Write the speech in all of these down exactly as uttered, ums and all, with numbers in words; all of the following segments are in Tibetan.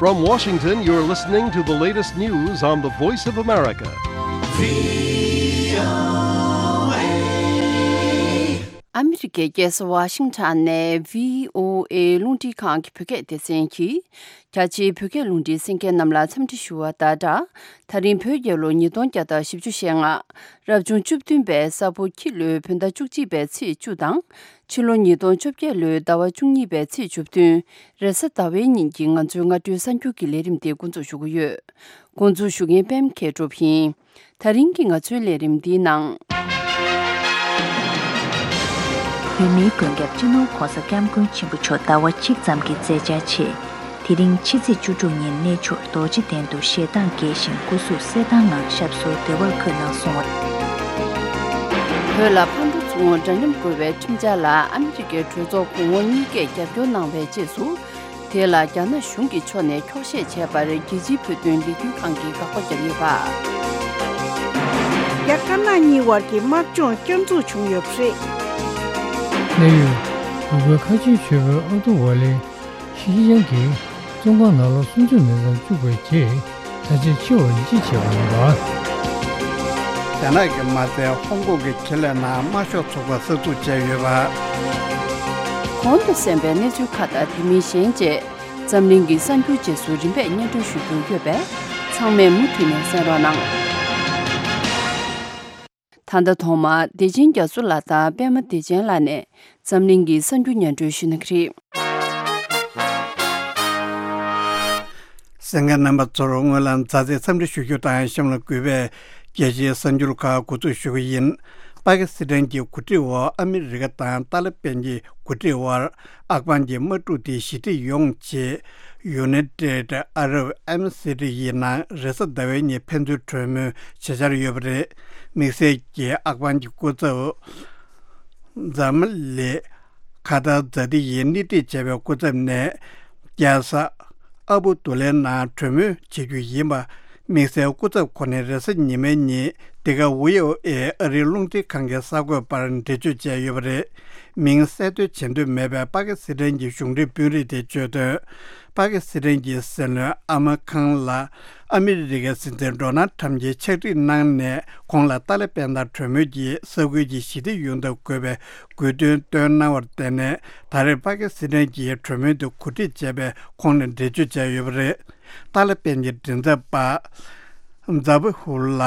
From Washington, you're listening to the latest news on the Voice of America. ཨ་མི་རི་ཀའི་རྒྱལ་ས་ཝ་ཤིང་ཊོན་ནས་བྷི་ཨོ་ཨེ་རླུང་འཕྲིན་ཁང་གི་བོད་སྐད་སྡེ་ཚན་གྱིས། རྒྱ་ཆེའི་བོད་སྐད་རླུང་འཕྲིན་གསན་མཁན་རྣམས་ལ་འཚམས་འདྲི་ཞུ་བ་དང་སྦྲགས། ད་རིང་བོད་རྒྱལ་ལོ་ཉིས་སྟོང་བརྒྱ་དང་བཞི་བཅུ་ཞེ་ལྔ། རབ་བྱུང་བཅུ་བདུན་པའི་ས་ཕོ་ཁྱི་ལོའི་བོད་ཟླ་བཅུ་གཅིག་པའི་ཚེས་བཅུ་དང་། ཕྱི་ལོ་ཉིས་སྟོང་བཅོ་བརྒྱད་ལོའི་ཟླ་བ་བཅུ་གཉིས་པའི་ཚེས་བཅུ་བདུན། རེས་གཟའ་ཟླ་བའི་ཉིན་གྱི་ང་ཚོའི་སྔ་དྲོའི་གསར་འགྱུར་གྱི་ལས་རིམ་དེ་འགོ་འཛུགས་ཞུ་གི་ཡོད། འགོ་འཛུགས་ཞུ་མཁན་པད་མ་མཁས་གྲུབ་ཡིན། ད་རིང་གི་ང་ཚོའི་ལས་རིམ་འདིའི་ནང་། བོད་མིའི་མགོན་སྐྱབས་སྤྱི་ནོར་༸གོང་ས་༸སྐྱབས་མགོན་ཆེན་པོ་མཆོག་ཟླ་བ་གཅིག་ཙམ་གྱི་མཛད་འཆར་ཆེད། དེ་རིང་ཕྱི་ཚེས་བཅུ་དྲུག་ཉིན་གནས་མཆོག་རྡོ་རྗེ་གདན་དུ་ཞལ་ཐང་རྒྱས་ཤིང་སྐུ་གཟུགས་གསལ་ཐང་ངང་ཞབས་སོར་བདེ་བར་འཁོད་གནང་སོང་བ། བོད་ལ་ཕར་འགྲོ་ཚུར་འོང་འདྲ་མཉམ་དགོས་པའི་ཁྲིམས་འཆར་ལ་ཨ་མི་རི་ཀའི་གྲོས་ཚོགས་གོང་འོག་གཉིས་ཀས་རྒྱབ་སྐྱོར་གནང་བའི་རྗེས་སུ། དེ་ལ་རྒྱ་ནག་གཞུང་གི་ཕྱོགས་ནས་འཁྱོག་བཤད་བྱས་པར་རྒྱལ་སྤྱིའི་བོད་དོན་ལས་འགུལ་ཁང་གིས་དགག་པ་བརྒྱབ་ཡོད་པ། རྒྱ་དཀར་ནག་གཉིས་བར་གྱི་དམག་སྦྱོང་བསྐྱར་འཛུགས་བྱུང་ཡོད་པ་རེད། གནས་ཡུལ། འུ་གོའི་ཁ་ཆེའི་ཆོས་དཔོན་ཨབ་ཏུ་ཝ་ལི། ཤི་ཤི་ཅང་གིས་བཙོན་ཁང་ནང་ལོ་སུམ་ཅུ་མིན་ཙམ་བཅུག་པའི་རྗེས་ད་ཆ་འཆི་བར་ཡིད་ཆེས་བྱས་པ་ཡིན་པ། རྒྱ་ནག་གིས་མ་ཚད་ཧོང་ཀོང་གི་ཁེ་ལས་ནང་དམར་ཤོག་ཚོགས་པ་གསར་འཛུགས་བྱས་ཡོད་པ། གོང་དུ་གསན་པའི་གནས་ཚུལ་ཁག་དང་དེ་མིན་གཞན་བཅས་འཛམ་གླིང་གི་གསར་འགྱུར་རྗེས་སུ་རིམ་པས་སྙན་སྒྲོན་ཞུ་རྒྱུ་ཡོད་པས་ཚང་མས་མུ་མཐུད་ནས་གསན་རོགས་གནང་། ད་ལྟ་ཐོག་མར་བདེ་ཆེན་རྒྱ་མཚོ་ལགས་དང་པད་མ་བདེ་ཆེན་ལགས་ནས་འཛམ་གླིང་གི་གསར་འགྱུར་སྙན་སྒྲོན་ཞུ་གནང་གི་རེད། གསན་མཁན་རྣམ་པ་ཚོར་སྔོན་ལ་མཛའ་བརྩེའི་འཚམས་འདྲི་ཞུ་རྒྱུ་དང་གཤམ་ལ་གུས་པས་རྒྱལ་སྤྱིའི་གསར་འགྱུར་ཁག་འགོ་འཛུགས་ཞུ་གི་ཡིན། པ་ཀི་སི་ཐན་གྱི་འགོ་ཁྲིད་འོག་ཨ་མི་རི་ཀ་དང་ཏཱ་ལི་པན་གྱི་འགོ་ཁྲིད་དབར་ཨབ་གྷན་གྱི་དམག་འཁྲུག་དེ་ཞི་འགྲིག་ཡོང་ཆེད་United Arab Emirates ཡི་ནང་རེས་གཟའ་ཟླ་བའི་ཉིན་ཕན་ཚུན་གྲོས་མོལ་བྱེད་འཆར་ཡོད་པ་རེད། དམིགས་བསལ་གྱིས་ཨབ་གྷན་གྱི་སྐུ་ཚབ་ཛ་མ་ལི་ཁ་ཏར་ཛ་ཏི་ཡིས་སྣེ་ཁྲིད་བྱས་པའི་སྐུ་ཚབ་ནས་རྒྱལ་ས་ཨ་བུ་དུ་ལའི་ནང་གྲོས་མོལ་བྱེད་རྒྱུ་ཡིན་པ། དམིགས་བསལ་སྐུ་ཚབ་ཁོ་ནས་རེས་གཟའ་ཉི་མའི་ཉིན་འདི་ག་ཝི་ཨོ་ཨེ་ཨ་རིའི་རླུང་འཕྲིན་ཁང་གི་གསར་འགོད་པར་འགྲེལ་བརྗོད་བྱས་ཡོད་པ་རེད། མིང་གསལ་འདོན་བྱེད་འདོད་མེད་པའི་པ་ཀི་སི་ཐན་གྱི་གཞུང་འབྲེལ་དཔོན་རིགས་དེས་བརྗོད་དོན། པ་ཀི་སི་ཐན་གྱི་སྲིད་བློན་ཨ་མ་ཁང་ལ་ཨ་མི་རི་ཀའི་སྲིད་འཛིན་ཌོ་ནལ་ཁྲམ་གྱིས་ཕྱག་བྲིས་གནང་ནས་ཁོང་ལ་ཏཱ་ལི་པན་དང་གྲོས་མོལ་གྱིས་ས་ཁུལ་གྱི་ཞི་བདེ་ཡོང་ཐབས་དགོས་པའི་དགོས་འདུན་བཏོན་གནང་བར་བརྟེན་ནས་ད་རེས་པ་ཀི་སི་ཐན་གྱིས་གྲོས་མོལ་དེ་གོ་སྒྲིག་བྱས་པའི་ཁོངས་ནས་འགྲེལ་བརྗོད་བྱས་ཡོད་པ་རེད། ཏཱ་ལི་པན་གྱི་མགྲིན་ཚབ་པ་ཛ་བྷི་ཧུ་ལ་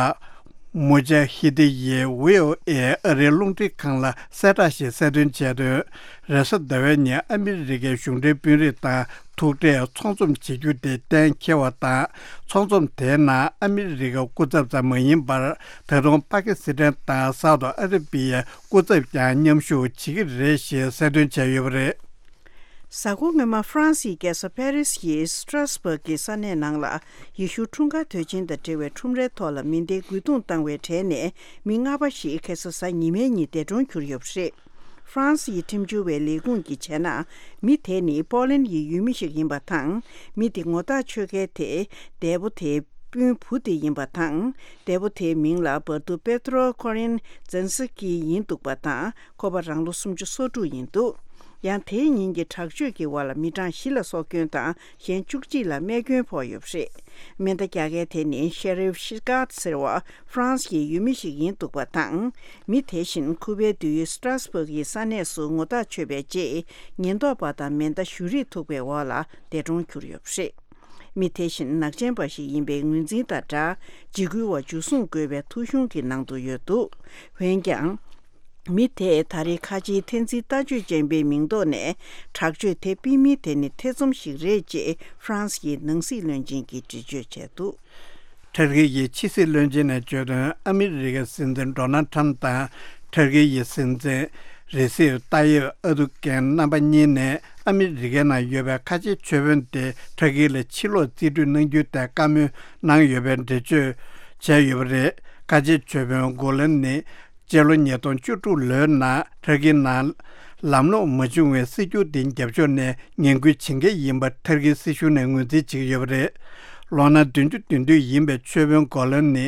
མུ་ཇ་ཧི་དི་ཡིས་ཝི་ཨོ་ཨེ་ཨ་རིའི་རླུང་འཕྲིན་ཁང་ལ་གསལ་བསྒྲགས་ཤིག་གསལ་སྟོན་བྱས་དོན། རེས་གཟའ་ཟླ་བའི་ཉིན་ཨ་མི་རི་ཀའི་གཞུང་འབྲེལ་དཔོན་རིགས་དང་ཐུག་འཕྲད་ཚོགས་འཛོམས་བྱེད་རྒྱུ་དེ་གཏན་འཁེལ་བ་དང་། ཚོགས་འཛོམས་དེའི་ནང་ཨ་མི་རི་ཀའི་སྐུ་ཚབ་ཙམ་མ་ཡིན་པར་ད་དུང་པ་ཀི་སི་ཐན་དང་སའུ་ཏི་ཨ་ར་པི་ཡའི་སྐུ་ཚབ་ཀྱང་མཉམ་ཞུགས་བྱེད་ཀྱི་རེད་ཞེས་གསལ་སྟོན་བྱས་ཡོད་པ་རེད། གཟའ་འཁོར་སྔོན་མ་ཧྥ་རན་སིའི་རྒྱལ་ས་ཕ་རི་སི་ཡི་སི་ཏྲ་སི་བྷག་གི་ས་གནས་ནང་ལ་ཡེ་ཤུ་འཁྲུངས་སྐར་དུས་ཆེན་དང་འབྲེལ་བའི་ཁྲོམ་རའི་ཐོག་ལ་མེ་མདའི་རྒོལ་རྡུང་བཏང་བའི་གྲས་ནས་མི་ལྔ་པ་ཞིག་ཁ་སང་གཟའ་ཉི་མའི་ཉིན་འདས་གྲོངས་གྱུར་ཡོད་པ་རེད། ཧྥ་རན་སི་ཡི་ཁྲིམས་བྱོལ་བའི་ལས་ཁུངས་ཀྱིས་བྱས་ན། མི་དེ་ནི་པོ་ལན་ཡི་ཡུལ་མི་ཞིག་ཡིན་པ་དང་། མི་དེ་ངོ་ཐག་ཆོད་མཁན་དེ་འདས་པོ་དེའི་སྤུན་བུ་དེ་ཡིན་པ་དང་། འདས་པོ་དེའི་མིང་ལ་བར་དུ་པེ་ཏྲོ་ཀོ་རིན་ཛན་སི་ཀི་ཡིན་འདུག་པ་དང་། ཁོ་པ་རང་ལོ་སུམ་ཅུ་སོ་དྲུག་ཡིན་འདུག་ཡང་དེའི་ཉིན་གྱི་དྲག་སྤྱོད་ཀྱི་འོག་ལ་མི་གྲངས་བཞི་ལ་སྲོག་སྐྱོན་དང་གཞན་བཅུ་གཅིག་ལ་རྨས་སྐྱོན་ཕོག་ཡོད་པ་རེད། མེ་མདའ་རྒྱག་མཁན་དེ་ནི་ཤེ་རིབ་ཤི་ཀཱད་ཟེར་བ་ཧྥ་རན་སི་ཡི་ཡུལ་མི་ཞིག་ཡིན་འདུག་པ་དང་། མི་དེ་བཞིན་ཁུ་པའི་འདུས་ཡུལ་སི་ཏྲ་སི་བྷག་གི་ས་གནས་སུ་ངོ་ཐག་ཆོད་པའི་རྗེས་ཉེན་རྟོག་པ་དང་མེ་མདའ་གཞུ་རིས་ཐུག་པའི་འོག་ལ་འདས་གྲོངས་གྱུར་ཡོད་པ་རེད། མི་དེ་བཞིན་ནག་ཅན་པ་ཞིག་ཡིན་པའི་ངོས་འཛིན་དང་སྦྲགས་འཇིགས་སྐུལ་བ་འཇུ་བཟུང་དགོས་པའི་ཐོ་གཞུང་གི་ནང་དུ་ཡོད་འདུག་འོན་ཀྱང་། མི་དེས་ད་རེས་ཁ་ཆེའི་འཐེན་འཛིན་ལྟ་སྤྱོད་ཅན་པའི་མིང་ཐོག་ནས་དྲག་སྤྱོད་དེ་སྤེལ་མིན་དེ་ནི་ཐེ་ཚོམ་ཞིག་རེད་ཅེས་ཧྥ་རན་སི་ཡི་ནང་སྲིད་བློན་ཆེན་གྱིས་འགྲེལ་བརྗོད་བྱས་འདུག་ཊར་ཀི་ཡི་ཕྱི་སྲིད་བློན་ཆེན་ནས་བརྗོད་དོན། ཨ་མི་རི་ཀའི་སྲིད་འཛིན་ཌོ་ནལ་ཁྲམ་དང་ཊར་ཀི་ཡི་སྲིད་འཛིན་རེ་སིབ་ཏཱ་ཡིབ་ཨར་དུ་གྷན་རྣམ་པ་གཉིས་ནས་ཨ་མི་རི་ཀའི་ནང་ཡོད་པའི་ཁ་ཆེའི་ཆོས་དཔོན་དེ་ཊར་ཀི་ལ་ཕྱིར་ལོག་རྩིས་སྤྲོད་གནང་རྒྱུའི་ཐད་བཀའ་མོལ་གནང་ཡོད་པའི་འགྲེལ་བརྗོད་བྱས་ཡོད་པ་རེད། ཁ་ཆེའི་ཆོས་དཔོན་གོ་ལན་ནི། སྤྱི་ལོ་ཉིས་སྟོང་བཅུ་དྲུག་ལོའི་ནང་ཊར་ཀི་ནང་ལམ་ལྷོང་མ་བྱུང་བའི་སྲིད་བྱུས་དེ་རྒྱབ་ཕྱོགས་ནས་ངན་སྐུལ་བྱེད་མཁན་ཡིན་པ་ཊར་ཀིའི་སྲིད་གཞུང་ནས་ངོས་འཛིན་བྱེད་ཀྱི་ཡོད་པ་རེད། ལོ་ན་བདུན་ཅུ་དོན་བདུན་ཡིན་པའི་ཆོས་དཔོན་གོ་ལན་ནི།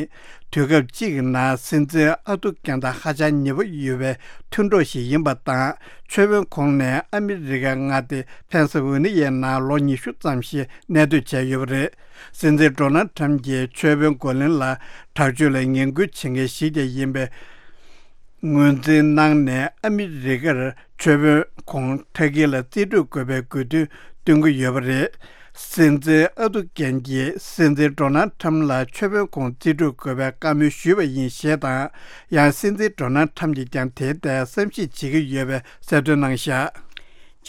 དུས་སྐབས་གཅིག་གི་ནང་སྲིད་འཛིན་ཨ་ཏུ་ཀན་ཏ་ཧ་ཅང་ཉེ་པོ་ཡོད་པའི་མཐུན་གྲོགས་ཤིག་ཡིན་པ་དང་། ཆོས་དཔོན་ཁོང་ནས་ཨ་མི་རི་ཀའི་མངའ་སྡེ་ཕེན་སི་ཝེ་ནི་ཡའི་ནང་ལོ་ཉི་ཤུ་ཙམ་ཞིག་གནས་སྡོད་བྱས་ཡོད་པ་རེད། སྲིད་འཛིན་ཌོ་ནལ་ཁྲམ་གྱིས་ཆོས་དཔོན་གོ་ལིན་ལ་དྲག་སྤྱོད་ལ་ངན་སྐུལ་བྱེད་མཁན་ཞིག་ཀྱང་ཡིན་པའི་ངོས་འཛིན་གནང་ནས། ཨ་མི་རི་ཀར་ཆོས་དཔོན་ཁོང་ཐར་ཀི་ལ་རྩིས་སྤྲོད་དགོས་པའི་དགོས་འདུན་བཏོན་གྱི་ཡོད་པ་རེད། སྲིད་འཛིན་ཨ་རྡོ་རྒྱན་གྱིས་སྲིད་འཛིན་ཌོ་ནལ་ཁྲམ་ལ་ཆོས་དཔོན་ཁོང་རྩིས་སྤྲོད་དགོས་པའི་བཀའ་མོལ་ཞུས་པ་ཡིན་ཞེས་དང་། ཡང་སྲིད་འཛིན་ཌོ་ནལ་ཁྲམ་གྱིས་ཀྱང་དེའི་ཐད་བསམ་གཞིག་བྱེད་ཀྱི་ཡོད་པའི་གསལ་སྟོན་གནང་བཞག་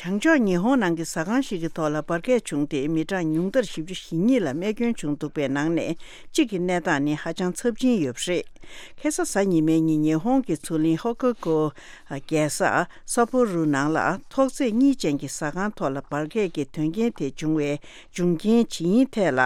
བྱང་ཕྱོགས་ཉི་ཧོང་ནང་གི་ཟ་ཁང་ཞིག་གི་ཐོག་ལ་འབར་གས་བྱུང་སྟེ། མི་གྲངས་ཉུང་མཐར་བཞི་བཅུ་ཞེ་གཉིས་ལ་རྨས་སྐྱོན་བྱུང་འདུག་པའི་ནང་ནས་གཅིག་གི་གནས་སྟངས་ནི་ཧ་ཅང་ཚབས་ཆེན་ཡོད་པ་རེད། ཁ་སང་གཟའ་ཉི་མའི་ཉིན། ཉི་ཧོང་གི་མཚོ་གླིང་ཧོ་ཀོ་ཀོ་རྒྱལ་ས་སཱ་པོ་རུ་ནང་ལ་ཐོག་བརྩེགས་གཉིས་ཅན་གྱི་ཟ་ཁང་ཐོག་ལ་འབར་གས་ཀྱི་དོན་རྐྱེན་དེ་བྱུང་བའི་འབྱུང་རྐྱེན་ཇི་ཡིན་ཐད་ལ་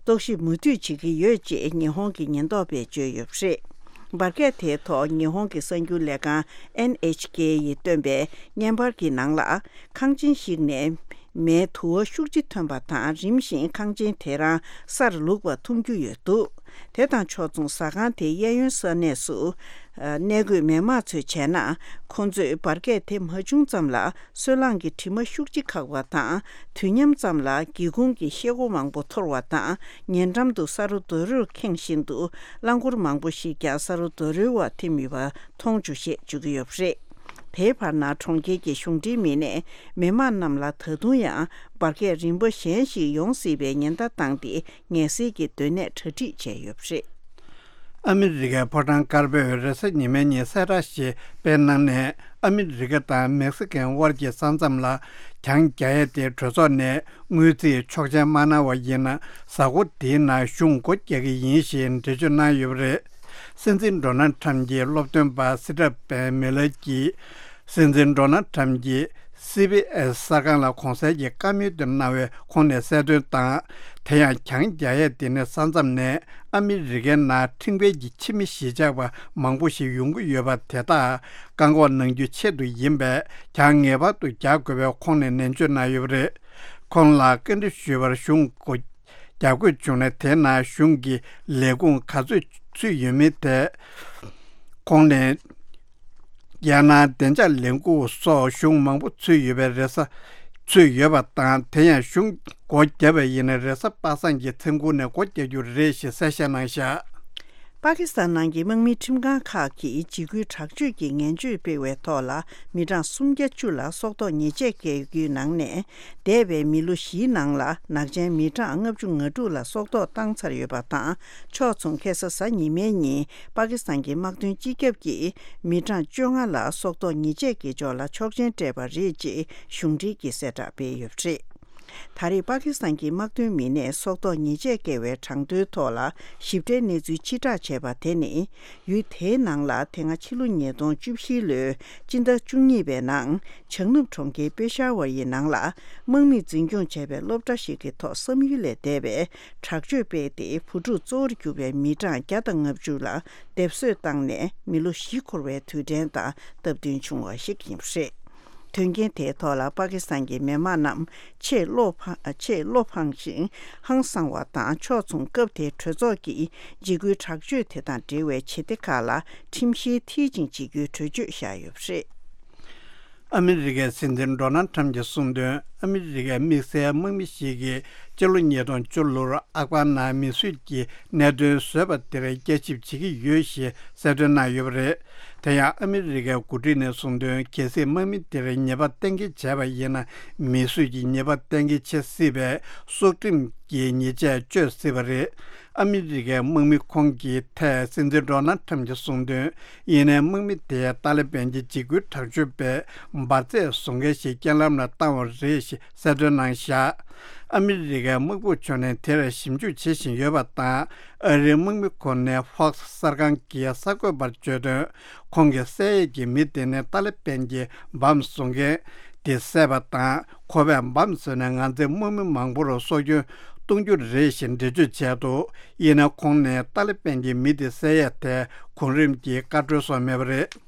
རྟོག་ཞིབ་མུ་མཐུད་བྱེད་ཀྱི་ཡོད་ཅེས་ཉི་ཧོང་གི་ཉེན་རྟོག་པས་བརྗོད་ཡོད་པ་རེད། འབར་གས་དེའི་ཐོག་ཉི་ཧོང་གི་གསར་འགྱུར་ལས་ཁང་ཨེན་ཨེཆ་ཀེ་ཡིས་བཏོན་པའི་བརྙན་པར་གྱི་ནང་ལ། ཁང་ཆེན་ཞིག་ནས་མེའི་དུ་བ་ཤུགས་ཆེ་ཐོན་པ་དང་། རིམ་བཞིན་ཁང་ཆེན་དེ་རང་སར་ལུག་པ་མཐོང་རྒྱུ་ཡོད་འདུག་དེ་དང་ཕྱོགས་མཚུངས། ཟ་ཁང་དེའི་གཡས་གཡོན་ས་གནས་སུ། ཨ། གནས་འཁོད་མི་མང་ཚོས་བྱས་ན། ཁོང་ཚོས་འབར་གས་དེ་མ་བྱུང་ཙམ་ལ། སོལ་རླངས་ཀྱི་དྲི་མ་ཤུགས་ཆེ་ཁག་པ་དང་། དུས་མཉམ་ཙམ་ལ་སྒེའུ་ཁུང་གི་ཤེལ་སྒོ་མང་པོ་འཐོར་བ་དང་། ཉེ་འགྲམ་དུ་ས་རོ་རྡོ་རོས་ཁེངས་བཞིན་དུ། རླངས་འཁོར་མང་པོ་ཞིག་ཀྱང་ས་རོ་རྡོ་རོའི་འོག་ཐིམ་ཡོད་པ་མཐོང་བྱུང་ཞེས་བརྗོད་ཀྱི་ཡོད་པ་རེད། དེའི་བར་ན། གྲོང་ཁྱེར་གྱི་གཞུང་འབྲེལ་མི་སྣས་མི་མང་རྣམས་ལ་ད་དུང་ཡང་འབར་གས་རིམ་པ་གཞན་ཞིག་ཡོང་སྲིད་པའི་ཉེན་བརྡ་བཏང་སྟེ། ངལ་སེལ་གྱི་སྡོད་གནས་གྲ་སྒྲིག་བྱས་ཡོད་པ་རེད། ཨ་མི་རི་ཀའི་ཕོ་བྲང་དཀར་པོས་རེས་གཟའ་ཉི་མའི་ཉིན་གསལ་བསྒྲགས་ཤིག་སྤེལ་གནང་ནས། ཨ་མི་རི་ཀ་དང་མེག་སི་ཀོའི་དབར་གྱི་ས་མཚམས་ལ་གྱང་རྒྱག་ཡས་དེ་གྲོས་ཚོགས་ནས་དངུལ་རྩིས་ཆོག་མཆན་མ་གནང་བ་ཡིན་ན། གཟའ་འཁོར་འདིའི་ནང་གཞུང་སྒོ་རྒྱག་གི་ཡིན་ཞེས་འགྲེལ་བརྗོད་གནང་ཡོད་པ་རེད། སྲིད་འཛིན་ཌོ་ནལ་ཁྲམ་གྱི་སློབ་སྟོན་པ་སི་ཏྲ་བན་མི་ལར་གྱིས། སྲིད་འཛིན་ཌོ་ནལ་ཁྲམ་གྱིས་སི་བྷི་ཨེས་གསར་ཁང་ལ་གོང་གསལ་གྱི་བཀའ་མོལ་དེ་གནང་བའི་ཁོངས་ནས་གསལ་སྟོན་དང་། དེ་ཡང་གྱང་རྒྱག་ཡས་དེ་ནི་ས་མཚམས་ནས་ཨ་མི་རི་ཀའི་ནང་ཁྲིམས་འགལ་གྱི་ཕྱི་མི་གཞིས་ཆགས་པ་མང་པོ་ཞིག་ཡོང་གི་ཡོད་པ་དེ་དག་བཀག་འགོག་གནང་རྒྱུའི་ཆེད་དུ་ཡིན་པས། གྱང་ངེས་པར་དུ་རྒྱག་དགོས་པའི་ཁོངས་ནས་ནན་བརྗོད་གནང་ཡོད་པ་རེད། ཁོང་ལ་བཀའ་འདྲི་ཞུས་པར། གཞུང་སྒོ་རྒྱག་དགོས་བྱུང་ན། དེ་ནང་གཞུང་གི་ལས་ཁུངས་ག་ཚོད་ཚུད་ཡོད་མེད་དེ། ཁོང་ནས། རྒྱལ་ནང་བདེ་འཇགས་ལས་ཁུངས་སོགས་གཞུང་མང་པོ་ཚུད་ཡོད་པའི་རེས་གཟའ། ཚུད་ཡོད་པ་དང་། དེ་ཡང་གཞུང་སྒོ་བརྒྱབ་པ་ཡིན་ན། རེས་གཟའ་པ་སངས་ཀྱི་མཚན་གུང་ནས་སྒོ་རྒྱག་རྒྱུ་རེད་ཞེས་གསལ་བཤད་གནང་བཞག་པ་ཀི་སི་ཐན་ནང་གི་དམག་མིའི་ཁྲིམས་ཁང་ཁག་གིས་འཇིགས་སྐུལ་དྲག་སྤྱོད་ཀྱི་ངན་བྱུས་སྤེལ་བའི་ཐོག་ལ། མི་གྲངས་སུམ་བརྒྱ་བཅུ་ལ་སྲོག་ཐོག་ཉེས་ཆད་བཀལ་རྒྱུའི་ནང་ནས། འདས་པའི་མི་ལོ་བཞིའི་ནང་ལ་ནག་ཅན་མི་གྲངས་ལྔ་བཅུ་ང་དྲུག་ལ་སྲོག་ཐོག་བཏང་ཚར་ཡོད་པ་དང་། ཕྱོགས་མཚུངས། ཁ་སང་གཟའ་ཉི་མའི་ཉིན། པ་ཀི་སི་ཐན་གྱི་དམག་དོན་སྤྱི་ཁྱབ་ཀྱིས་མི་གྲངས་བཅོ་ལྔ་ལ་སྲོག་ཐོག་ཉེས་ཆད་བཀལ་ཕྱོགས་ལ་ཆོག་མཆན་སྤྲད་པ་རེད་ཅེས་གཞུང་འབྲེལ་གྱིས་གསལ་བསྒྲགས་སྤེལ་ཡོད་པ་རེད། ད་རེས་པ་ཀི་སི་ཐན་གྱི་དམག་དོན་མི་སྣས་སྲོག་ཐོག་ཉེས་ཆད་བཀལ་བའི་གྲངས་ཐོའི་ཐོག་ལ་ཞིབ་ཕྲའི་གནས་ཚུལ་ཕྱིར་བསྒྲགས་བྱས་པ་དེ་ནི། ཡུལ་དེའི་ནང་ལ་དེ་སྔ་ཕྱི་ལོ་ཉིས་སྟོང་བཅུ་བཞི་ལོའི་སྤྱི་ཟླ་བཅུ་གཉིས་པའི་ནང་། བྱང་ནུབ་གྲོང་ཁྱེར་པེ་ཤ་ཝར་ཡི་ནང་ལ། དམག་མིས་འཛིན་སྐྱོང་བྱས་པའི་སློབ་གྲྭ་ཞིག་གི་ཐོག་བསམ་ཡུལ་ལས་འདས་པའི་དྲག་སྤྱོད་སྤེལ་ཏེ། བུ་ཕྲུག་གཙོ་བོར་གྱུར་པའི་མི་གྲངས་བརྒྱ་དང་ལྔ་བཅུ་ལ་སྡེབ་གསོད་བཏང་ནས། མི་ལོ་བཞི་འཁོར་བའི་དུས་དྲན་དང་སྟབས་བསྟུན་བྱུང་བ་ཞིག་ཡིན་པ་རེད། དོན་རྐྱེན་དེའི་ཐོག་ལ་པ་ཀི་སི་ཐན་གྱི་མི་མང་རྣམས་ཆེས་བློ་ཕངས། ཆེས་བློ་ཕངས་ཤིང་ཧང་སངས་པ་དང་། ཕྱོགས་མཚུངས། སྐབས་དེའི་གྲོས་ཚོགས་ཀྱིས་འཇིགས་སྐུལ་དྲག་སྤྱོད་དེ་དང་འབྲེལ་བའི་བྱེད་གཏེ་ཁག་ལ་ཁྲིམས་བཤེར་མཐིལ་ཕྱིན་བྱེད་རྒྱུའི་གྲོས་ཆོད་བཞག་ཡོད་པ་རེད། ཨ་མི་རི་ཀའི་སྲིད་འཛིན་ཌོ་ནལ་ཁྲམ་གྱིས་གསུངས་དོན། ཨ་མི་རི་ཀའི་དམིགས་བསལ་དམག་མི་ཞིག་གིས་སྤྱི་ལོ་ཉིས་སྟོང་བཅུ་ལོར་ཨབ་གྷན་ནང་མི་གསོད་ཀྱི་གནད་དོན་བཟོས་པ་དེར་བསྐྱར་ཞིབ་བྱེད་ཀྱི་ཡོད་ཞེས་གསལ་སྟོན་གནང་ཡོད་པ་རེད། དེ་ཡང་ཨ་མི་རི་ཀའི་འགོ་ཁྲིད་ནས་གསུངས་དོན། གལ་སྲིད་དམག་མི་དེར་ཉེས་པ་གཏན་འཁེལ་བྱས་པ་ཡིན་ན། མི་གསོད་ཀྱི་ཉེས་པ་གཏན་འཁེལ་བྱེད་སྲིད་པས། སྲོག་ཁྲིམས་ཀྱི་ཉེས་ཆད་གཅོད་སྲིད་པ་རེད། ཨ་མི་རི་ཀའི་དམག་མི་ཁོང་གི་ཐད་སྲིད་འཛིན་ཌོ་ནལ་ཁྲམ་གྱིས་གསུངས་དོན། ཡིན་ནའི་དམག་མི་དེས་ཏཱ་ལི་བན་གྱི་འཇིགས་སྐུལ་དྲག་སྤྱོད་པས་འབར་རྫས་བཟོ་མཁན་ཞིག་རྐྱེན་ལམ་ལ་བཏང་བ་རེད་ཞེས་གསལ་སྟོན་གནང་བཞག་ཨ་མི་རི་ཀའི་དམག་དཔུང་ཕྱོགས་ནས་དེར་ཞིབ་འཇུག་བྱེད་བཞིན་ཡོད་པ་དང་། ཨ་རིའི་དམག་མི་ཁོ་ནས་ཧྥོག་སི་གསར་ཁང་གི་གསར་འགོད་པར་བརྗོད་དོན། ཁོང་གིས་བསད་ཡས་ཀྱི་མི་དེ་ནི་ཏཱ་ལི་བན་གྱི་འབམ་བཟོ་མཁན་དེ་བསད་པ་དང་། ཁོ་པས་འབམ་བཟོས་ནས་ང་ཚོའི་དམག་མི་མང་པོར་སྲོག་སྐྱོན་གཏོང་རྒྱུ་རེད་ཞེས་འགྲེལ་བརྗོད་བྱས་འདུག་ཡིན་ན་ཁོང་ནས་ཏཱ་ལི་བན་གྱི་མི་དེ་བསད་ཡས་ཐད་གོང་རིམ་གྱི་བཀའ་འཁྲོལ་སོགས་མེད་པ་རེད།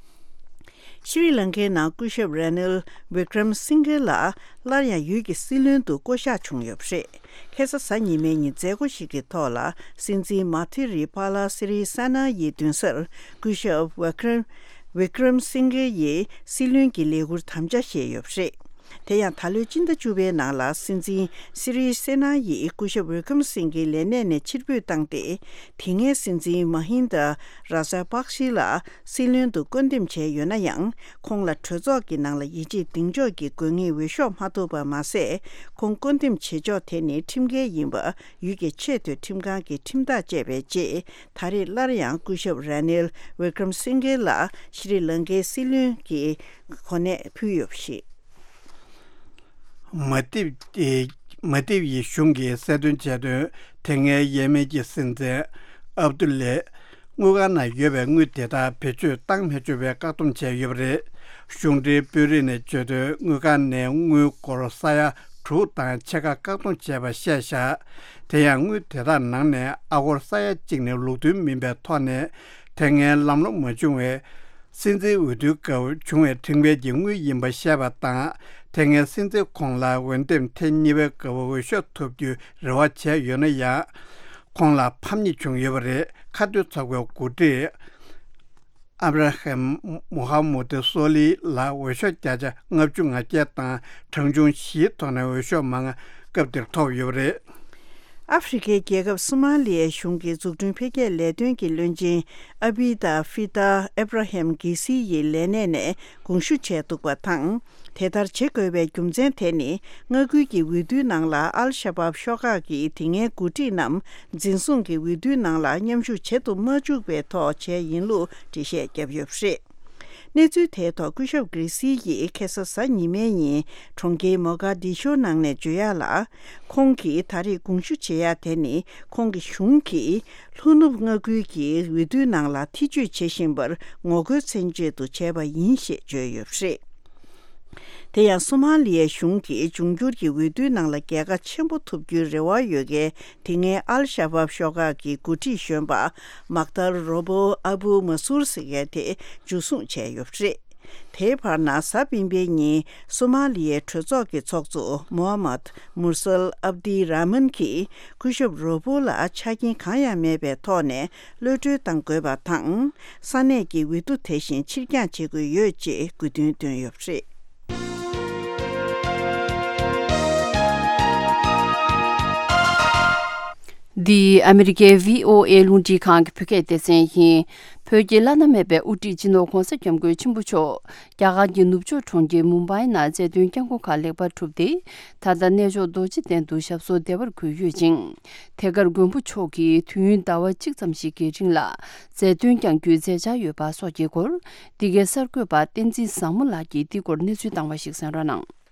ཤྲི་ལང་ཀའི་ནང་སྐུ་ཞབས་ར་ནིལ་བི་ཀྲམ་སིང་གྷེ་ལགས་སླར་ཡང་ཡུལ་གྱི་སྲིད་བློན་དུ་བསྐོ་གཞག་བྱུང་ཡོད་པ་རེད། ཁ་སང་གཟའ་ཉི་མའི་ཉིན་མཛད་སྒོ་ཞིག་གི་ཐོག་ལ། སྲིད་འཛིན་མ་ཐི་རི་པཱ་ལ་སི་རི་སེ་ན་ཡི་མདུན་སར་སྐུ་ཞབས་ཝི་ཀྲམ་ཝི་ཀྲམ་སིང་གྷེ་ཡི་སྲིད་བློན་གྱི་ལས་ཁུར་དམ་བཅའ་བཞེས་ཡོད་པ་རེད། དེ་ཡང་ད་ལོའི་སྤྱི་ཟླ་བཅུ་པའི་ནང་ལ་སྲིད་འཛིན་སི་རི་སེ་ན་ཡིས་སྐུ་ཞབས་ཝི་ཀྲམ་སིང་གྷེ་ལས་གནས་ནས་ཕྱིར་འབུད་བཏང་སྟེ། དེ་སྔའི་སྲིད་འཛིན་མ་ཧིན་དཱ་ར་ཇ་པག་ཤི་ལ་སྲིད་བློན་དུ་བསྐོ་འདེམས་བྱས་ཡོད་ན་ཡང་། ཁོང་ལ་གྲོས་ཚོགས་ཀྱི་ནང་ལ་ཡིད་ཆེས་གདེང་འཇོག་གི་དགོས་ངེས་འོས་ཤོག་མ་ཐོབ་པ་མ་ཟད། ཁོང་བསྐོ་འདེམས་བྱེད་ཕྱོགས་དེ་ནི་ཁྲིམས་འགལ་ཡིན་པ་ཡུལ་གྱི་ཆེས་མཐོའི་ཁྲིམས་ཁང་གིས་ཁྲིམས་ཐག་བཅད་པའི་རྗེས། ད་རེས་སླར་ཡང་སྐུ་ཞབས་ར་ནིལ་ཝི་ཀྲམ་སིང་གྷེ་ལ་ཤྲི་ལང་ཀའི་སྲིད་བློན་གྱི་གོ་གནས་ཕུལ་ཡོད་པ་རེད། མ་ཏིབ་ཏི་མ་ཏིབ་ཡི་གཞུང་གིས་གསལ་སྟོན་བྱས་དོན། དེ་སྔའི་ཡེ་མེན་གྱི་སྲིད་འཛིན་ཨབ་ཏུ་ལེ་དངུལ་ཁང་ནང་ཡོད་པའི་དངུལ་དེ་དག་བེད་སྤྱོད་བཏང་མི་ཆོག་པའི་བཀག་སྡོམ་བྱས་ཡོད་པ་རེད། གཞུང་འབྲེལ་དཔོན་རིགས་ནས་བརྗོད་དོན། དངུལ་ཁང་ནས་དངུལ་སྒོར་ས་ཡ་དྲུག་དང་ཕྱེད་ཀ་བཀག་སྡོམ་བྱས་པ་བཤད་བཞག་དེ་ཡང་དངུལ་དེ་དག་ནང་ནས་ཨ་སྒོར་ས་ཡ་གཅིག་ནི་ལུགས་མཐུན་མིན་པའི་ཐོག་ནས། དེ་སྔའི་ལམ་ལྷོང་མ་བྱུང་བའི་སྲིད་འཛིན་འོས་བསྡུའི་སྐབས་བྱུང་བའི་ཁྲིམས་འགལ་གྱི་དངུལ་ཡིན་པ་བཤད་པ་དང་། དེ་སྔའི་སྲིད་འཛིན་ཁོང་ལ་འོས་འདེམས་ཐེངས་གཉིས་པའི་སྐབས་འོས་ཤོག་ཐོབ་རྒྱུའི་རེ་བ་བྱས་ཡོད་ན་ཡང་། ཁོང་ལ་ཕམ་ཉེས་བྱུང་ཡོད་པ་རེད། ཁ་གཏད་ཚོགས་པའི་འགོ་ཁྲིད་ཨབ་ར་ཧམ་མུ་ཧམ་མུ་ཏི་སོ་ལི་ལ་འོས་ཤོག་བརྒྱ་ཆ་ལྔ་བཅུ་ང་བརྒྱད་དང་གྲངས་ཆུང་བཞིའི་ཐོག་ནས་འོས་ཤོག་མང་སྐབས་དེར་ཐོབ་ཡོད་པ་རེད། ཨ་ཧྥེ་རི་ཁའི་རྒྱལ་ཁབ་སོ་མ་ལི་ཡའི་གཞུང་གི་འཛུགས་སྐྲུན་འཕེལ་རྒྱས་ལས་དོན་གྱི་བློན་ཆེན་ཨ་བྷི་ད་ཧྥི་ད་ཨེབ་ར་ཧེམ་གྷི་སི་ཡི་ལས་གནས་ནས་དགོངས་ཞུ་བྱས་འདུག་པ་དང་། དེ་ལྟར་བྱེད་དགོས་པའི་རྒྱུ་མཚན་དེ་ནི། མངའ་ཁུལ་གྱི་འོས་བསྡུའི་ནང་ལ་ཨལ་ཤ་བབ་ཤོག་ཁག་གི་དེ་སྔའི་འགོ་ཁྲིད་རྣམས་འཛིན་བཟུང་གིས་འོས་བསྡུའི་ནང་ལ་མཉམ་ཞུགས་བྱེད་དུ་མ་བཅུག་པའི་ཐོག་བྱས་ཡིན་ལུགས་འགྲེལ་བཤད་བརྒྱབ་ཡོད་པ་རེད། གནས་ཚུལ་དེའི་ཐོག་སྐུ་ཞབས་གྷི་སི་ཡིས་ཁ་སང་གཟའ་ཉི་མའི་ཉིན་གྲོང་ཁྱེར་མོ་ག་དི་ཤོ་ནང་ནས་བརྗོད་ཡག་ལ། ཁོང་གིས་ད་རེས་དགོངས་ཞུ་བྱེད་ཡག་དེ་ནི་ཁོང་གི་གཞུང་གིས་ལྷོ་ནུབ་མངའ་ཁུལ་གྱི་འོས་བསྡུའི་ནང་ལ་ཐེ་བྱུས་བྱེད་བཞིན་པར་ངོ་རྒོལ་མཚོན་ཆེད་དུ་བྱས་པ་ཡིན་ཞེས་བརྗོད་ཡོད་པ་རེད། དེ་ཡང་སོ་མ་ལི་ཡའི་གཞུང་གིས་འབྱུང་འགྱུར་གྱི་འོས་བསྡུའི་ནང་ལ་རྒྱལ་ཁ་ཆེན་པོ་ཐོབ་རྒྱུའི་རེ་བ་ཡོད་མཁན་དེ་སྔའི་ཨལ་ཤ་བབ་ཤོག་ཁག་གི་འགོ་ཁྲིད་གཞོན་པ་མག་ཏར་རོ་བོ་ཨ་བུ་མ་སུར་ཟེར་མཁན་དེ་འཇུ་བཟུང་བྱས་ཡོད་པ་རེད། དེའི་བར་ན་གཟའ་སྤེན་པའི་ཉིན་སོ་མ་ལི་ཡའི་གྲོས་ཚོགས་ཀྱི་ཚོགས་གཙོ་མོ་ཧ་མད་མུར་སལ་ཨབ་དི་ར་མན་གྱིས་སྐུ་ཞབས་རོ་བོ་ལ་ཆ་རྐྱེན་གང་ཡང་མེད་པའི་ཐོག་ནས་གློད་གྲོལ་གཏང་དགོས་པ་དང་། ས་གནས་ཀྱི་འོས་བསྡུ་དེ་བཞིན་ཕྱིར་འགྱངས་བྱེད་དགོས་ཡོད་ཅེས་དགོས་འདུན་བཏོན་ཡོད་པ་རེད། འདི་ཨ་མི་རི་ཀའི་བྷི་ཨོ་ཨེ་རླུང་འཕྲིན་ཁང་གི་བོད་སྐད་སྡེ་ཚན་ཡིན། བོད་ཀྱི་བླ་ན་མེད་པའི་དབུ་ཁྲིད་སྤྱི་ནོར་༧གོང་ས་༧སྐྱབས་མགོན་ཆེན་པོ་མཆོག་རྒྱ་གར་གྱི་ནུབ་ཕྱོགས་གྲོང་ཁྱེར་མུམ་བྷའི་ནང་མཛད་དོན་བསྐྱངས་སྒོ་ཁག་ལེགས་པར་གྲུབ་སྟེ། ད་ལྟ་གནས་མཆོག་རྡོ་རྗེ་གདན་དུ་ཞབས་སོར་བདེ་བར་འཁོད་ཡོད་ཅིང་། དེ་གར་མགོན་པོ་མཆོག་གིས་དུས་ཡུན་ཟླ་བ་གཅིག་ཙམ་ཞིག་གི་རིང་ལ་མཛད་དོན་བསྐྱང་རྒྱུའི་མཛད་འཆར་ཡོད་པ་སོགས་ཀྱི་སྐོར། འདི་གའི་གསར་འགོད་པ་བསྟན་འཛིན་བཟང་མོ་ལགས་ཀྱིས་འདི་སྐོར་གནས་ཚུལ་བཏང་བ་ཞིག་གསན་རོགས་གནང་།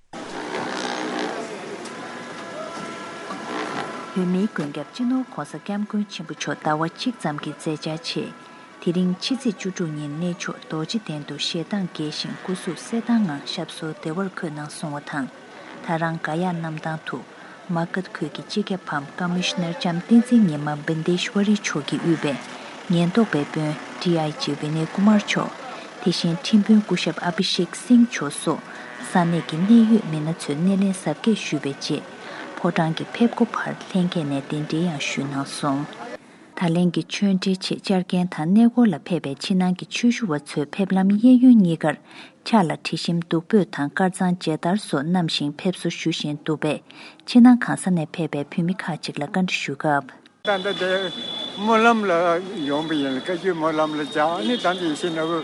བོད་མིའི་མགོན་སྐྱབས་སྤྱི་ནོར་༧གོང་ས་༧སྐྱབས་མགོན་ཆེན་པོ་མཆོག་ཟླ་བ་གཅིག་ཙམ་གྱི་མཛད་འཆར་ཆེད། དེ་རིང་ཕྱི་ཚེས་བཅུ་དྲུག་ཉིན་གནས་མཆོག་རྡོ་རྗེ་གདན་དུ་ཞལ་གདངས་རྒྱས་ཤིང་སྐུ་གཟུགས་གསལ་ཐང་ངང་ཞབས་སོར་བདེ་བར་འཁོད་གནང་སོང་བ་དང་། ད་རང་ག་ཡ་གནམ་ཐང་དུ་མ་གྷ་ཁུལ་གྱི་སྤྱི་ཁྱབ་བམ་ཀ་མི་ཤི་ནར་ལྕམ་བསྟན་འཛིན་ཉི་མ་བིན་དེ་ཤྭ་རི་མཆོག་གིས་དབུས་པའི་ཉེན་རྟོག་པའི་དཔོན་ཌི་ཨའི་ཇི་ཝི་ནེ་ཀུ་མར་མཆོག་དེ་བཞིན་ཁྲིམས་དཔོན་སྐུ་ཞབས་ཨ་བྷི་ཤེག་སིང་མཆོག་སོགས་ས་གནས་ཀྱི་གནད་ཡོད་མི་སྣ་ཚོས་སྣེ་ལེན་གཟབ་རྒྱས་ཞུས་པའི་རྗེས། ཕོ་བྲང་གི་ཕེབས་སྒོ་བར་ལྷན་རྒྱས་ནས་གདན་འདྲེན་ཡང་ཞུས་གནང་སོང་། ད་ལན་གྱི་ཆོས་འབྲེལ་ཆེད་བཅར་མཁན་དང་གནས་སྐོར་ལ་ཕེབས་པའི་ཕྱི་ནང་གི་ཆོས་ཞུ་བ་ཚོའི་ཕེབས་ལམ་གཡས་གཡོན་གཉིས་ཀར་ཕྱག་ལ་དྲི་ཞིམ་བདུག་སྤོས་དང་དཀར་གཙང་མཇལ་དར་སོགས་བསྣམས་ཤིང་ཕེབས་བསུ་ཞུ་བཞིན་འདུག་པས། ཕྱི་ནང་གང་ས་ནས་ཕེབས་པའི་བོད་མི་ཁག་ཅིག་ལ་བཀའ་འདྲི་ཞུ་སྐབས། ད་ལྟ་དེ་སྨོན་ལམ་ལ་ཡོང་པ་ཡིན་ལ། བཀའ་བརྒྱུད་སྨོན་ལམ་ལ་བཅར། ཨ་ནི་ད་ལྟ་ཡིད་བཞིན་ནོར་བུ་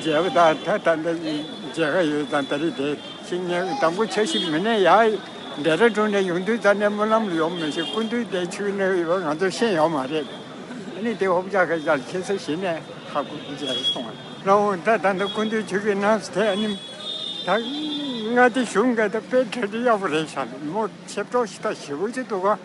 མཇལ་བ་དང་། ད་ད་ལྟ་མཇལ་ཁ་ཡོད་ཙང་། ད་རེས་དེ་ཤིང་ཉལ་དང་པོ་འཆར་གཞི་མི་སྣ་ཡ་ཌེ་ར་ཌུན་ནས་ཡོང་དུས་ད་ནས་སྨོན་ལམ་ལ་ཡོང་མི་ཤེས། སྐུ་མདུན་དེ་ཆུ་ནས་ཡོད་པ་ང་ཚོ་ཤེས་ཡོད་མ་རེད། ཨ་ནི་དེ་ཧོབ་ཅག་ཁ་ཅག་ལ་ཁྱེད་ཚོ་གཞི་ནས་ཧ་གོ་མཇལ་སོང་བ། རང་ད་ད་ལྟ་སྐུ་མདུན་ཆུ་གི་ནང་དེ་ཨ་ནི་ད་མངའ་སྡེ་གཞུང་གི་ད་དཔེ་གྲ་སྒྲིག་ཡག་པོ་རེད་ཤག་མོ་ཆེ་གྲོགས་ཤིག་ད་ཞེ་པོ་ཅིག་འདུག་ག་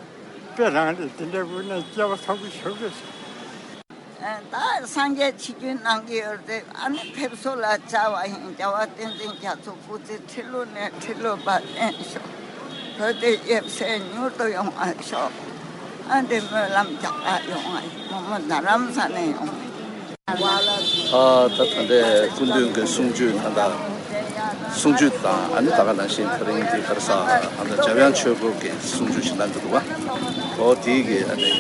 དཔེ་རང་རེད། དེ་འདྲའི་དབུ་ནས་སྐྱེ་བ་ཚ་པོ་ཞིག་རེད། ད་སངས་རྒྱས་ཆིག་བརྒྱུད་གནང་གི་ཡོད་རེད། ཨ་ནི་ཕེབས་བསུ་ལ་བཅར་བ་ཡིན། རྒྱལ་བ་བསྟན་འཛིན་རྒྱ་མཚོ་སྐུ་ཚེ་ཁྲི་ལོ་ནས་ཁྲི་ལོ་བར་བརྟན་ཤོག་བོད་དེ་ཡབ་སྲས་མྱུར་དུ་ཡོང་བ་ཤོག་ཨ་འདི་སྨོན་ལམ་རྒྱག་པ་ཡོང་བ་ཡིན། མོ་མོ་རྡ་རམ་ས་ནས་ཡོང་བ་ཡིན། ཨ་ད་ད་ལྟའི་སྐུ་མདུན་གྱི་གསུང་ཆོས་ད་ལྟ། གསུང་ཆོས་དང་ཨ་ནི་ད་ག་ནང་བཞིན་ད་རིང་འདི་ག་རེ་ཟེར་ཨ་ནི་འཇམ་དབྱངས་ཆོས་སྐོར་གྱི་གསུང་ཆོས་ཞིག་གནང་གི་འདུག་བ། འོ་དེའི་གི་ཨ་ནི་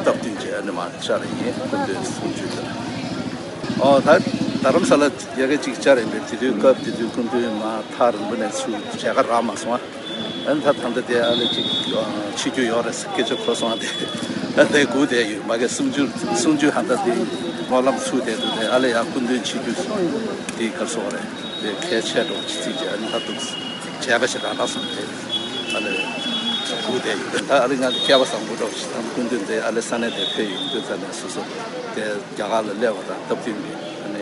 སྟབས་བསྟུན་གྱི་ཨ་ནི་མར་བཅར་ཡིན། སྐུ་མདུན་གསུང་ཆོས་དེར། ཨོ་ད་རྡ་རམ་ས་ལ་ཡ་གི་ཅིག་བཅར་ཡིན་པས། དེ་དུས་སྐབས་དེ་དུས་སྐུ་མདུན་མར་ཐག་རིང་པོ་ནས་ཚུར་མཇལ་ཁ་རག་མ་སོང་ཨ། ཨ་ནི་ད་ད་ལྟ་དེ་ཨ་ནི་ཅིག་ཨ་ཆིབས་བསྒྱུར་ཡོད་རེད་ཟེར་སྐད་ཆ་གོ་སོང་ཨ། དེ་ཨ་དེ་སྒུག་བསྡད་ཡོད། མ་གི་གསུང་ཆོས་གསུང་ཆོས་ཧ་ད་དེ་སྨོན་ལམ་ཚུགས་བསྡད་འདུག་དེ་ཨ་ལས་ཡ་སྐུ་མདུན་ཆིབས་བསྒྱུར་དེ་གར་སོང་རེད། དེ་གལ་ཆེ་འགྲོ་ཅི་ཚིག་ཅེས་ཨ་ནི་ད་འདུག་མཇལ་ཁ་ཞིག་རག་ན་སོང་དེ་ཨ་ལས་སྒུག་བསྡད་ཡོད། ད་ཨ་ལས་ང་སྐལ་བ་བཟང་པོ་འགྲོ་ཞིག་དང་སྐུ་མདུན་དེ་ཨ་ལས་ས་གནས་དེ་ཕེབས་ཡོང་དུས་ཙ་ནས་སོ་སོ་དེ་རྒྱ་གར་ལ་སླེབས་པ་དང་སྟབས་བསྟུན་གྱི་ཨ་ནི་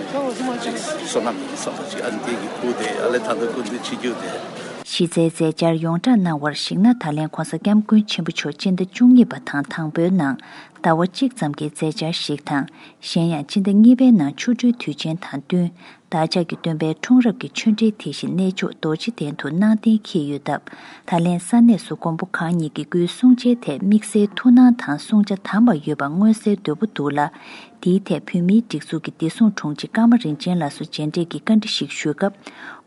ཅིག་བསོད་ནམས་ཡིན་བསམ་པ་ཅིག་ཨ་ནི་དེ་གི་སྒུག་བསྡད་ཡོད། ཨ་ལས་ད་ལྟ་སྐུ་མདུན་ཆིབས་བསྒྱུར་དེ། གཞི་རྩའི་མཛད་འཆར་ཡོངས་བསྒྲགས་གནང་བར་གཞིགས་ན། ད་ལན་༧གོང་ས་༧སྐྱབས་མགོན་ཆེན་པོ་མཆོག་སྤྱི་ཟླ་བཅུ་གཉིས་པ་དང་དང་པོའི་ནང་ཟླ་བ་གཅིག་ཙམ་གྱི་མཛད་འཆར་ཞིག་དང་། གཞན་ཡང་སྤྱི་ཟླ་གཉིས་པའི་ནང་ཆོ་འཕྲུལ་དུས་ཆེན་དང་བསྟུན་བདག་ཅག་གི་སྟོན་པའི་འཁྲུངས་རབས་ཀྱི་ཆོས་འབྲེལ་དེ་བཞིན་གནས་མཆོག་རྡོ་རྗེ་གདན་དུ་གནང་གཏན་འཁེལ་ཡོད་སྟབས། ད་ལན་ས་གནས་སུ་མགོན་པོ་གང་ཉིད་ཀྱི་སྐུའི་གསུང་ཆེན་ཐད་དམིགས་བསལ་ཐུགས་སྣང་དང་བསྲུང་བྱ་དམ་པ་ཡོད་པ་མངོན་གསལ་དོད་པོ་འདུག་ལ། དེའི་ཐད་བོད་མིའི་སྒྲིག་འཛུགས་ཀྱི་བདེ་སྲུང་དྲུང་ཆེ་ཀརྨ་རིན་ཆེན་ལགས་སུ་མཇལ་འཕྲད་ཀྱིས་བཀའ་འདྲི་ཞིག་ཞུས་སྐབས།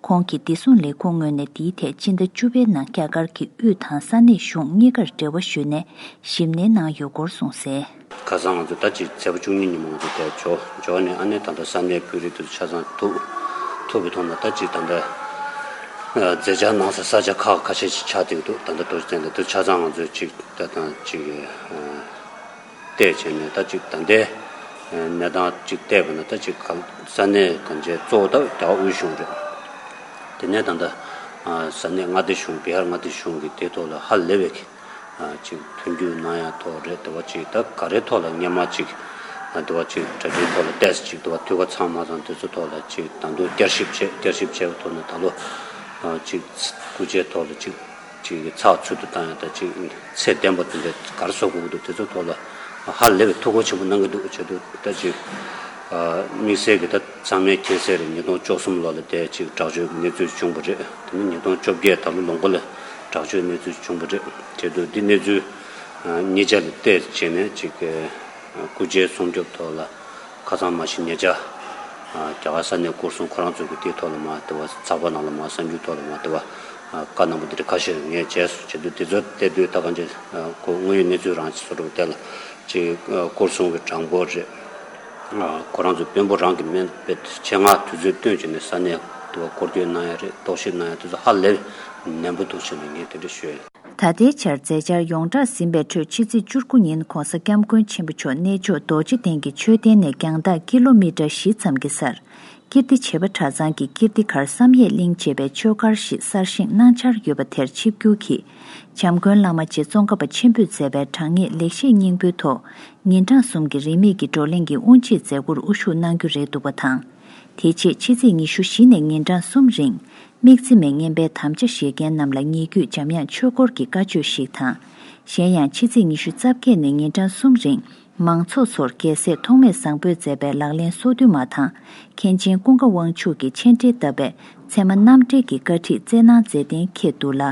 ཁོང་གིས་བདེ་སྲུང་ལས་ཁུངས་ངོས་ནས་དེའི་ཐད་སྤྱི་ཟླ་བཅུ་པའི་ནང་རྒྱ་གར་གྱི་དབུས་དང་ས་གནས་གཞུང་གཉིས་ཀར་འབྲེལ་བ་ཞུས་ནས་ཞིབ་ནན་གནང་ཡོད་སྐོར་གསུངས་གསལ། ཁ་སང་ང་ཚོ་ད་ཅིག་ཚེས་པ་བཅུ་གཉིས་ཉིན་མོ་ང་ཚོ་དེར་འབྱོར་འབྱོར་ནས་ཨ་ནི་ད་ལྟ་ས་གནས་བོད་རིགས་དེ་ཚོ་ཆ་ཚང་ཐུག་ཐུག་པའི་ཐོག་ནས་ད་ཅིག་ད་ལྟ་མཛད་འཆར་གནང་ས་ས་ཆ་ཁག་ཁ་ཤས་ཤིག་ཆགས་བསྡད་ཀྱི་འདུག་ད་ལྟ་རྡོ་རྗེ་གདན་དེ་དུ་ཆ་ཚང་ང་ཚོས་ཅིག་ད་དང་ཅིག་བལྟས་བྱས་ནས་ད་ཅིག་ད་ལྟའི་གནས་སྟངས་ཅིག་བལྟས་པ་ན་ད་ཅིག་ག་ས་གནས་གང་ཅིའི་གཙོ་བོ་ད་རྒྱ་གར་དབུས་གཞུང་རེད། དེ་ནས་ད་ལྟ་ས་གནས་མངའ་སྡེ་གཞུང་བི་ཧར་མངའ་སྡེ་གཞུང་གི་དེའི་ཐོག་ལ་ཧ་ལས་པའི་ཅིག་མཐུན་འགྱུར་གནང་ཡ་ཐོག་རེད། དེ་བ་ཅིག་ད་ག་རེ་ཐོག་ལ་སྔོན་མ་ཅིག་དེ་བ་ཅིག་གྲ་སྒྲིག་ཐོག་ལ་ཏོག་ཙམ་ཅིག་དེ་བ་འཐུས་ཀ་ཚང་མ་ཚང་དེ་ཚོ་ཐོག་ལ་ཅིག་ད་དུང་བསྐྱར་ཞིབ་བྱས། བསྐྱར་ཞིབ་བྱས་པའི་ཐོག་ནས་ད་ལོ་ཅིག་སྐུ་ཕྱྭའི་ཐོག་ལ་ཅིག་ཅིག་ཚགས་ཚུད་དུ་བཏང་ཡ་ད་ཅིག་ཚད་ལྡན་པ་དེ་འདྲ་ག་རེ་བཟོ་དགོས་ཀྱི་འདུག་དེ་ཚོ་ཐོག་ལ་ཧ་ལས་པའི་ཐུགས་ཁུར་ཆེན་པོ་གནང་གི་འདུག་བྱས་དུས་ད་ཅིག་དམིགས་བསལ་གྱི་ད་ཚང་མས་མཁྱེན་གསལ་རེད། ཉིས་སྟོང་བཅུ་གསུམ་ལོ་ལ་དེ་ཅིག་དྲག་སྤྱོད་ཀྱི་གནས་ཚུལ་བྱུང་བ་རེད། དེ་ནས་ཉིས་སྟོང་བཅོ་བརྒྱད་ད་ལོ་ལོ་མགོ་ལ་དྲག་སྤྱོད་གནས་ཚུལ་བྱུང་བ་རེད། བྱས་དུས་འདི་གནས་ཚུལ་གཉིས་ཆ་ལ་བལྟས་བྱས་ནས་ཅིག་སྐུ་ཕྱྭའི་སྲུང་སྐྱོབ་ཐོག་ལ་ཁ་སང་མ་གཞི་ཉེ་ཆར་རྒྱ་གར་ས་གནས་སྐོར་སྲུང་ཁོ་རང་ཚོ་གི་དེའི་ཐོག་ལ་མ་དེ་བ་ཚགས་པར་ནང་ལ་མ་གསར་འགྱུར་ཐོག་ལ་མ་དེ་བ་བཀའ་གནང་པ་འདི་འདྲ་ཁ་ཤས་ངས་བྱས་སོང་། བྱས་དུས་དེ་ཚོ་བལྟས་དུས་ད་གང་ཅི་ཁོ་དངོས་ཡོད་གནས་ཚུལ་རང་ཅིག་བཟོ་འདྲ་བ་དེ་ལ་ཅིག་སྐོར་སྲུང་གི་གྲངས་འབོར་རེད། ཁོ་རང་ཚོ་དཔོན་པོ་རང་གི་སྨན་པའི་ཆེད་མངགས་དུས་ཚོད་བཏོན་བྱས་ནས་ས་གནས་དུ་བ་སྐོར་སྐྱོད་གནང་ཡ་རེད། རྟོག་ཞིབ་གནང་ཡ་དེ་ཚོ་ཧ་ལས་ནན་པོ་འདུག་བྱས་ནས་ངས་དེ་འདྲ་ཞུ་ཡ་ཡིན། ད་ལྟའི་ཆར་མཛད་འཆར་ཡོངས་གྲགས་ཟིན་པའི་ཁྲོད་ཕྱི་ཚེས་བཅུ་དགུ་ཉིན་༧གོང་ས་༧སྐྱབས་མགོན་ཆེན་པོ་མཆོག་གནས་མཆོག་རྡོ་རྗེ་གདན་གྱི་མཆོད་རྟེན་ནས་རྒྱང་ཐག་ཀི་ལོ་མི་ཊར་བཞི་ཙམ་གྱི་སར་ཀིརྟི་བྱེས་པ་གྲྭ་ཚང་གི་ཀིརྟི་གར་བསམ་ཡས་གླིང་ཅེས་པའི་ཆོས་སྒར་ཞིག་གསར་བཞེངས་གནང་འཆར་ཡོད་པ་དེར་ཆིབས་བསྒྱུར་གྱིས་འཇམ་མགོན་བླ་མ་རྗེ་ཙོང་ཁ་པ་ཆེན་པོས་མཛད་པའི་དྲང་ངེས་ལེགས་བཤད་སྙིང་པོའི་ཐོག་ཉིན་གྲངས་གསུམ་གྱི་རིས་མེད་ཀྱི་བགྲོ་གླེང་གི་དབུ་འབྱེད་མཛད་སྒོར་དབུ་བཞུགས་གནང་རྒྱུ་རེད་འདུག་པ་དང་། དེ་རྗེས་ཕྱི་ཚེས་ཉི་ཤུ་བཞི་ནས་ཉིན་གྲངས་གསུམ་རིང་། དམིགས་བརྩེ་མའི་བསྙེན་པའི་དམ་བཅའ་བཞེས་མཁན་རྣམས་ལ་ཉེ་བརྒྱུད་འཇམ་དབྱངས་ཆོས་སྐོར་གྱི་བཀའ་ཆོས་ཤིག་དང་། གཞན་ཡང་ཕྱི་ཚེས་ཉི་ཤུ་རྩ་བརྒྱད་ནས་ཉིན་གྲངས་གསུམ་རིང་མང་ཚོགས་ཚོར་རྒྱལ་སྲས་ཐོགས་མེད་བཟང་པོས་མཛད་པའི་ལག་ལེན་སོ་བདུན་མ་དང་། མཁན་ཆེན་ཀུན་དགའ་དབང་ཕྱུག་གི་མཆན་འགྲེལ་བཏབ་པའི་ཚད་མ་རྣམ་འགྲེལ་གྱི་བཀའ་ཁྲིད་སྩལ་གནང་མཛད་གཏན་འཁེལ་འདུག་ལ།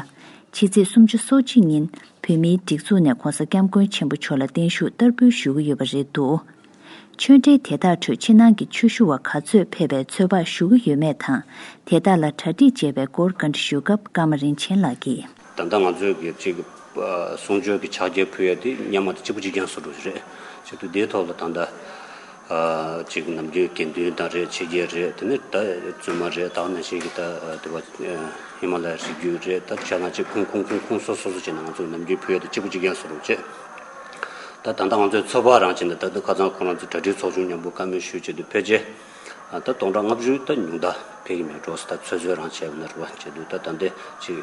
ཕྱི་ཚེས་སུམ་ཅུ་སོ་གཅིག་ཉིན་བོད་མིའི་སྒྲིག་འཛུགས་ནས་༧གོང་ས་༧སྐྱབས་མགོན་ཆེན་པོ་མཆོག་ལ་བརྟན་བཞུགས་བསྟར་འབུལ་ཞུ་གི་ཡོད་པ་རེད་འདུག་ཆོས་འབྲེལ་དེ་དག་ཁྲོད་ཕྱི་ནང་གི་ཆོས་ཞུ་བ་ག་ཚོད་ཕེབས་པའི་ཚོད་དཔག་ཞུ་གི་ཡོད་མེད་དང་། དེ་དག་ལ་གྲ་སྒྲིག་བྱས་པའི་སྐོར་བཀའ་འདྲི་ཞུས་སྐབས་ཀརྨ་རིན་ཆེན་ལགས་ཀྱིས། ད་ལྟ་ང་ཚོས་ཀྱི་ཅིག་གསུང་ཆོས་ཀྱི་ཕྱག་འཁྱེར་ཕུལ་ཡ་དེ་སྔོན་མ་དང་གཅིག་པ་གཅིག་རྐྱང་བཟོ་འདྲ་རེད། བྱས་དུས་དེའི་ཐོག་ལ་ད་ལྟ་ཅིག་ནམ་རྒྱུན་དགེ་འདུན་དང་རེད། ཕྱི་རྒྱལ་རེད། དེ་ནས་ད་བཙུན་མ་རེད། ད་ནང་བཞིན་གྱི་ད་དེ་བ་ཧི་མ་ལ་ཡ་རི་རྒྱུད་རེད། ད་ཆ་ན་ཅིག་ཁུངས་ཁུངས་ཁུངས་ཁུངས་སོ་སོ་སོ་སོ་བྱས་ནས་ང་ཚོས་ནམ་རྒྱུན་ཕུལ་ཡ་དེ་གཅིག་པ་གཅིག་རྐྱང་བཟོ་འདྲ་བྱས། ད་ད་ལྟ་ང་ཚོའི་ཚོད་དཔག་རང་བྱས་ནས་ད་ལྟ་ཁ་སང་ཁོ་རང་ཚོ་གྲ་སྒྲིག་ཚོགས་ཆུང་མཉམ་པོ་བཀའ་མོལ་ཞུས་བྱས་དུས་ཕལ་ཆེར་ད་སྟོང་ཕྲག་ལྔ་བཅུ་ད་ཉུང་མཐའ་ཕེབས་ཀྱི་མེད་འགྲོ་ཟེར། ད་ཚོད་ཚོད་རང་བྱས་པ་ན་རེད་བ། བྱས་དུས་ད་ད་ལྟའི་ཅིག་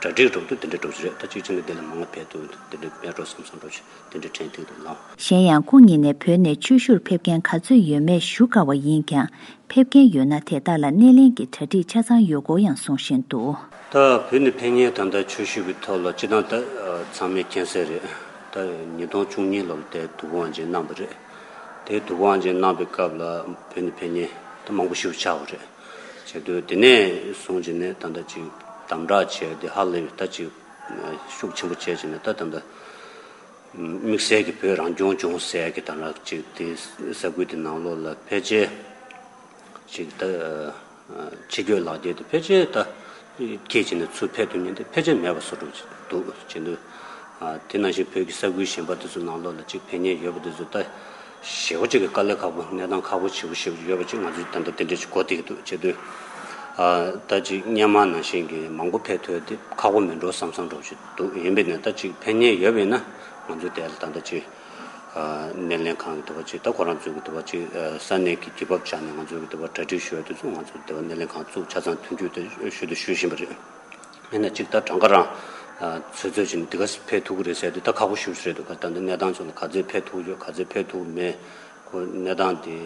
གྲ་སྒྲིག་འགྲོ་དུས་དེ་འདྲ་འགྲོ་གི་རེད། ད་གཅིག་བྱས་ན་དེ་ལས་མང་བ་ཕེབས་ཐུབ་དེ་འདྲ་མེད་འགྲོ་བསམ་བསམ་འགྲོ་བྱས་དེ་འདྲ་དྲན་ཐིག་འདུག་ལགས། གཞན་ཡང་སྐུ་ཉིད་ནས་བོད་ནས་ཆོས་ཞུར་ཕེབས་མཁན་ག་ཚོད་ཡོད་མེད་ཞུ་དཀའ་བ་ཡིན་ཀྱང་། ཕེབས་མཁན་ཡོད་ན་དེ་དག་ལ་སྣེ་ལེན་གྱི་གྲ་སྒྲིག་ཆ་ཚང་ཡོད་སྐོར་ཡང་གསུང་བཞིན་འདུག་ད་བོད་ནས་ཕེབས་མཁན་ད་ལྟ་ཆོས་ཞུ་བའི་ཐོག་ལ་སྤྱི་བཏང་ད་ཚང་མས་མཁྱེན་གསལ་རེད། ད་ཉིས་སྟོང་བཅུ་གཉིས་ལོ་ལ་དེ་དུས་འཁོར་དབང་ཆེན་གནང་བ་རེད། དེ་དུས་འཁོར་དབང་ཆེན་གནང་བའི་སྐབས་ལ་བོད་ནས་ཕེབས་མཁན་ད་མང་པོ་ཞིག་ཆགས་པ་རེད། བྱས་དུས་དེ་ནས་བཟུང་བྱས་ནས་ད་ལྟ་ཅིག་དམ་དྲག་བྱས་ཏེ་ཧ་ལས་པའི་ད་ཅིག་ཤུགས་ཆེན་པོ་བྱས་བྱས་ནས་ད་ད་ལྟ་དམིགས་བསལ་གྱི་བོད་རང་སྐྱོང་ལྗོངས་ཟེར་ཡ་གི་ད་ལྟ་ཅིག་དེ་ས་ཁུལ་དེ་ནང་ལོགས་ལ་ཕལ་ཆེར་ཅིག་ད་ ཕྱི་སྐྱོད་ལག་འཁྱེར་དེ་ཕལ་ཆེར་ད་ཁྱེད་ཀྱིས་ནས་ཚུར་ཕེབས་ཐུབ་མཁན་དེ་ཕལ་ཆེར་མེད་པ་བཟོ་འདྲ་ཅིག་འདུག་བྱེད་འདུག་དེ་ནང་བཞིན་བོད་ཀྱི་ས་ཁུལ་གཞན་པ་དེ་ཚོ་ནང་ལོགས་ལ་ཅིག་ཕེབས་མཁན་ཡོད་པ་དེ་ཚོ་ད་ཞེ་པོ་ཅིག་གི་དཀའ་ལས་ཁག་པོ། གནས་སྟངས་ཁག་པོ་ཞེ་པོ་ཞེ་པོ་ཡོད་པ་ཅིག་ང་ཚོས་ད་ལྟ་དེ་འདྲ་ཅིག་གོ་བསྡད་ཀྱི་འདུག་བྱེད་འདུག་ད་ཅིག་སྔོན་མ་ནང་བཞིན་གྱི་མང་པོ་ཕེབས་ཐུབ་དེ་ཁག་པོ་མིན་འགྲོ་བསམ་བསམ་འདྲ་ཅིག་འདུག་ཡིན་པས་ན་ད་ཅིག་ཕེབས་མཁན་ཡོད་པས་ན་ང་ཚོས་དེ་ལ་ད་ལྟ་ཅིག་སྣེ་ལེན་ཁང་གི་དེ་བ་ཅིག་ད་ཁོ་རང་ཚོའི་གི་དེ་བ་ཅིག་ས་གནས་ཀྱི་རྒྱུ་བབ་ཆ་ནས་ང་ཚོའི་གི་དེ་བ་གྲ་སྒྲིག་ཞུ་བ་དེ་ཚོ་ང་ཚོ་དེ་བ་སྣེ་ལེན་ཁང་བཙུགས་ཆ་ཚང་མཐུན་འགྱུར་དེ་ཞུ་དུ་ཞུ་བཞིན་པ་རེད། ཡིན་ན་ཅིག་ད་གྲངས་ཀ་རང་ཚོད་ཚོད་ཅིག་འདི་ག་ཕེབས་ཐུབ་ཀྱི་རེད་ཟེར་དུས་ད་ཁག་པོ་ཞེ་པོ་རེད་འདུག་ད་ལྟ་གནས་སྟངས་ཚོ་ལ་ག་ཚོད་ཕེབས་ཐུབ་ཡོད་ག་ཚོད་ཕེབས་ཐུབ་མེད། ཁོ་གནས་སྟངས་དེ་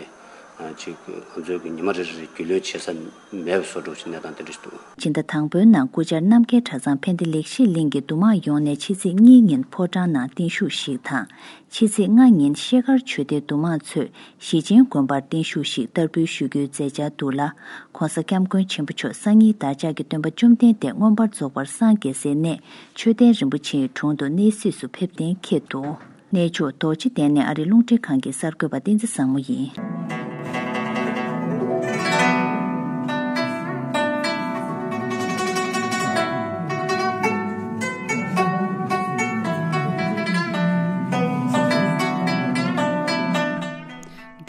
ཅིག་ང་ཚོའི་གི་ཉི་མ་རེ་རེ་རྒྱུས་ལོན་བྱེད་ས་མེད་པ་བཟོ་འདྲ་ཅིག་གནས་སྟངས་དེ་འདྲ་ཞིག་འདུག་སྤྱི་ཟླ་དང་པོའི་ནང་སྐུ་བཅར་རྣམ་རྒྱལ་གྲྭ་ཚང་ཕན་བདེ་ལེགས་བཤེས་གླིང་གི་འདུ་མང་ཡོངས་ནས་ཕྱི་ཚེས་གཉིས་ཉིན་ཕོ་བྲང་ནང་བརྟན་བཞུགས་ཤིག་དང་། ཕྱི་ཚེས་ལྔ་ཉིན་ཤེལ་དཀར་ཆོས་སྡེའི་འདུ་མང་ཚོས་ཞི་ཆེན་དགོན་པར་བརྟན་བཞུགས་ཤིག་བསྟར་འབུལ་ཞུ་རྒྱུའི་མཛད་འཆར་འདུག་ལ། ༸གོང་ས་༸སྐྱབས་མགོན་ཆེན་པོ་མཆོག་སངས་རྒྱས་བདག་ཅག་གི་སྟོན་པ་བཅོམ་ལྡན་འདས་མངོན་པར་རྫོགས་པར་སངས་རྒྱས་སའི་གནས་མཆོད་རྟེན་རིན་པོ་ཆེའི་དྲུང་དུ་གནས་གཟིགས་སུ་ཕེབས་གཏན་འཁེལ་འདུག་གནས་མཆོག་རྡོ་རྗེ་གདན་ནས་ཨ་རིའི་རླུང་འཕྲིན་ཁང་གི་གསར་འགོད་པ་བསྟན་འཛིན་བཟང་མོ་ཡིན།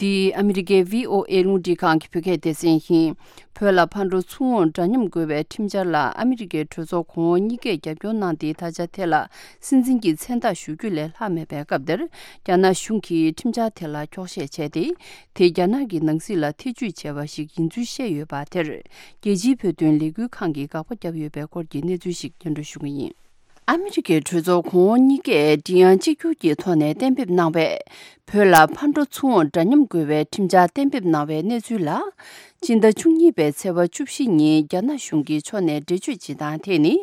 འདི་ཨ་མི་རི་ཀའི་བྷི་ཨོ་ཨེ་རླུང་འཕྲིན་ཁང་གི་བོད་སྐད་སྡེ་ཚན་ཡིན། བོད་ལ་ཕར་འགྲོ་ཚུར་འོང་འདྲ་མཉམ་དགོས་པའི་ཁྲིམས་འཆར་ལ་ཨ་མི་རི་ཀའི་གྲོས་ཚོགས་གོང་འོག་གཉིས་ཀས་རྒྱབ་སྐྱོར་གནང་སྟེ་ད་ཆ་དེ་ལ་སྲིད་འཛིན་གྱི་མཚན་རྟགས་ཞུ་རྒྱུ་ལས་ལྷག་མེད་པའི་སྐབས་འདིར། རྒྱ་ནག་གཞུང་གིས་ཁྲིམས་འཆར་དེ་ལ་འཁྱོག་བཤད་བྱས་ཏེ། དེ་རྒྱ་ནག་གི་ནང་སྲིད་ལ་ཐེ་ཇུས་བྱས་པ་ཞིག་ཡིན་ཚུལ་བཤད་ཡོད་པ་དེར། རྒྱལ་སྤྱིའི་བོད་དོན་ལས་འགུལ་ཁང་གིས་དགག་པ་བརྒྱབ་ཡོད་པའི་སྐོར་གྱི་གནས་ཚུལ་ཞིག་སྙན་སྒྲོན་ཞུ་གི་ཡིན། ཨ་མི་རི་ཀའི་གྲོས་ཚོགས་གོང་འོག་གཉིས་ཀས་མགྲིན་དབྱངས་གཅིག་གྱུར་གྱི་ཐོག་ནས་གཏན་འབེབས་གནང་བའི། བོད་ལ་ཕར་འགྲོ་ཚུར་འོང་འདྲ་མཉམ་དགོས་པའི་ཁྲིམས་འཆར་གཏན་འབེབས་གནང་བའི་གནས་ཚུལ་ལ། སྤྱི་ཟླ་བཅུ་གཉིས་པའི་ཚེས་པ་བཅུ་བཞི་ཉིན་རྒྱ་ནག་གཞུང་གི་ཕྱོགས་ནས་འགྲེལ་བརྗོད་བྱེད་སྟངས་དེ་ནི།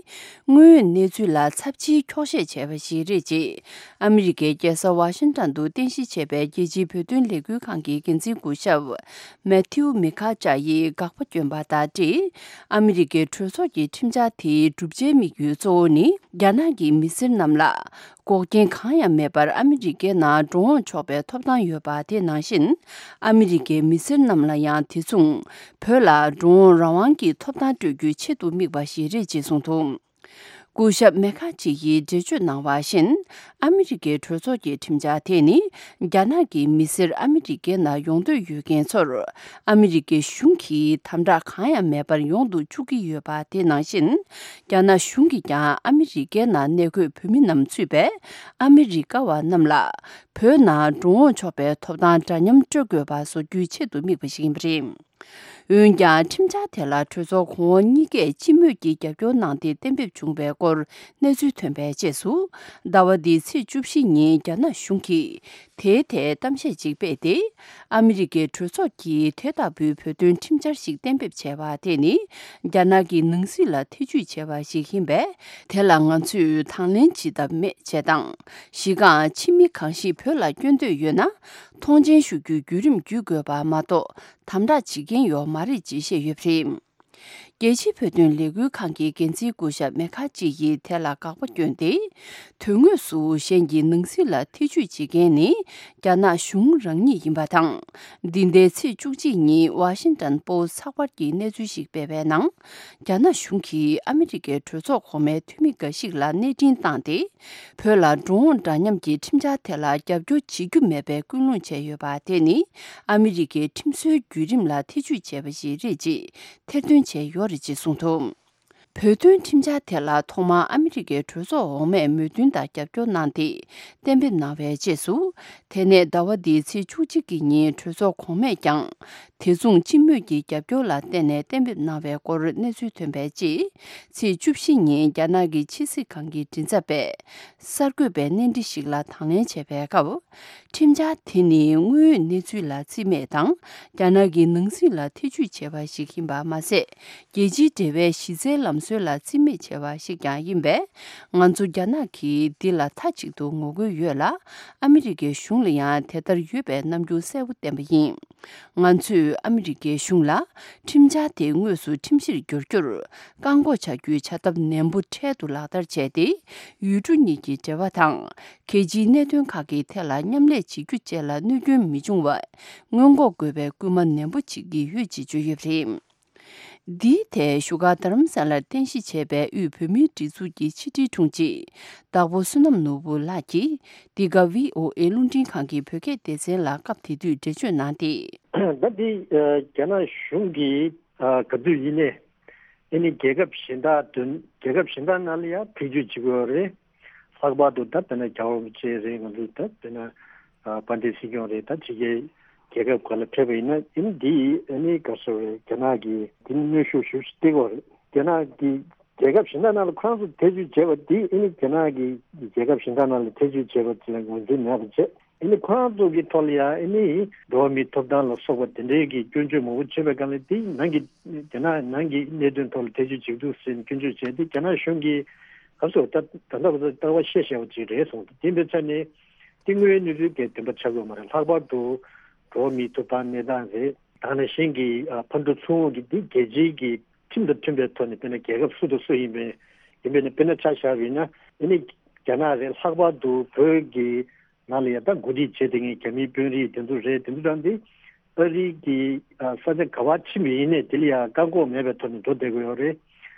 དངོས་ཡོད་གནས་ཚུལ་ལ་ཚབས་ཆེའི་འཁྱོག་བཤད་བྱས་པ་ཞིག་རེད་ཅེས། ཨ་མི་རི་ཀའི་རྒྱལ་ས་ཝ་ཤིང་ཏོན་དུ་རྟེན་གཞི་བྱས་པའི་རྒྱལ་སྤྱིའི་བོད་དོན་ལས་འགུལ་ཁང་གི་འགན་འཛིན་སྐུ་ཞབས། མེ་ཐིའུ་མི་ཁ་ཅཱ་ཡིས་དགག་པ་བསྐྱོན་པ་དང་འབྲེལ། ཨ་མི་རི་ཀའི་གྲོས་ཚོགས་ཀྱི་ཁྲིམས་འཆར་དེའི་བསྒྲུབ་བྱའི་དམིགས་ཡུལ་གཙོ་བོ་ནི། རྒྱ་ནག་གི་མི་སེར་རྣམས་ལ། འགོག་རྐྱེན་གང་ཡང་མེད་པར་ཨ་མི་རི་ཀའི་ནང་འགྲོ་འོང་ཆོག་པའི་ཐོབ་ཐང་ཡོད་པ་དེ་ནང་བཞིན། ཨ་མི་རི་ཀའི་མི་སེར་རྣམས་ལ་ཡང་དེ་མཚུངས། བོད་ལ་འགྲོ་འོང་རང་དབང་གི་ཐོབ་ཐང་སྤྲོད་རྒྱུའི་ཆེད་དུ་དམིགས་པ་ཞིག་རེད་ཅེས་གསུངས་འདུག་སྐུ་ཞབས་མེ་ཁ་ཅི་ཡིས་འགྲེལ་བརྗོད་གནང་བ་བཞིན། ཨ་མི་རི་ཀའི་གྲོས་ཚོགས་ཀྱི་ཁྲིམས་འཆར་དེ་ནི། རྒྱ་ནག་གི་མི་སེར་ཨ་མི་རི་ཀའི་ནང་ཡོང་འདོད་ཡོད་མཁན་ཚོར། ཨ་མི་རི་ཀའི་གཞུང་གིས་དམ་དྲག་གང་ཡང་མེད་པར་ཡོང་དུ་བཅུག་གི་ཡོད་པ་དེ་ནང་བཞིན། རྒྱ་ནག་གཞུང་གིས་ཀྱང་ཨ་མི་རི་ཀའི་ནང་གནས་འཁོད་བོད་མི་རྣམས་ཚུད་པའི་ཨ་མི་རི་ཀ་བ་རྣམས་ལ། བོད་ནང་འགྲོ་འོང་ཆོག་པའི་ཐོབ་ཐང་འདྲ་མཉམ་སྤྲོད་དགོས་པ་བཟོ་རྒྱུའི་ཆེད་དུ་དམིགས་པ་ཞིག་ཡིན་པ་རེད། འོན་ཀྱང་ཁྲིམས་འཆར་དེ་ལ་གྲོས་ཚོགས་གོང་འོག་གཉིས་ཀས་སྤྱི་མོས་ཀྱིས་རྒྱབ་སྐྱོར་གནང་སྟེ་གཏན་འབེབས་བྱུང་བའི་སྐོར་གནས་ཚུལ་ཐོན་པའི་རྗེས་སུ། ཟླ་བ་འདིའི་ཚེས་བཅུ་བཞི་ཉིན་རྒྱ་ནག་གཞུང་གིས་དེའི་ཐད་གཏམ་བཤད་ཅིག་སྤེལ་ཏེ། ཨ་མི་རི་ཀའི་གྲོས་ཚོགས་ཀྱིས་དེ་ལྟ་བུའི་བོད་དོན་ཁྲིམས་འཆར་ཞིག་གཏན་འབེབས་བྱས་པ་དེ་ནི། རྒྱ་ནག་གི་ནང་སྲིད་ལ་ཐེ་ཇུས་བྱས་པ་ཞིག་ཡིན་པས། དེ་ལ་ང་ཚོས་དང་ལེན་བྱེད་ཐབས་མེད་ཅེས་དང་། གཞི་རྐང་ཕྱི་མི་གང་ཞིག་བོད་ལ་བསྐྱོད་འདོད་ཡོད་ན། མཐོང་མཆན་ཞུ་རྒྱུའི་བརྒྱུད་རིམ་བརྒྱུད་དགོས་པ་མ་གཏོགས། དམ་དྲག་བྱེད་མཁན་ཡོད་མ་རེད་ཅེས་བཤད་ཡོད་པ་རེད། རྒྱལ་སྤྱིའི་བོད་དོན་ལས་འགུལ་ཁང་གི་འགན་འཛིན་སྐུ་ཞབས་མེ་ཁ་ཅི་ཡིས་དེ་ལ་དགག་པ་བསྐྱོན་ཏེ། དོན་དངོས་སུ་གཞན་གྱི་ནང་སྲིད་ལ་ཐེ་ཇུས་བྱེད་མཁན་ནི། རྒྱ་ནག་གཞུང་རང་ཉིད་ཡིན་པ་དང་། འདི་ཟླའི་ཚེས་བཅུ་གཅིག་ཉིན་ཝ་ཤིང་ཏོན་པོ་སི་ཚགས་པར་གྱིས་གནས་ཚུལ་ཞིག་སྤེལ་བའི་ནང་། རྒྱ་ནག་གཞུང་གིས་ཨ་མི་རི་ཀའི་གྲོས་ཚོགས་གོང་མའི་འཐུས་མི་འགའ་ཞིག་ལ་གནས་འཕྲིན་བཏང་སྟེ། བོད་ལ་འགྲོ་འོང་འདྲ་མཉམ་གྱི་ཁྲིམས་འཆར་དེ་ལ་རྒྱབ་སྐྱོར་བྱེད་རྒྱུ་མེད་པའི་སྐུལ་སློང་བྱས་ཡོད་པ་དེ་ནི། ཨ་མི་རི་ཀའི་ཁྲིམས་སྲོལ་བརྒྱུད་རིམ་ལ་ཐེ་ཇུས་བྱས་པ་ཞིག་རེད་ཅེས་ཐེར་འདོན་བྱས་ཡོད་རེད་ཅེས་གསུངས་འདུག་བོད་དོན་ཁྲིམས་འཆར་དེ་ལ་ཐོག་མར་ཨ་མི་རི་ཀའི་གྲོས་ཚོགས་འོག་མས་མོས་མཐུན་དང་རྒྱབ་སྐྱོར་གནང་སྟེ་གཏན་འབེབས་གནང་བའི་རྗེས་སུ། དེ་ནས་ཟླ་བ་འདིའི་ཚེས་བཅུ་གཅིག་གི་ཉིན་གྲོས་ཚོགས་གོང་མས་ཀྱང་། དེ་མཚུངས་སྤྱི་མོས་ཀྱི་རྒྱབ་སྐྱོར་ལ་བརྟེན་ནས་གཏན་འབེབས་གནང་བའི་སྐོར་གནས་ཚུལ་ཐོན་པའི་རྗེས། ཚེས་བཅུ་བཞི་ཉིན་རྒྱ་ནག་གི་ཕྱི་སྲིད་ཁང་གི་མགྲིན་ཚབ་པས་གསར་འགོད་པའི་གནས་འདྲི་ཞིག་ལ་དང་ལེན་བྱས་པའི་སྐབས། ཁྲིམས་འཆར་དེ་ནི་དངོས་ཡོད་གནས་ཚུལ་ལ་རྩིས་མེད་དང་། རྒྱ་ནག་གི་ནང་སྲིད་ལ་ཐེ་ཇུས་བྱས་པ་ཞིག་ཡིན་པ་མ་ཟད། རྒྱལ་སྤྱིའི་འབྲེལ་བའི་གཞི་རྩའི་ལམ་སྲོལ་ལ་རྩིས་མེད་བྱས་པ་ཞིག་ཀྱང་ཡིན་པས། ང་ཚོ་རྒྱ་ནག་གིས་འདི་ལ་མཐའ་གཅིག་ཏུ་ངོ་རྒོལ་ཡོད་ལ། ཨ་མི་རི་ཀའི་གཞུང་ལ་ཡང་དེ་ལྟར་ཡོད་པའི་རྣམ་འགྱུར་གསལ་པོ་བསྟན་པ་ཡིན། ང་ཚོས་ཨ་མི་རི་ཀའི་གཞུང་ལ་ཁྲིམས་འཆར་དེ་དངོས་སུ་ཁྲིམས་གཞིར་འགྱུར་རྒྱུར་བཀག་འགོག་བྱ་རྒྱུའི་བྱ་ཐབས་ནན་པོ་འཕྲལ་དུ་ལག་བསྟར་བྱས་ཏེ། ཡུལ་གྲུ་གཉིས་ཀྱི་འབྲེལ་བ་དང་། གལ་ཆེའི་གནད་དོན་ཁག་གི་ཐད་ལ་མཉམ་ལས་བྱེད་རྒྱུ་བཅས་ལ་གནོད་སྐྱོན་མི་འབྱུང་བར་སྔོན་འགོག་དགོས་པའི་སྐུལ་མ་ནན་པོ་བྱེད་ཀྱི་ཡོད་ཅེས་བརྗོད་ཡོད་པ་རེད། འདིའི་ཐད་བཞུགས་སྒར་རྡ་རམ་ས་ལར་རྟེན་གཞི་བྱས་པའི་དབུས་བོད་མིའི་སྒྲིག་འཛུགས་ཀྱི་ཕྱི་དྲིལ་དྲུང་ཆེ་བདག་པོ་བསོད་ནམས་ནོར་བུ་ལགས་ཀྱིས་འདི་ག་བྷི་ཨོ་ཨེ་རླུང་འཕྲིན་ཁང་གི་བོད་སྐད་སྡེ་ཚན་ལ་སྐབས་དེ་དུས་འགྲེལ་བརྗོད་གནང་སྟེ། ད་འདི་རྒྱ་ནག་གཞུང་གིས་ག་དུས་ཡིན་ནའི་ཨ་ནི་རྒྱལ་ཁབ་གཞན་དག་དོན་རྒྱལ་ཁབ་གཞན་དག་ནང་ལ་ཡང་ཐེ་བྱུས་བྱེད་ཀྱི་ཡོད་རེད། ལྷག་པར་དུ་ད་དཔེར་ན་རྒྱལ་བ་རིན་པོ་ཆེ་རེད། ང་ཚོ་ད་དཔེར་ན་དཔལ་ལྡན་སྲིད་སྐྱོང་རེད། ད་ཕྱི་རྒྱལ་རྒྱལ་ཁབ་ཁག་ལ་ཕེབས་པ་ཡིན་ན་ཨ་ནི་འདི་ཨ་ནི་ག་རེ་ཟེར་རེད། རྒྱ་ནག་གིས་འདི་ནི་གནོན་ཤུགས་ཞེ་པོ་ཅིག་སྟེར་གྱི་ཡོད་རེད། རྒྱ་ནག་གིས་རྒྱལ་ཁབ་གཞན་དག་ནང་ལ་ཁོ་རང་ཚོ་ཐེ་བྱུས་བྱས་པ་འདི་ཨ་ནི་རྒྱ་ནག་གིས་རྒྱལ་ཁབ་གཞན་དག་ནང་ལ་ཐེ་བྱུས་བྱས་པ་ཅིག་ལ་ངོས་འཛིན་མེད་པ་བྱས། ཨ་ནི་ཁོ་རང་ཚོ་གི་ཐོག་ལ་ཡང་ཨ་ནི་འགྲོ་བ་མིའི་ཐོབ་ཐང་ལ་སོགས་པ་དེ་འདྲའི་གི་སྐྱོན་བརྗོད་མང་པོ་བྱས་པའི་སྒང་ལ་དེ་ནང་གི་རྒྱ་ནག་ནང་གི་གནད་དོན་ཐོག་ལ་ཐེ་བྱུས་བྱེད་འདུག་ཟེར་ནས་སྐྱོན་བརྗོད་བྱས་ཏེ་རྒྱ་ནག་གཞུང་གིས་ག་ཚོད་ད་ད་ལྟ་བར་དུ་ལྟ་བ་བཤད་བཤད་པ་ཅིག་རེད་གསུངས་འདུག་དེ་འདྲ་ཆ་ནས་དེ་དངོས་ཡོད་གནས་ཚུལ་གྱི་བདེན་པ་ཆགས་ཀྱི་ཡོད་མ་རེད། ལྷག་པར་དུ་འགྲོ་བ་མིའི་ཐོབ་ཐང་གནས་སྟངས་རེད། དེ་ནང་བཞིན་གྱི་ཕར་འགྲོ་ཚུར་འོང་གི་དེ་རྒྱལ་སྤྱིའི་གི་ཁྲིམས་དང་མཐུན་པའི་ཐོག་ནས་དཔེར་ན་རྒྱལ་ཁབ་སུ་དང་སུ་ཡིན་པའི་ཡིན་པའི་ནི་དཔེར་ན་ཆ་བཞག་པ་ཡིན་ན་ཨ་ནི་རྒྱ་ནག་རེད། ལྷག་པར་དུ་བོད་ཀྱི་ནང་ལ་ཡང་ད་འགོ་ཁྲིད་བྱེད་བསྡད་མཁན་རྒྱ་མིའི་དཔོན་རིགས་དེ་ཚོ་རེད། དེ་ཚོ་ཚང་མ་ཨ་རི་གི་ས་ཆ་ག་པར་ཕྱིན་པ་ཡིན་ནའི་དེ་ལ་ཡང་བཀག་འགོག་མེད་པའི་ཐོག་ནས་འགྲོ་བསྡད་ཀྱི་ཡོད་རེད།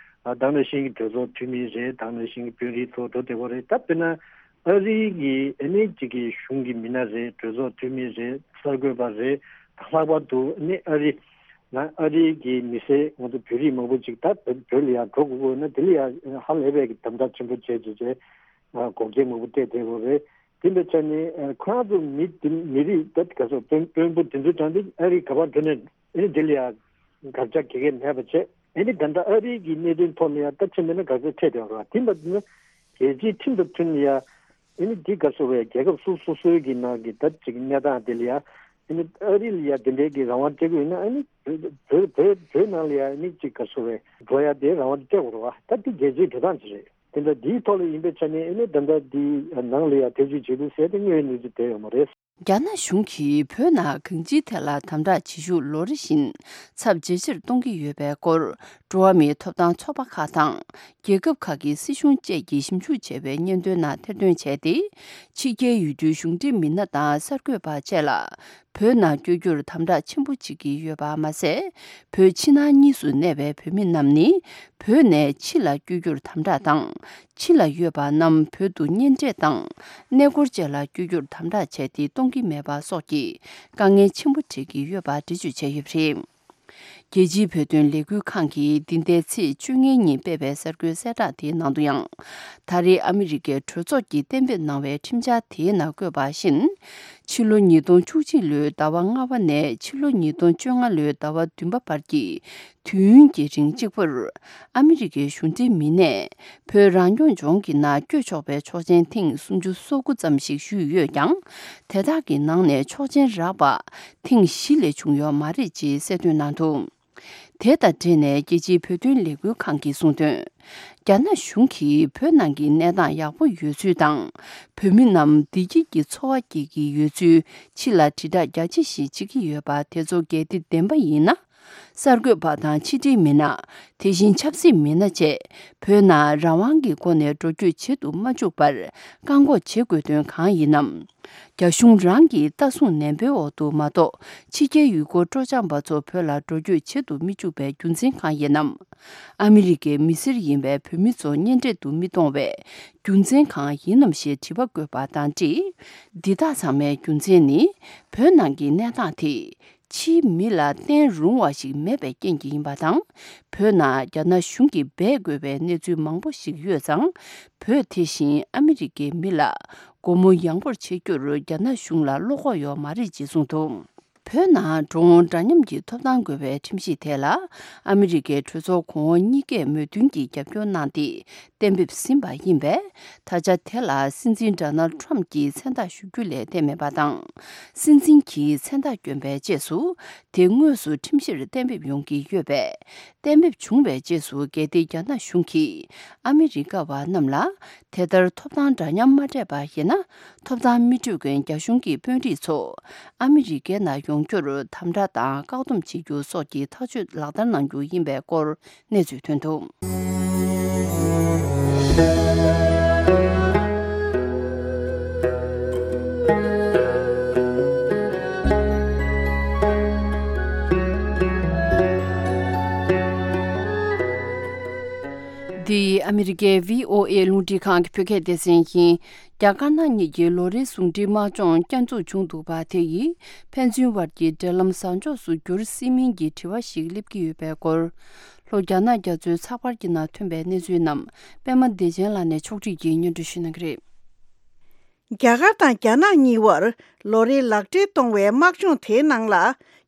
དེ་ནང་བཞིན་གྱི་གྲོས་ཚོགས་འཐུས་མི་རེད། དེ་ནང་བཞིན་གྱི་དཔོན་རིགས་ཚོ་འགྲོ་བསྡད་ཀྱི་ཡོད་རེད། ད་དཔེར་ན་ཨ་རི་གི་ཨ་ནི་གཅིག་གི་གཞུང་གི་མི་སྣ་རེད། གྲོས་ཚོགས་འཐུས་མི་རེད། གསར་འགོད་པ་རེད། ད་ལྷག་པར་དུ་ཨ་ནི་ཨ་རི་ན་ཨ་རི་གི་མི་སེར་ང་ཚོ་བོད་རིགས་མང་པོ་ཅིག་ད་བོད་ལ་ཡང་འགྲོ་དགོས་ཀྱི་ཡོད་ན་དེ་ལ་ཡང་ཧ་ལས་པའི་གི་དམ་དྲག་ཆེན་པོ་བྱས་བྱས་བྱས་འགོག་རྐྱེན་མང་པོ་སྤྲད་བསྡད་ཡོད་རེད། དེ་འདྲ་ཆ་ནས་ཁོ་རང་ཚོ་མི་དེ་མི་རིགས་ད་ག་ཚོད་དཔོན་དཔོན་པོ་དེ་ཚོའི་གྲས་དེ་ཨ་རི་ག་པར་འགྲོ་ནས་ཨ་ནི་དེ་ལ་ཡང་དགག་བྱ་ག་གེ་མེད་པ་བྱས། ཨ་ནི་ད་ལྟ་ཨ་རི་གི་གནད་དོན་ཐོག་ལ་ཡང་ད་ཕྱིན་པ་ན་དགག་བྱ་འཕྲད་བསྡད་ཡོད་རེད། དེ་འདྲ་ན་རྒྱལ་སྤྱིའི་ཁྲིམས་དང་མཐུན་ཡ། ཨ་ནི་འདི་ག་ཚོད་རེད། རྒྱལ་ཁབ་སོ་སོ་སོའི་གི་ནང་གི་ད་ཅིག་གནས་སྟངས་དེ་ལ་ཡ། ཨ་ནི་ཨ་རི་ལ་ཡ་དེ་འདྲའི་གི་རང་དབང་སྤྲད་དགོས་ཡིན་ན་ཨ་ནི་བོད་བོད་བོད་ནང་ལ་ཡ་ཨ་ནི་ཅིག་ག་ཚོད་རེད། འགྲོ་ཡ་དེ་རང་དབང་སྤྲད་དགོས་རེད་བ། ད་འདི་རྒྱལ་སྤྱིའི་འགྲོ་སྟངས་ཅིག་རེད། དེ་འདྲ་འདིའི་ཐོག་ལ་ཡིན་པའི་ཆ་ནས་ཨ་ནི་ད་ལྟ་འདི་ནང་ལ་ཡ་ཐེ་བྱུས་བྱེད་འདུག་ཟེར་ཏེ་དངོས་ཡོད་གནས་ཚུལ་དེ་ཡོད་མ་རེད། རྒྱ་ནག་གཞུང་གིས་བོད་ནང་གང་ཅིའི་ཐད་ལ་དམ་དྲག་བྱེད་ཤུགས་ལོ་རེ་བཞིན་ཚབས་ཇེ་ཆེར་གཏོང་གི་ཡོད་པའི་སྐོར་འགྲོ་བ་མིའི་ཐོབ་ཐང་ཚོགས་པ་ཁག་དང་རྒྱལ་ཁབ་ཁག་གི་སྲིད་གཞུང་བཅས་ཀྱིས་ཞིབ་འཇུག་བྱས་པའི་སྙན་ཐོའི་ནང་ཐེར་འདོན་བྱས་ཏེ། ཕྱི་རྒྱལ་ཡུལ་གྲུའི་གཞུང་འབྲེལ་མི་སྣ་དང་གསར་འགོད་པ་བཅས་ལ་བོད་ནང་བསྐྱོད་རྒྱུར་དམ་དྲག་ཆེན་པོ་བྱེད་ཀྱི་ཡོད་པ་མ་ཟད། བོད་ཕྱི་ནང་གཉིས་སུ་གནས་པའི་བོད་མི་རྣམས་ནི་བོད་ནས་ཕྱི་ལ་བསྐྱོད་རྒྱུར་དམ་དྲག་དང་། ཕྱི་ལ་ཡོད་པ་རྣམས་བོད་དུ་གཉེན་འཕྲད་དང་། གནས་སྐོར་བཅས་ལ་བསྐྱོད་རྒྱུར་དམ་དྲག་བྱས་ཏེ་གཏོང་གི་མེད་པ་སོགས་ཀྱི་དཀའ་ངལ་ཆེན་པོ་འཕྲད་ཀྱི་ཡོད་པ་འགྲེལ་བརྗོད་བྱས་ཡོད་པ་རེད། རྒྱལ་སྤྱིའི་བོད་དོན་ལས་འགུལ་ཁང་གིས་འདི་ཟླའི་ཚེས་བཅོ་ལྔའི་ཉིན་སྤེལ་བའི་གསར་འགོད་གསལ་བསྒྲགས་དེའི་ནང་དུ་ཡང་། ད་རེས་ཨ་མི་རི་ཀའི་གྲོས་ཚོགས་ཀྱིས་གཏན་འབེབས་གནང་བའི་ཁྲིམས་འཆར་དེའི་ནང་བཀོད་པ་བཞིན། ཕྱི་ལོ་ཉིས་སྟོང་བཅུ་གཅིག་ལོའི་ཟླ་བ་ལྔ་པ་ནས་ཕྱི་ལོ་ཉིས་སྟོང་བཅོ་ལྔ་ལོའི་ཟླ་བ་བདུན་པ་བར་གྱི་དུས་ཡུན་གྱི་རིང་གཅིག་པུར་ཨ་མི་རི་ཀའི་གཞུང་འབྲེལ་མི་སྣས་བོད་རང་སྐྱོང་ལྗོངས་ཀྱི་ནང་བསྐྱོད་ཆོག་པའི་ཆོག་མཆན་ཐེངས་སུམ་ཅུ་སོ་དགུ་ཙམ་ཞིག་ཞུས་ཡོད་ཀྱང་། དེ་དག་གི་ནང་ནས་ཆོག་མཆན་རག་པ་ཐེངས་བཞི་ལས་བྱུང་ཡོད་མ་རེད་ཅེས་གསལ་སྟོན་གནང་འདུག་དེ་དང་འབྲེལ་ནས་རྒྱལ་སྤྱིའི་བོད་དོན་ལས་འགུལ་ཁང་གིས་གསུངས་དོན། རྒྱ་ནག་གཞུང་གིས་བོད་ནང་གི་གནས་སྟངས་ཡག་པོ་ཡོད་ཚུལ་དང་། བོད་མི་རྣམས་བདེ་སྐྱིད་ཀྱི་འཚོ་བ་སྐྱེལ་གྱི་ཡོད་ཚུལ་ཕྱི་ལ་དྲིལ་བསྒྲགས་རྒྱ་ཆེ་ཞིག་བྱེད་ཀྱི་ཡོད་པ་དེ་ཚོ་གལ་ཏེ་བདེན་པ་ཡིན་ན། གསར་འགོད་པ་དང་ཕྱི་དྲིལ་མི་སྣ། དེ་བཞིན་ཆབ་སྲིད་མི་སྣ་བཅས་བོད་ནང་རང་དབང་གི་སྒོ་ནས་འགྲོ་སྐྱོད་བྱེད་དུ་མ་བཅུག་པར་བཀག་འགོག་བྱེད་དགོས་དོན་གང་ཡིན་ནམ། རྒྱ་གཞུང་རང་གིས་ལྟ་སྲུང་ནན་པོའི་འོག་ཏུ་མ་གཏོགས་ཕྱི་རྒྱལ་ཡུལ་སྐོར་སྤྲོ་འཆམ་པ་ཚོ་བོད་ལ་འགྲོ་སྐྱོད་བྱེད་དུ་མི་བཅུག་པའི་རྒྱུ་མཚན་གང་ཡིན་ནམ། ཨ་མི་རི་ཀའི་མི་སེར་ཡིན་པའི་བོད་མི་ཚོ་གཉེན་འཕྲད་དུ་མི་གཏོང་བའི་རྒྱུ་མཚན་གང་ཡིན་ནམ་ཞེས་དྲི་བ་བཀོད་པ་དང་འབྲེལ། འདི་དག་ཚང་མའི་རྒྱུ་མཚན་ནི་བོད་ནང་གི་གནས་སྟངས་དེ་ཕྱིའི་མི་ལ་བརྟེན་རུང་བ་ཞིག་མེད་པའི་རྐྱེན་གྱིས་ཡིན་པ་དང་། བོད་ནང་རྒྱ་ནག་གཞུང་གིས་འབད་དགོས་པའི་གནས་ཚུལ་མང་པོ་ཞིག་ཡོད་ཙང་། བོད་དེ་བཞིན་ཨ་མི་རི་ཀའི་མི་ལ་སྒོ་མོ་ཡངས་པོར་ཕྱེ་རྒྱུར་རྒྱ་ནག་གཞུང་ལ་བློ་ཁོག་ཡོད་མ་རེད་ཅེས་གསུངས་འདུག་བོད་ནང་འགྲོ་འོང་འདྲ་མཉམ་གྱི་ཐོབ་ཐང་དགོས་པའི་ཁྲིམས་གཞི་དེ་ལ་ཨ་མི་རི་ཀའི་གྲོས་ཚོགས་གོང་འོག་གཉིས་ཀས་མོས་མཐུན་གྱིས་རྒྱབ་སྐྱོར་གནང་སྟེ། གཏན་འབེབས་ཟིན་པ་ཡིན་པས། ད་ཆ་དེ་ལ་སྲིད་འཛིན་ཌོ་ནལ་ཊམ་གྱིས་མཚན་རྟགས་ཞུ་རྒྱུ་ལས་བསྡད་མེད་པ་དང་། སྲིད་འཛིན་གྱིས་མཚན་རྟགས་བསྐྱོན་པའི་རྗེས་སུ་དེ་དངོས་སུ་ཁྲིམས་གཞིར་གཏན་འབེབས་ཡོང་གི་ཡོད་པས། གཏན་འབེབས་བྱུང་བའི་རྗེས་སུ་གལ་ཏེ་རྒྱ་ནག་གཞུང་གིས་ཨ་མི་རི་ཀ་བ་རྣམས་ལ་དེ་ལྟར་ཐོབ་ཐང་འདྲ་མཉམ་མ་སྤྲད་པ་ཡིན་ན། ཐོབ་ཐང་མི་སྤྲོད་མཁན་རྒྱ་གཞུང་གི་དཔོན་རིགས་ཚོ་ཨ་མི་རི་ཀའི་ནང་ཡོང་རྒྱུར་དམ་དྲག་དང་བཀག་སྡོམ་བྱེད་རྒྱུ་སོགས་ཀྱི་ཐག་གཅོད་ལག་བསྟར་གནང་རྒྱུ་ཡིན་པའི་སྐོར་གནས་ཚུལ་ཐོན་འདུག་ཨ་མི་རི་ཀའི་བྷི་ཨོ་ཨེ་རླུང་འཕྲིན་ཁང་གི་བོད་སྐད་སྡེ་ཚན་གྱིས། རྒྱ་དཀར་ནག་གཉིས་ཀྱི་ལོ་རེའི་ཟུང་འབྲེལ་དམག་སྦྱོང་བསྐྱར་འཛུགས་བྱུང་འདུག་པ་དེ་ཡིས་ཕན་ཚུན་དབར་གྱི་འབྲེལ་ལམ་བཟང་ཕྱོགས་སུ་འགྱུར་སྲིད་མིན་གྱི་དྲི་བ་ཞིག་སླེབས་ཀྱི་ཡོད་པའི་སྐོར། ལྷོ་རྒྱ་ནག་རྒྱ་མཚོའི་ཚགས་པར་གྱི་ནང་ཐོན་པའི་གནས་ཚུལ་རྣམས་པད་མ་བདེ་ཆེན་ལགས་ནས་ཕྱོགས་སྒྲིག་གིས་སྙན་སྒྲོན་ཞུ་གནང་གི་རེད། རྒྱ་གར་དང་རྒྱ་ནག་གཉིས་བར་ལོ་རེའི་ལག་འབྲེལ་གཏོང་བའི་དམག་སྦྱོང་དེའི་ནང་ལ་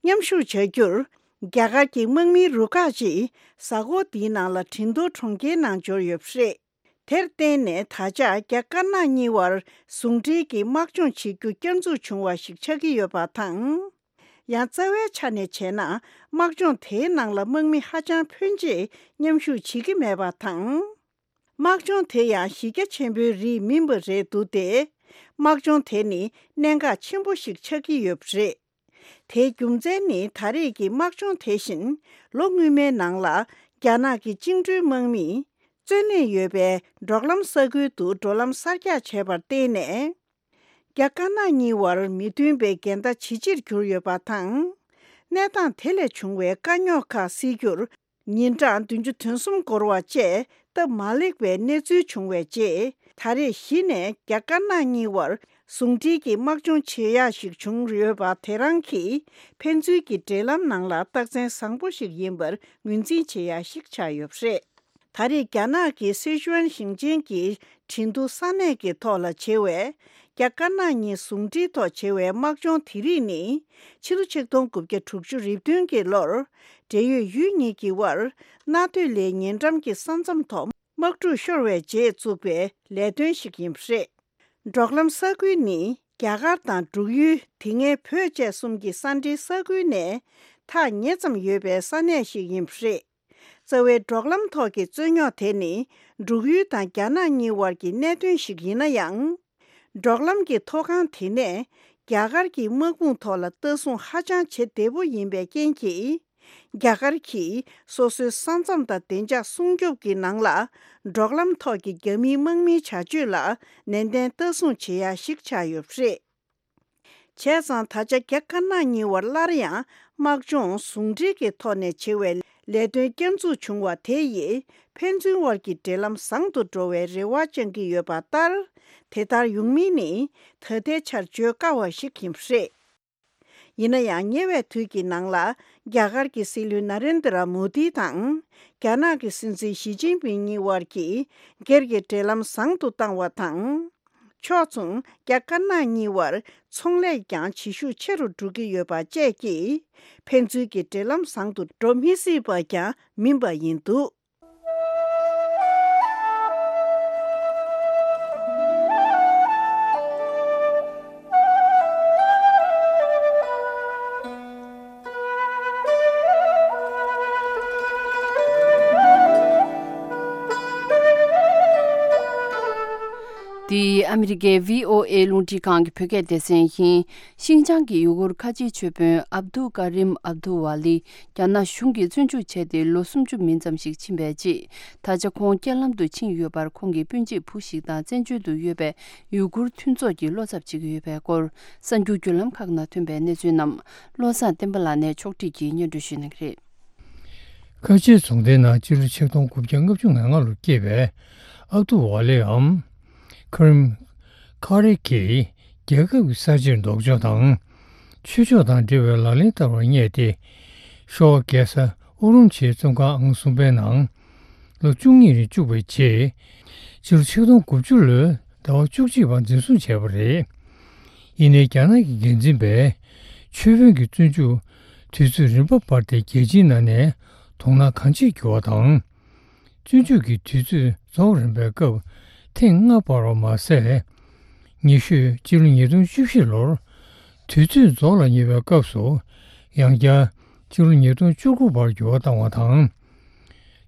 མཉམ་ཞུགས་བྱ་རྒྱུར། རྒྱ་གར་གྱི་དམག་མིའི་རུ་ཁག་ཅིག་གཟའ་འཁོར་འདིའི་ནང་ལ་ཁྲིན་ཏུའུ་གྲོང་ཁྱེར་ནང་འབྱོར་ཡོད་པ་རེད། དེར་བརྟེན་ནས་ད་ཆ་རྒྱ་དཀར་ནག་གཉིས་བར་ཟུང་འབྲེལ་གྱི་དམག་སྦྱོང་བྱེད་རྒྱུ་བསྐྱར་འཛུགས་བྱུང་བ་ཞིག་ཆགས་ཀྱི་ཡོད་པ་དང་། ཡང་རྩ་བའི་ཆ་ནས་བྱས་ན། དམག་སྦྱོང་དེའི་ནང་ལ་དམག་མི་ཧ་ཅང་ཕོན་ཆེ་མཉམ་ཞུགས་བྱེད་ཀྱི་མེད་པ་དང་། དམག་སྦྱོང་དེ་ཡང་གཞི་རྒྱ་ཆེན་པོའི་རིགས་མིན་པ་རེད་འདུག་སྟེ། དམག་སྦྱོང་དེ་ནི་གནད་འགག་ཆེན་པོ་ཞིག་ཆགས་ཀྱི་ཡོད་པ་རེད། དེའི་རྒྱུ་མཚན་ནི་ད་རེས་ཀྱི་དམག་སྦྱོང་དེ་བཞིན་ལོ་སྔོན་མའི་ནང་ལ་རྒྱ་ནག་གི་བཅིངས་འགྲོལ་དམག་མིས་བཙོན་ལེན་ཡོད་པའི་འབྲོག་ལམ་ས་ཁུལ་དུ་འགྲོ་ལམ་གསར་རྒྱག་བྱས་པར་བརྟེན་ནས། རྒྱ་དཀར་ནག་གཉིས་བར་མི་མཐུན་པའི་འགལ་ཟླ་ཇེ་ཆེར་གྱུར་ཡོད་པ་དང་། གནས་སྟངས་དེ་ལས་བྱུང་བའི་དཀའ་རྙོག་ཁག་སེལ་རྒྱུར། ཉིན་གྲངས་བདུན་ཅུ་དོན་གསུམ་འགོར་བ་བཅས་སྟབས་མ་ལེགས་པའི་གནས་ཚུལ་བྱུང་བའི་རྗེས། ད་རེས་གཞི་ནས་རྒྱ་དཀར་ནག་གཉིས་བར་ཟུང་འབྲེལ་གྱི་དམག་སྦྱོང་བྱེད་ཡག་ཞིག་བྱུང་ཡོད་པ་དེ་རང་གིས་ཕན་ཚུན་གྱི་འབྲེལ་ལམ་ནང་ལ་རྟགས་མཚན་བཟང་པོ་ཞིག་ཡིན་པར་ངོས་འཛིན་བྱེད་ཡག་ཞིག་ཆགས་ཡོད་པ་རེད། ད་རེས་རྒྱ་ནག་གི་སི་ཅུའན་ཞིང་ཆེན་གྱི་ཁྲིན་ཏུའུ་ས་གནས་ཀྱི་ཐོག་ལ་བྱེད་པའི་རྒྱ་དཀར་ནག་གཉིས་ཟུང་འབྲེལ་ཐོག་བྱེད་པའི་དམག་སྦྱོང་དེ་རིགས་ནི། ཕྱི་ལོ་ཆིག་སྟོང་དགུ་བརྒྱ་དྲུག་ཅུ་རེ་བདུན་གྱི་ལོར། འབྲེལ་ཡོད་ཡུལ་གཉིས་ཀྱི་དབར་གནའ་སྟོད་ལའི་ཉེ་འགྲམ་གྱི་ས་མཚམས་ཐོག་དམག་འཁྲུག་ཤོར་བའི་རྗེས་བཙུགས་པའི་ལས་དོན་ཞིག་ཡིན་པ་རེད། འབྲོག་ལམ་ས་ཁུལ་ནི་རྒྱ་གར་དང་འབྲུག་ཡུལ། དེ་སྔའི་བོད་བཅས་གསུམ་གྱི་ས་འབྲེལ་ས་ཁུལ་ནས་ཐག་ཉེ་ཙམ་ཡོད་པའི་ས་གནས་ཤིག་ཡིན་པ་རེད། རྩ་བའི་འབྲོག་ལམ་ཐོག་གི་རྩོད་རྙོག་དེ་ནི་འབྲུག་ཡུལ་དང་རྒྱ་ནག་གཉིས་དབར་གྱི་གནད་དོན་ཞིག་ཡིན་ན་ཡང་། འབྲོག་ལམ་གྱི་མཐོ་སྒང་དེ་ནས་རྒྱ་གར་གྱི་དམག་དཔུང་ཐོག་ལ་ལྟ་སྲུང་ཧ་ཅང་བྱེད་བདེ་པོ་ཡིན་པའི་རྐྱེན་གྱིས། རྒྱ་གར་གྱིས་སོ་སོའི་ས་མཚམས་དང་བདེ་འཇགས་སྲུང་སྐྱོབ་ཀྱི་ནང་ལ་འབྲོག་ལམ་ཐོག་གི་རྒྱ་མིའི་དམག་མིའི་བྱ་སྤྱོད་ལ་ནན་ཏན་ལྟ་སྲུང་བྱེད་ཡ་ཞིག་ཆགས་ཡོད་པ་རེད། བྱས་ཙང་ད་ཆ་རྒྱ་དཀར་ནག་གཉིས་བར་སླར་ཡང་དམག་སྦྱོང་ཟུང་འབྲེལ་གྱི་ཐོག་ནས་བྱེད་པའི་ལས་དོན་བསྐྱར་འཛུགས་བྱུང་བ་དེ་ཡིས་ཕན་ཚུན་དབར་གྱི་འབྲེལ་ལམ་བཟང་དུ་འགྲོ་བའི་རེ་བ་བཅང་གི་ཡོད་པ་ལྟར། དེ་ལྟར་ཡོང་མིན་ནི་ད་ལྟའི་ཆར་བརྗོད་དཀའ་བ་ཞིག་ཡིན་པ་རེད། ཡིན་ན་ཡང་ཉེ་བའི་དུས་ཀྱི་ནང་ལ་རྒྱ་གར་གྱི་སྲིད་བློན་ན་རེན་དྲ་མོ་དི་དང་རྒྱ་ནག་གི་སྲིད་འཛིན་ཞི་ཅིན་ཕིང་གཉིས་དབར་གྱི་སྒེར་གྱི་འབྲེལ་ལམ་བཟང་དུ་བཏང་བ་དང་། ཕྱོགས་མཚུངས་རྒྱ་དཀར་ནག་གཉིས་བར་ཚོང་ལས་ཀྱང་བྱེད་ཤུགས་ཆེ་རུ་འགྲོ་གི་ཡོད་པ་བཅས་ཀྱིས་ཕན་ཚུན་གྱི་འབྲེལ་ལམ་བཟང་དུ་འགྲོ་མི་སྲིད་པ་ཀྱང་མིན་པ་ཡིན་འདུག། འདི་ཨ་མི་རི་ཀའི་བྷི་ཨོ་ཨེ་རླུང་འཕྲིན་ཁང་གི་བོད་སྐད་སྡེ་ཚན་ཡིན། ཤིན་ཅང་གི་ཡུ་གུར་ཁ་ཆེའི་ཆོས་དཔོན་ཨབ་དུ་ཀ་རིམ་ཨབ་དུ་ཝ་ལི་རྒྱ་ནག་གཞུང་གིས་བཙོན་འཇུག་བྱས་ཏེ་ལོ་སུམ་ཅུ་མིན་ཙམ་ཞིག་ཕྱིན་པའི་རྗེས། ད་ཆ་ཁོང་རྐྱེན་ལམ་དུ་ཕྱིན་ཡོད་པར། ཁོང་གི་སྤུན་མཆེད་བུ་ཞིག་དང་བཙན་བྱོལ་དུ་ཡོད་པའི་ཡུ་གུར་མཐུན་ཚོགས་ཀྱིས་བློ་འཚབ་བྱེད་ཀྱི་ཡོད་པའི་སྐོར། གསར་འགྱུར་བརྒྱུད་ལམ་ཁག་ནང་ཐོན་པའི་གནས་ཚུལ་རྣམས་བློ་བཟང་བསྟན་པ་ལགས་ནས་ཕྱོགས་སྒྲིག་གིས་སྙན་སྒྲོན་ཞུ་གནང་གི་རེད། ཁ་ཆེའི་རྫོང་སྡེའི་ནང་སྤྱི་ལོ་ཆིག་སྟོང་དགུ་བརྒྱ་ལྔ་བཅུ་ང་ལྔ་ལོར་སྐྱེས་པའི་ཨབ་ཏུ་ཝ་ལེའམ་ཁ་རིམ་ཁ་རེ་གིས་རྒྱལ་ཁབ་ཀྱི་གསར་བརྗེར་ལྡོག་ཕྱོགས་དང་། ཆོས་ཕྱོགས་དང་འབྲེལ་བའི་ལག་ལེན་བསྟར་བར་བསྙད་དེ། ཤོ་ཝ་རྒྱལ་ས་ཨུ་རུམ་ཆིའི་བཙོན་ཁང་ཨང་གསུམ་པའི་ནང་ལོ་བཅུ་གཉིས་རིང་བཅུག་པའི་རྗེས། སྤྱི་ལོ་ཆིག་སྟོང་དགུ་བཅུ་ལོའི་ཟླ་བ་བཅུ་གཅིག་པར་འཛིན་བཟུང་བྱས་པ་རེད། ཡིན་ནའི་རྒྱ་ནག་གི་འགན་འཛིན་པས་ཆོས་དཔོན་གྱི་བཙོན་འཇུག་དུས་ཚོད་རིམ་པ་སྤར་ཏེ་རྒྱལ་སྤྱིའི་ནང་ནས་དོ་སྣང་གང་ཆེར་གྱུར་བ་དང་། བཙོན་འཇུག་གི་དུས་ཚོད་རྫོགས་རན་པའི་སྐབས་ཐེངས་ལྔ་སྤར་བ་མ་ཟད། ཉེ་ཤོས་སྤྱི་ལོ་ཉིས་སྟོང་བཅུ་བཞི་ལོར་དུས་ཚོད་རྫོགས་ལ་ཉེ་བའི་སྐབས་སུ་ཡང་བསྐྱར་སྤྱི་ལོ་ཉིས་སྟོང་བཅུ་དགུ་བར་འགྱུར་བ་བཏང་བ་དང་།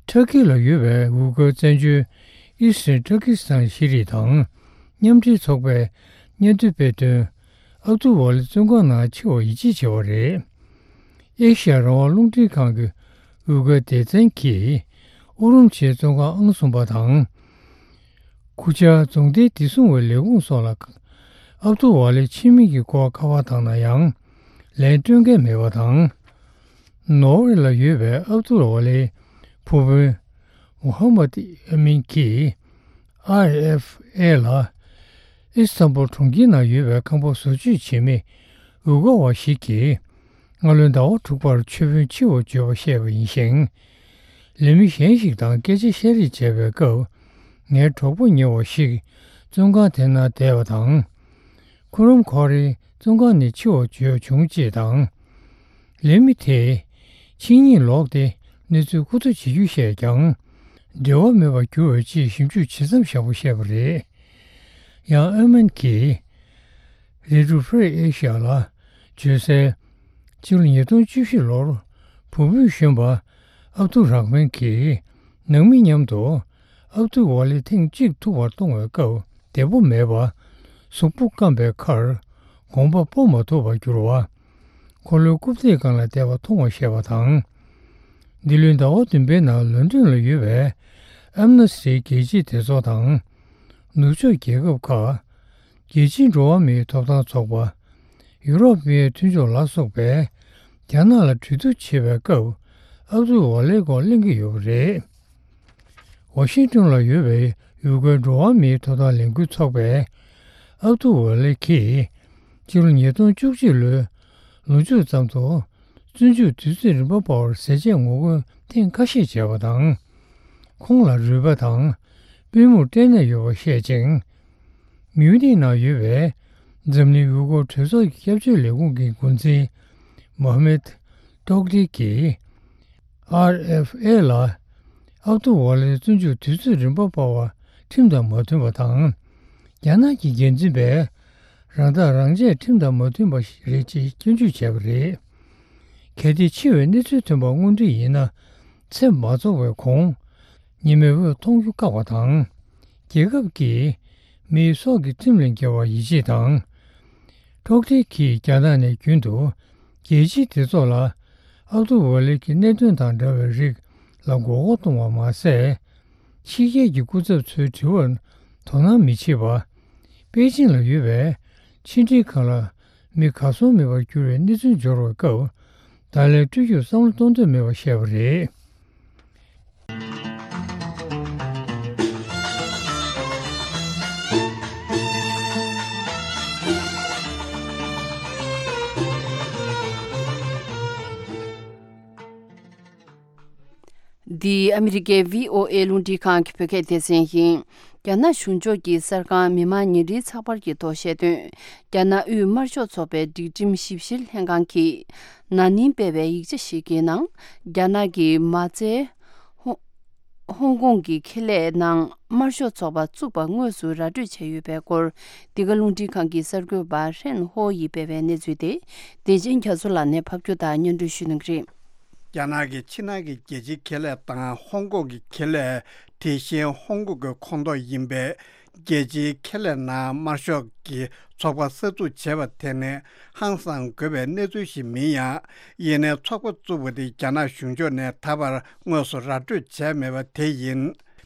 ཊར་ཀི་ལ་ཡོད་པའི་ཝུ་གུར་བཙན་བྱོལ་ཨི་སི་ཊན་ཊར་ཀི་སི་ཐན་ཤེས་རིག་དང་མཉམ་འབྲེལ་ཚོགས་པས་སྙན་ཐོ་སྤེལ་དོན། ཨབ་ཏུ་ཝ་ལི་བཙོན་ཁང་ནང་འཆི་བར་ཡིད་ཆེས་བྱས་པ་རེད། ཨེ་ཤ་ཡ་རང་དབང་རླུང་འཕྲིན་ཁང་གི་ཝུ་གུར་སྡེ་ཚན་གྱིས་ཨུ་རུམ་ཆིའི་བཙོན་ཁང་ཨང་གསུམ་པ་དང་། ཁུ་ཆ་རྫོང་སྡེའི་བདེ་སྲུང་བའི་ལས་ཁུངས་སོགས་ལ་ཨབ་ཏུ་ཝ་ལིའི་ཁྱིམ་མི་གི་སྐོར་ཁ་པར་བཏང་ན་ཡང་ལན་སྤྲོད་མཁན་མེད་པ་དང་། ནོར་ཝེ་ལ་ཡོད་པའི་ཨབ་ཏུ་ཝ་ལིའི་ཕུ་བོ་ མུ་ཧམ་མད་ཨ་མིན་གྱིས་ཨར་ཨེཕ་ཨེ་ལ། ཨི་སི་ཐན་བུལ་གྲོང་ཁྱེར་ནང་ཡོད་པའི་ཁང་པ་བཟོ་བཅོས་བྱེད་མི་ཡུལ་སྐོར་བ་ཞིག་གིས་སྔ་ལོའི་ཟླ་བ་དྲུག་པར་མཆོད་དཔོན་འཆི་བར་འགྱུར་བ་བཤད་པ་ཡིན་ཞིང་། ལས་མི་གཞན་ཞིག་དང་སྐད་ཆ་བཤད་རེས་བྱས་པའི་སྐབས། ངའི་གྲོགས་པོ་ཉེ་བ་ཞིག་བཙོན་ཁང་དེ་ནང་བསྡད་པ་དང་། ཁུ་རམ་ཁོ་རེ་བཙོན་ཁང་ནས་འཆི་བར་འགྱུར་བྱུང་ཅེས་དང་། ལས་མི་དེས་ཕྱི་ཉིན་ལོག་སྟེ་གནས་ཚུལ་མཁོ་སྤྲོད་བྱེད་རྒྱུ་བཤད་ཀྱང་། འབྲེལ་བ་མེད་པར་གྱུར་བའི་ཆེད་ཞིབ་འཇུག་བྱེད་མཚམས་བཞག་པ་བཤད་པ་རེད། ཡང་ཨ་མན་གྱིས་Radio Free Asia ལ་བརྗོད་གསལ། ཕྱི་ལོ་ཉིས་སྟོང་བཅུ་བཞི་ལོར་བུ་སྤུན་གཞོན་པ་ཨབ་ཏུ་རག་མན་གྱིས་ནང་མི་མཉམ་དུ་ཨབ་ཏུ་ཝ་ལི་ཐེངས་གཅིག་ཐུག་པར་གཏོང་བའི་སྐབས་བདེ་པོ་མེད་པ། གཟུགས་པོ་སྐམ་པའི་ཁར་གོམ་པ་སྤོ་མ་ཐུབ་པར་གྱུར་བ། འཁོར་ལོའི་རྐུབ་སྟེགས་སྒང་ལ་བསྡད་པ་མཐོང་བ་བཤད་པ་དང་། འདི་ལོའི་ཟླ་བ་བདུན་པའི་ནང་ལོན་ཏོན་ལ་ཡོད་པའི་ཨེམ་ནེ་སི་ཊིའི་རྒྱལ་སྤྱིའི་སྡེ་ཚོགས་དང་། ནུབ་ཕྱོགས་རྒྱལ་ཁབ་ཁག་རྒྱལ་སྤྱིའི་འགྲོ་བ་མིའི་ཐོབ་ཐང་ཚོགས་པ། ཡུ་རོབ་མིའི་མཐུན་ཕྱོགས་ལ་སོགས་པས་རྒྱ་ནག་ལ་གྲོས་བསྡུར་བྱེད་པའི་སྐབས་ཨབ་ཏུ་ཝ་ལེའི་སྐོར་གླེང་གི་ཡོད་པ་རེད། ཝ་ཤིང་ཏོན་ལ་ཡོད་པའི་ཡུལ་སྐོར་འགྲོ་བ་མིའི་ཐོབ་ཐང་ལས་འགུལ་ཚོགས་པས་ཨབ་ཏུ་ཝ་ལེ་གིས་ཕྱི་ལོ་ཉིས་སྟོང་བཅུ་གཅིག་ལོའི་ལོ་མཇུག་ཙམ་དུ་བཙོན་འཇུག་དུས་ཚོད་རིམ་པ་སྤར་བར་ཟས་བཅད་ངོ་རྒོལ་ཐེངས་ཁ་ཤས་བྱས་པ་དང་། ཁོང་ལ་རུས་པ་དང་པུས་མོར་སྐྲན་ནད་ཡོད་པ་བཤད་ཅིང་། མིའུ་ནིག་ནང་ཡོད་པའི་འཛམ་གླིང་ཡུལ་སྐོར་གྲོས་ཚོགས་ཀྱི་སྐྱབས་བཅོལ་ལས་ཁུངས་ཀྱི་འགོ་འཛིན་མོ་ཧ་མེད་ཏོག་ཏི་གིས་ཨར་ཨེཕ་ཨེ་ལ་ཨབ་ཏུ་ཝ་ལེའི་བཙོན་འཇུག་དུས་ཚོད་རིམ་པ་སྤར་བ་ཁྲིམས་དང་མ་མཐུན་པ་དང་། རྒྱ་ནག་གི་འགན་འཛིན་པས་རང་ཐག་རང་བཅད་ཁྲིམས་དང་མ་མཐུན་པ་རེད་ཅེས་སྐྱོན་བརྗོད་བྱས་པ་རེད། གལ་ཏེ་འཆི་བའི་གནས་ཚུལ་ཐོན་པ་དངོས་འབྲེལ་ཡིན་ན། ཚེ་མ་རྫོགས་པའི་གོང་ཉི་མའི་འོད་མཐོང་རྒྱུ་བཀག་པ་དང་། རྒྱལ་ཁབ་ཀྱིས་མིའི་སྲོག་གི་ཁྲིམས་ལས་འགལ་བར་ཡིད་ཆེས་དང་། ཀྲོག་ཏི་གིས་རྒྱ་ནག་ནས་རྒྱུན་དུ་རྒྱལ་སྤྱིའི་སྡེ་ཚོགས་ལ་ཨབ་ཏུ་ཝ་ལི་གི་གནད་དོན་དང་འདྲ་བའི་རིགས་ལ་མགོ་སྐོར་གཏོང་བ་མ་ཟད། ཕྱི་རྒྱལ་གྱི་སྐུ་ཚབ་ཚོའི་དྲི་བར་དོ་སྣང་མི་བྱེད་པ། པེ་ཅིང་ལ་ཡོད་པའི་ཕྱི་འབྲེལ་ཁང་ལ་མི་གར་སོང་མེད་པར་གྱུར་བའི་གནས་ཚུལ་འབྱོར་བའི་སྐབས། ད་ལན་སྤྲོད་རྒྱུར་བསམ་བློ་གཏོང་འདོད་མེད་པར་བཤད་པ་རེད། འདི་ཨ་མི་རི་ཀའི་བྷི་ཨོ་ཨེ་རླུང་འཕྲིན་ཁང་གི་བོད་སྐད་སྡེ་ཚན་ཡིན། རྒྱ་ནག་གཞུང་ཕྱོགས་ཀྱི་གསར་ཁང་མི་དམངས་ཉིན་རེའི་ཚགས་པར་གྱི་ཐོག་བཤད་དོན། རྒྱ་ནག་དབུས་དམར་ཤོག་ཚོགས་པའི་སྒྲིག་ཁྲིམས་ཞིབ་བཤེར་ལྷན་ཁང་གིས་ན་ནིང་སྤེལ་བའི་ཡིག་ཆ་ཞིག་གི་ནང་། རྒྱ་ནག་གི་མ་རྩའི་ཧོ་ཧོང་ཀོང་གི་ཁེ་ལས་ནང་དམར་ཤོག་ཚོགས་པ་བཙུགས་པ་དངོས་སུ་ར་སྤྲོད་བྱས་ཡོད་པའི་སྐོར། འདི་ག་རླུང་འཕྲིན་ཁང་གི་གསར་འགོད་པ་ཧྲེན་ཧོ་ཡིས་སྤེལ་བའི་གནས་ཚུལ་དེ། བདེ་ཆེན་རྒྱ་མཚོ་ལགས་ནས་ཕབ་སྒྱུར་དང་སྙན་སྒྲོན་ཞུ་གནང་གི་རེད། རྒྱ་ནག་གི་ཕྱི་ནང་གི་རྒྱལ་སྤྱིའི་ཁེ་ལས་དང་ཧོང་ཀོང་གི་ཁེ་ལས། དེ་བཞིན་ཧོང་ཀོང་གི་ཁོངས་གཏོགས་ཡིན་པའི་རྒྱལ་སྤྱིའི་ཁེ་ལས་ནང་དམར་ཤོག་གི་ཚོགས་པ་གསར་འཛུགས་བྱས་པ་དེ་ནི་ཧང་སང་དགོས་པའི་གནས་ཚུལ་ཞིག་མིན་ཡང་། ཡིན་ནའི་ཚོགས་པ་བཙུགས་པ་དེ་རྒྱ་ནག་གཞུང་ཕྱོགས་ནས་ད་བར་དངོས་སུ་ར་སྤྲོད་བྱས་མེད་པ་དེ་ཡིན།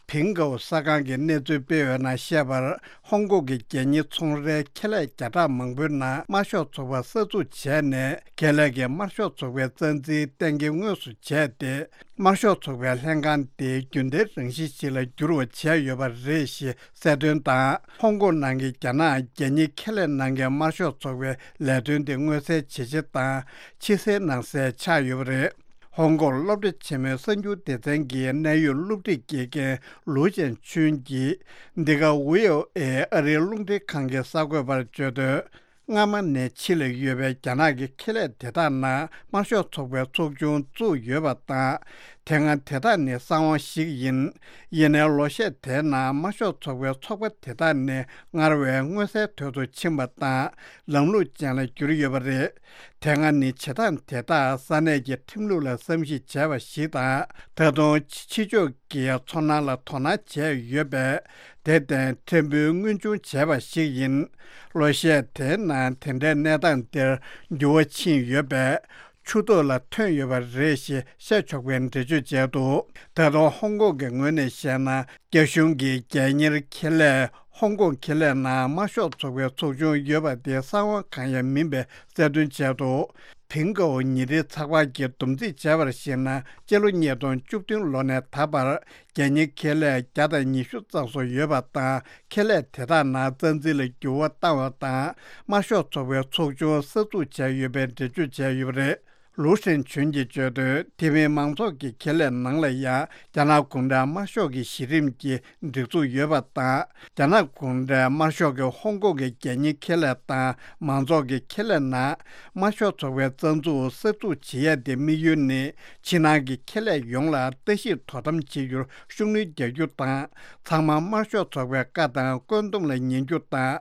ཕིང་ཀའོ་གསར་ཁང་གིས་གནས་ཚུལ་སྤེལ་བའི་ནང་བཤད་པར། ཧོང་ཀོང་གི་རྒྱལ་གཉེར་ཚོང་རའི་ཁེ་ལས་བརྒྱ་ཕྲག་མང་པོའི་ནང་དམར་ཤོག་ཚོགས་པ་གསར་འཛུགས་བྱས་ནས། ཁེ་ལས་ཀྱིས་དམར་ཤོག་ཚོགས་པའི་རྩ་འཛིན་གཏན་འཁེལ་དངོས་སུ་བྱས་ཏེ། དམར་ཤོག་ཚོགས་པའི་ལྷན་ཁང་དེ་རྒྱུན་ལྡན་རང་བཞིན་ཞིག་ལ་འགྱུར་བ་བྱས་ཡོད་པ་རེད་ཞེས་གསལ་སྟོན་དང་། ཧོང་ཀོང་ནང་གི་རྒྱ་ནག་རྒྱལ་གཉེར་ཁེ་ལས་ནང་གི་དམར་ཤོག་ཚོགས་པའི་ལས་དོན་དེ་མངོན་གསལ་ཇེ་ཆེ་དང་ཕྱི་གསལ་ནང་གསལ་ཆགས་ཡོད་པ་རེད། ཧོང་ཀོང་སློབ་གྲྭ་ཆེན་མོའི་གསར་འགྱུར་སྡེ་ཚན་གྱི་གནད་ཡོད་སློབ་ཁྲིད་དགེ་རྒན་ལུའུ་ཅན་ཆུན་གྱིས། འདི་ག་ཝི་ཨོ་ཨེ་ཨ་རིའི་རླུང་འཕྲིན་ཁང་གི་གསར་འགོད་པར་བརྗོད་དོན། སྔ་མ་ནས་ཕྱི་ལ་ཡོད་པའི་རྒྱ་ནག་གི་ཁེ་ལས་དེ་དག་ནང་དམར་ཤོག་ཚོགས་པའི་ཚོགས་ཆུང་བཙུགས་ཡོད་པ་དང་། དེ་སྔ་དེ་དག་ནི་གསང་བ་ཞིག་ཡིན། ཡིན་ནའི་ལོ་ཤས་དེའི་ནང་དམར་ཤོག་ཚོགས་པའི་ཚོགས་པ་དེ་དག་ནི་སྔར་བས་མངོན་གསལ་དོད་དུ་ཕྱིན་པ་དང་། ལམ་ལུགས་ཅན་ལ་གྱུར་ཡོད་པ་རེད། དེ་སྔ་ནི་བྱེད་སྟངས་དེ་དག་ས་གནས་ཀྱི་ཁྲིམས་ལུགས་ལ་བསམ་གཞིག་བྱས་པ་ཞིག་དང་། ད་དུང་ཕྱི་ཕྱོགས་ཀྱི་ཚོར་སྣང་ལ་དོ་སྣང་བྱས་ཡོད་པས། དེར་བརྟེན་ཕྲན་བུ་མངོན་ཆུང་བྱས་པ་ཞིག་ཡིན། ལོ་ཤས་དེའི་ནང་དེ་འདྲའི་གནས་སྟངས་འདིར་འགྱུར་བ་ཕྱིན་ཡོད་པས། ཆུ་ཐོག་ལ་ཐོན་ཡོད་པ་རེད་ཞེས་བཤད་ཆོག་པའི་འགྲེལ་བརྗོད་བྱས་འདུག་ད་དུང་ཧོང་ཀོང་གི་ངོས་ནས་བཤད་ན། རྒྱ་གཞུང་གི་རྒྱལ་གཉེར་ཁེ་ལས་ཧོང་ཀོང་ཁེ་ལས་ནང་དམར་ཤོག་ཚོགས་པའི་ཚོགས་ཆུང་ཡོད་པ་དེ་གསང་བ་གང་ཡང་མིན་པའི་གསལ་སྟོན་བྱས་འདུག་ཕིང་ཀའོ་ཉིན་རེའི་ཚགས་པར་གྱིས་བསྡོམས་རྩིས་བྱས་པར་གཞིགས་ན། སྤྱི་ལོ་ཉིས་སྟོང་བཅུ་བདུན་ལོ་ནས་ད་བར་རྒྱལ་གཉེར་ཁེ་ལས་བརྒྱ་དང་ཉི་ཤུ་རྩ་གསུམ་ཡོད་པ་དང་། ཁེ་ལས་དེ་དག་ནང་རྩ་འཛིན་ལ་འགྱུར་བ་བཏང་བ་དང་། དམར་ཤོག་ཚོགས་པའི་ཚོགས་ཆུང་གསར་འཛུགས་བྱས་ཡོད་པའི་འགྲེལ་བརྗོད་བྱས་ཡོད་པ་རེད། ལུའུ་ཧྲེང་ཆུན་གྱིས་བརྗོད་དོན། དེ་མིན་མང་ཚོགས་ཀྱི་ཁེ་ལས་ནང་ལ་ཡང་རྒྱ་ནག་གུང་ཁྲན་དམར་ཤོག་གི་གཞི་རིམ་གྱི་སྒྲིག་འཛུགས་ཡོད་པ་དང་། རྒྱ་ནག་གུང་ཁྲན་དམར་ཤོག་གིས་ཧོང་ཀོང་གི་རྒྱལ་གཉེར་ཁེ་ལས་དང་མང་ཚོགས་ཀྱི་ཁེ་ལས་ནང་དམར་ཤོག་ཚོགས་པའི་རྩ་འཛུགས་གསར་འཛུགས་བྱེད་ཡ་དེ་དམིགས་ཡུལ་ནི། ཕྱི་ནང་གི་ཁེ་ལས་ཡོངས་ལ་ལྟ་ཞིབ་དོ་དམ་བྱེད་རྒྱུར་ཤུགས་སྣོན་རྒྱག་རྒྱུ་དང་། ཚང་མ་དམར་ཤོག་ཚོགས་པའི་བཀའ་དང་བཀོད་འདོམས་ལ་ཉན་རྒྱུ་དང་།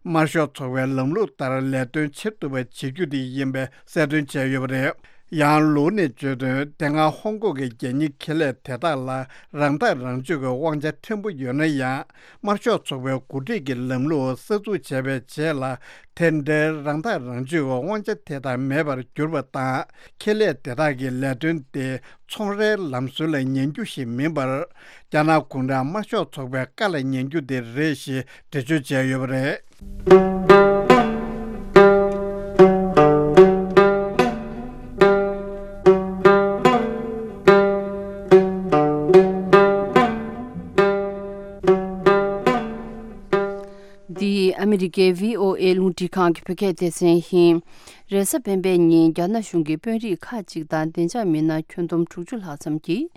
དམར་ཤོག་ཚོགས་པའི་ལམ་ལུགས་ལྟར་ལས་དོན་བྱེད་ཐུབ་པ་བྱེད་རྒྱུ་དེ་ཡིན་པའི་གསལ་སྟོན་བྱས་ཡོད་པ་རེད། ཡང་ལུའུ་ནས་བརྗོད་དོན། དེ་སྔ་ཧོང་ཀོང་གི་རྒྱལ་གཉེར་ཁེ་ལས་དེ་དག་ལ་རང་ཐག་རང་གཅོད་ཀྱི་དབང་ཆ་ཕྲན་བུ་ཡོད་ན་ཡང་། དམར་ཤོག་ཚོགས་པའི་འགོ་ཁྲིད་ཀྱི་ལམ་ལུགས་གསར་འཛུགས་བྱས་པའི་རྗེས་ལ། དེ་འདྲའི་རང་ཐག་རང་གཅོད་ཀྱི་དབང་ཆ་དེ་དག་མེད་པར་གྱུར་པ་དང་། ཁེ་ལས་དེ་དག་གི་ལས་དོན་དེ་ཚོང་རའི་ལམ་སྲོལ་ལ་ཉན་རྒྱུ་ཞིག་མིན་པར། རྒྱ་ནག་གུང་ཁྲན་དམར་ཤོག་ཚོགས་པའི་བཀའ་ལ་ཉན་རྒྱུ་དེ་རེད་ཞེས་འགྲེལ་བརྗོད་བྱས་ཡོད་པ་རེད། འདི་ཨ་མི་རི་ཀའི་བྷི་ཨོ་ཨེ་རླུང་འཕྲིན་ཁང་གི་བོད་སྐད་སྡེ་ཚན་ཡིན། རེས་གཟའ་སྤེན་པའི་ཉིན་རྒྱ་ནག་གཞུང་གི་དཔོན་རིགས་ཁག་ཅིག་དང་བདེ་འཇགས་མི་སྣ་ཁྱོན་བསྡོམས་དྲུག་ཅུ་ལྷག་ཙམ་གྱིས།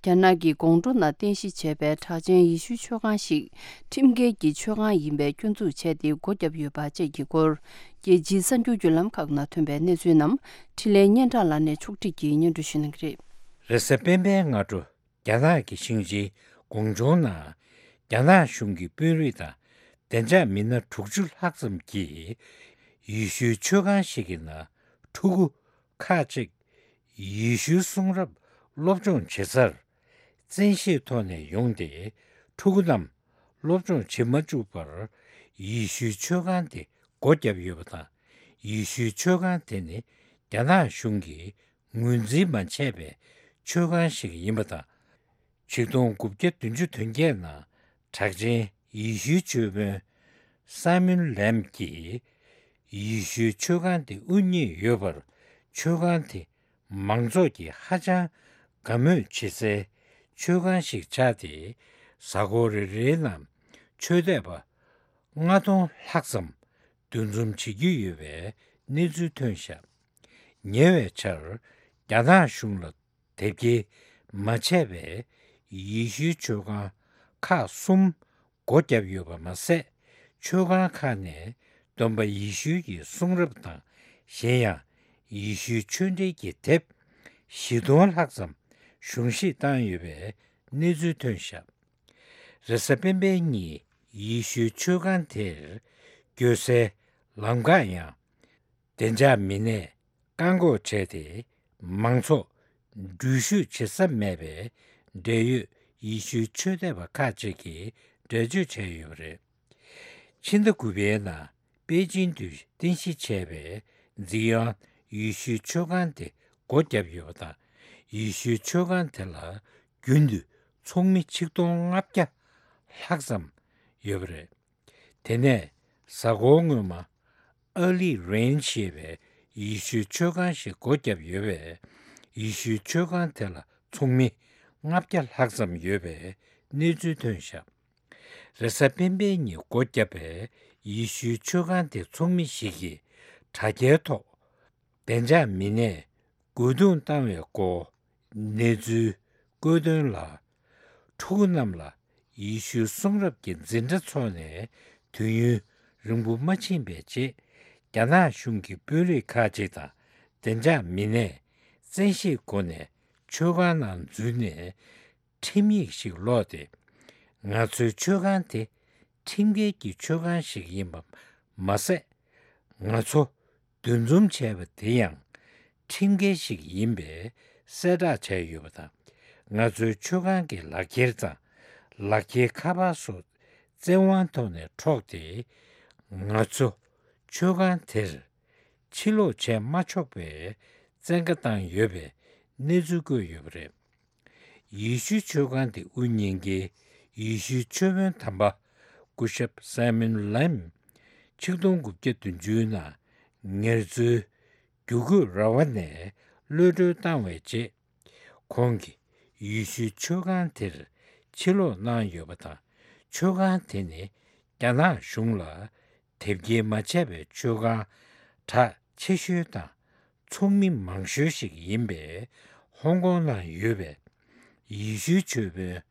རྒྱ་ནག་གི་ཀོང་ཀྲོའུ་ནང་རྟེན་གཞི་བྱས་པའི་གྲགས་ཅན་ཡེ་ཤུའི་མཆོད་ཁང་ཞིག་ཁྲིམས་འགལ་གྱི་མཆོད་ཁང་ཡིན་པའི་སྐྱོན་འཛུགས་བྱས་ཏེ་སྒོ་བརྒྱབ་ཡོད་པ་བཅས་ཀྱི་སྐོར། རྒྱལ་སྤྱིའི་གསར་འགྱུར་བརྒྱུད་ལམ་ཁག་ནང་ཐོན་པའི་གནས་ཚུལ་རྣམས་འཕྲིན་ལས་སྙན་གྲགས་ལགས་ནས་ཕྱོགས་སྒྲིག་གིས་སྙན་སྒྲོན་ཞུ་གནང་གི་རེད། རེས་གཟའ་སྤེན་པའི་སྔ་དྲོ། རྒྱ་ནག་གི་ཞིང་ཆེན་ཀོང་ཀྲོའུ་ནང་རྒྱ་ནག་གཞུང་གི་དཔོན་རིགས་དང་བདེ་འཇགས་མི་སྣ་དྲུག་ཅུ་ལྷག་ཙམ་གྱིས་ཡེ་ཤུའི་མཆོད་ཁང་ཞིག་གི་ནང་ཕྲུ་གུ་ཁག་ཅིག་ཡེ་ཤུའི་གསུང་རབ་སློབ་སྦྱོང་བྱེད་སར་བཙན་ཤེད་ཐོག་ནས་ཡོང་སྟེ། ཕྲུ་གུ་རྣམས་སློབ་སྦྱོང་བྱེད་མ་བཅུག་པར་ཡེ་ཤུའི་མཆོད་ཁང་དེ་སྒོ་བརྒྱབ་ཡོད་པ་དང་། ཡེ་ཤུའི་མཆོད་ཁང་དེ་ནི་རྒྱ་ནག་གཞུང་གིས་ངོས་འཛིན་མ་བྱས་པའི་མཆོད་ཁང་ཞིག་ཡིན་པ་དང་། ཆིག་སྟོང་དགུ་བརྒྱ་བདུན་ཅུ་དོན་བརྒྱད་ནང་གྲགས་ཅན་ཡེ་ཤུའི་ཆོས་དཔོན་སཱ་མུན་ལེམ་གྱིས་ཡེ་ཤུའི་མཆོད་ཁང་དེ་དབུ་བརྙེས་ཡོད་པར། མཆོད་ཁང་དེ་མང་ཚོགས་ཀྱིས་ཧ་ཅང་དགའ་མོས་བྱེད་སའི་མཆོད་ཁང་ཞིག་ཆགས་ཏེ། གཟའ་འཁོར་རེ་རེའི་ནང་ཆོས་དད་པ་ལྔ་སྟོང་ལྷག་ཙམ་འདུ་འཛོམས་བྱེད་ཀྱི་ཡོད་པའི་གནས་ཚུལ་ཐོན་བཞག་ཉེ་བའི་ཆར་རྒྱ་ནག་གཞུང་ལ་དེབ་སྐྱེལ་མ་བྱས་པའི་ཡེ་ཤུའི་མཆོད་ཁང་ཁག་གསུམ་སྒོ་བརྒྱབ་ཡོད་པ་མ་ཟད། མཆོད་ཁང་ཁག་ནས་སྟོན་པ་ཡེ་ཤུ་ཡི་གསུང་རབ་དང་། གཞན་ཡང་ཡེ་ཤུའི་ཆོས་འབྲེལ་གྱི་དེབ་བཞི་སྟོང་ལྷག་ཙམ་གཞུང་བཞེས་བཏང་ཡོད་པའི་གནས་ཚུལ་ཐོན་བཞག་རེས་གཟའ་སྤེན་པའི་ཉིན་ཡེ་ཤུའི་མཆོད་ཁང་དེར་སྐྱོད་སའི་ལམ་ཁ་ཡང་བདེ་འཇགས་མི་སྣས་བཀག་འགོག་བྱས་ཏེ། མང་ཚོགས་འགྲུལ་བཞུད་བྱེད་ས་མེད་པའི་འབྲེལ་ཡོད་ཡེ་ཤུའི་ཆོས་དད་པ་ཁག་ཅིག་གིས་འགྲེལ་བརྗོད་བྱས་ཡོད་པ་རེད། ཕྱི་ཟླ་དགུ་པའི་ནང་པེ་ཅིན་དུ་རྟེན་གཞི་བྱས་པའི་ཛི་ཡོན་ཡེ་ཤུའི་མཆོད་ཁང་དེ་སྒོ་བརྒྱབ་ཡོད་པ་དང་། ཡེ་ཤུའི་མཆོད་ཁང་དེ་ལ་རྒྱུན་དུ་ཚོགས་མི་ཆིག་སྟོང་ལྔ་བརྒྱ་ལྷག་ཙམ་ཡོད་པ་རེད། དེ་ནས་གཟའ་འཁོར་སྔོན་མ་ཨ་ལི་རེན་ཞེས་པའི་ཡེ་ཤུའི་མཆོད་ཁང་ཞིག་སྒོ་བརྒྱབ་ཡོད་པས། ཡེ་ཤུའི་མཆོད་ཁང་དེ་ལ་ཚོགས་མི་ལྔ་བརྒྱ་ལྷག་ཙམ་ཡོད་པའི་གནས་ཚུལ་ཐོན་བཞག་རེས་གཟའ་སྤེན་པའི་ཉིན་སྒོ་བརྒྱབ་པའི་ཡེ་ཤུའི་མཆོད་ཁང་དེ་ཚོགས་མི་ཞིག་གིས་དྲ་རྒྱའི་ཐོག་བདེ་འཇགས་མི་སྣས་རྒོལ་རྡུང་བཏང་བའི་སྐོར་གནས་ཚུལ་བཀོད་དོན་ལ། ཕྲུ་གུ་རྣམས་ལ་ཡེ་ཤུའི་གསུང་རབ་ཀྱི་འཛིན་གྲྭ་འཚོགས་ནས་དུས་ཡུན་རིང་པོ་མ་ཕྱིན་པའི་རྗེས། རྒྱ་ནག་གཞུང་གི་དཔོན་རིགས་ཁག་ཅིག་དང་བདེ་འཇགས་མི་སྣས་བཙན་ཤེད་སྒོ་ནས་མཆོད་ཁང་ནང་འཛུལ་ནས། ཁྲིམས་ཡིག་ཞིག་ཀློག་སྟེ། ང་ཚོའི་མཆོད་ཁང་དེ་ཁྲིམས་འགལ་གྱི་མཆོད་ཁང་ཞིག་ཡིན་པ་མ་ཟད། ང་ཚོ་འདུ་འཛོམས་བྱས་པ་དེ་ཡང་ཁྲིམས་འགལ་ཞིག་ཡིན་པའི་གསལ་བསྒྲགས་བྱས་ཡོད་པ་དང་། ང་ཚོའི་མཆོད་ཁང་གི་ལག་འཁྱེར་དང་ལག་འཁྱེར་ཁ་པར་སོགས་བཙན་དབང་ཐོག་ནས་འཕྲོག་སྟེ། ང་ཚོ་མཆོད་ཁང་དེར་ཕྱིར་ལོག་བྱས་མ་ཆོག་པའི་བཙན་བཀའ་བཏང་ཡོད་པའི་གནས་ཚུལ་བཀོད་ཡོད་པ་རེད། ཡེ་ཤུའི་མཆོད་ཁང་དེ་དབུ་བརྙེས་མཁན་ཡེ་ཤུའི་ཆོས་དཔོན་དམ་པ་སྐུ་ཞབས་སཱ་མུན་ལེམ། ཆིག་སྟོང་དགུ་བརྒྱ་བདུན་ཅུ་ནང་ངལ་རྩོལ་ རྒྱུ་རྒོད་ར་བ་ནས་གློད་གྲོལ་བཏང་བའི་རྗེས། ཁོང་གིས་ཡེ་ཤུའི་མཆོད་ཁང་དེར་ཕྱིར་ལོག་གནང་ཡོད་པ་དང་། མཆོད་ཁང་དེ་ནི་རྒྱ་ནག་གཞུང་ལ་དེབ་སྐྱེལ་མ་བྱས་པའི་མཆོད་ཁང་གྲགས་ཆེ་ཤོས་དང་ཚོགས་མི་མང་ཤོས་ཤིག་ཡིན་པའི་ཧོང་ཀོང་ནང་ཡོད་པའི་ཡེ་ཤུའི་མཆོད་དཔོན་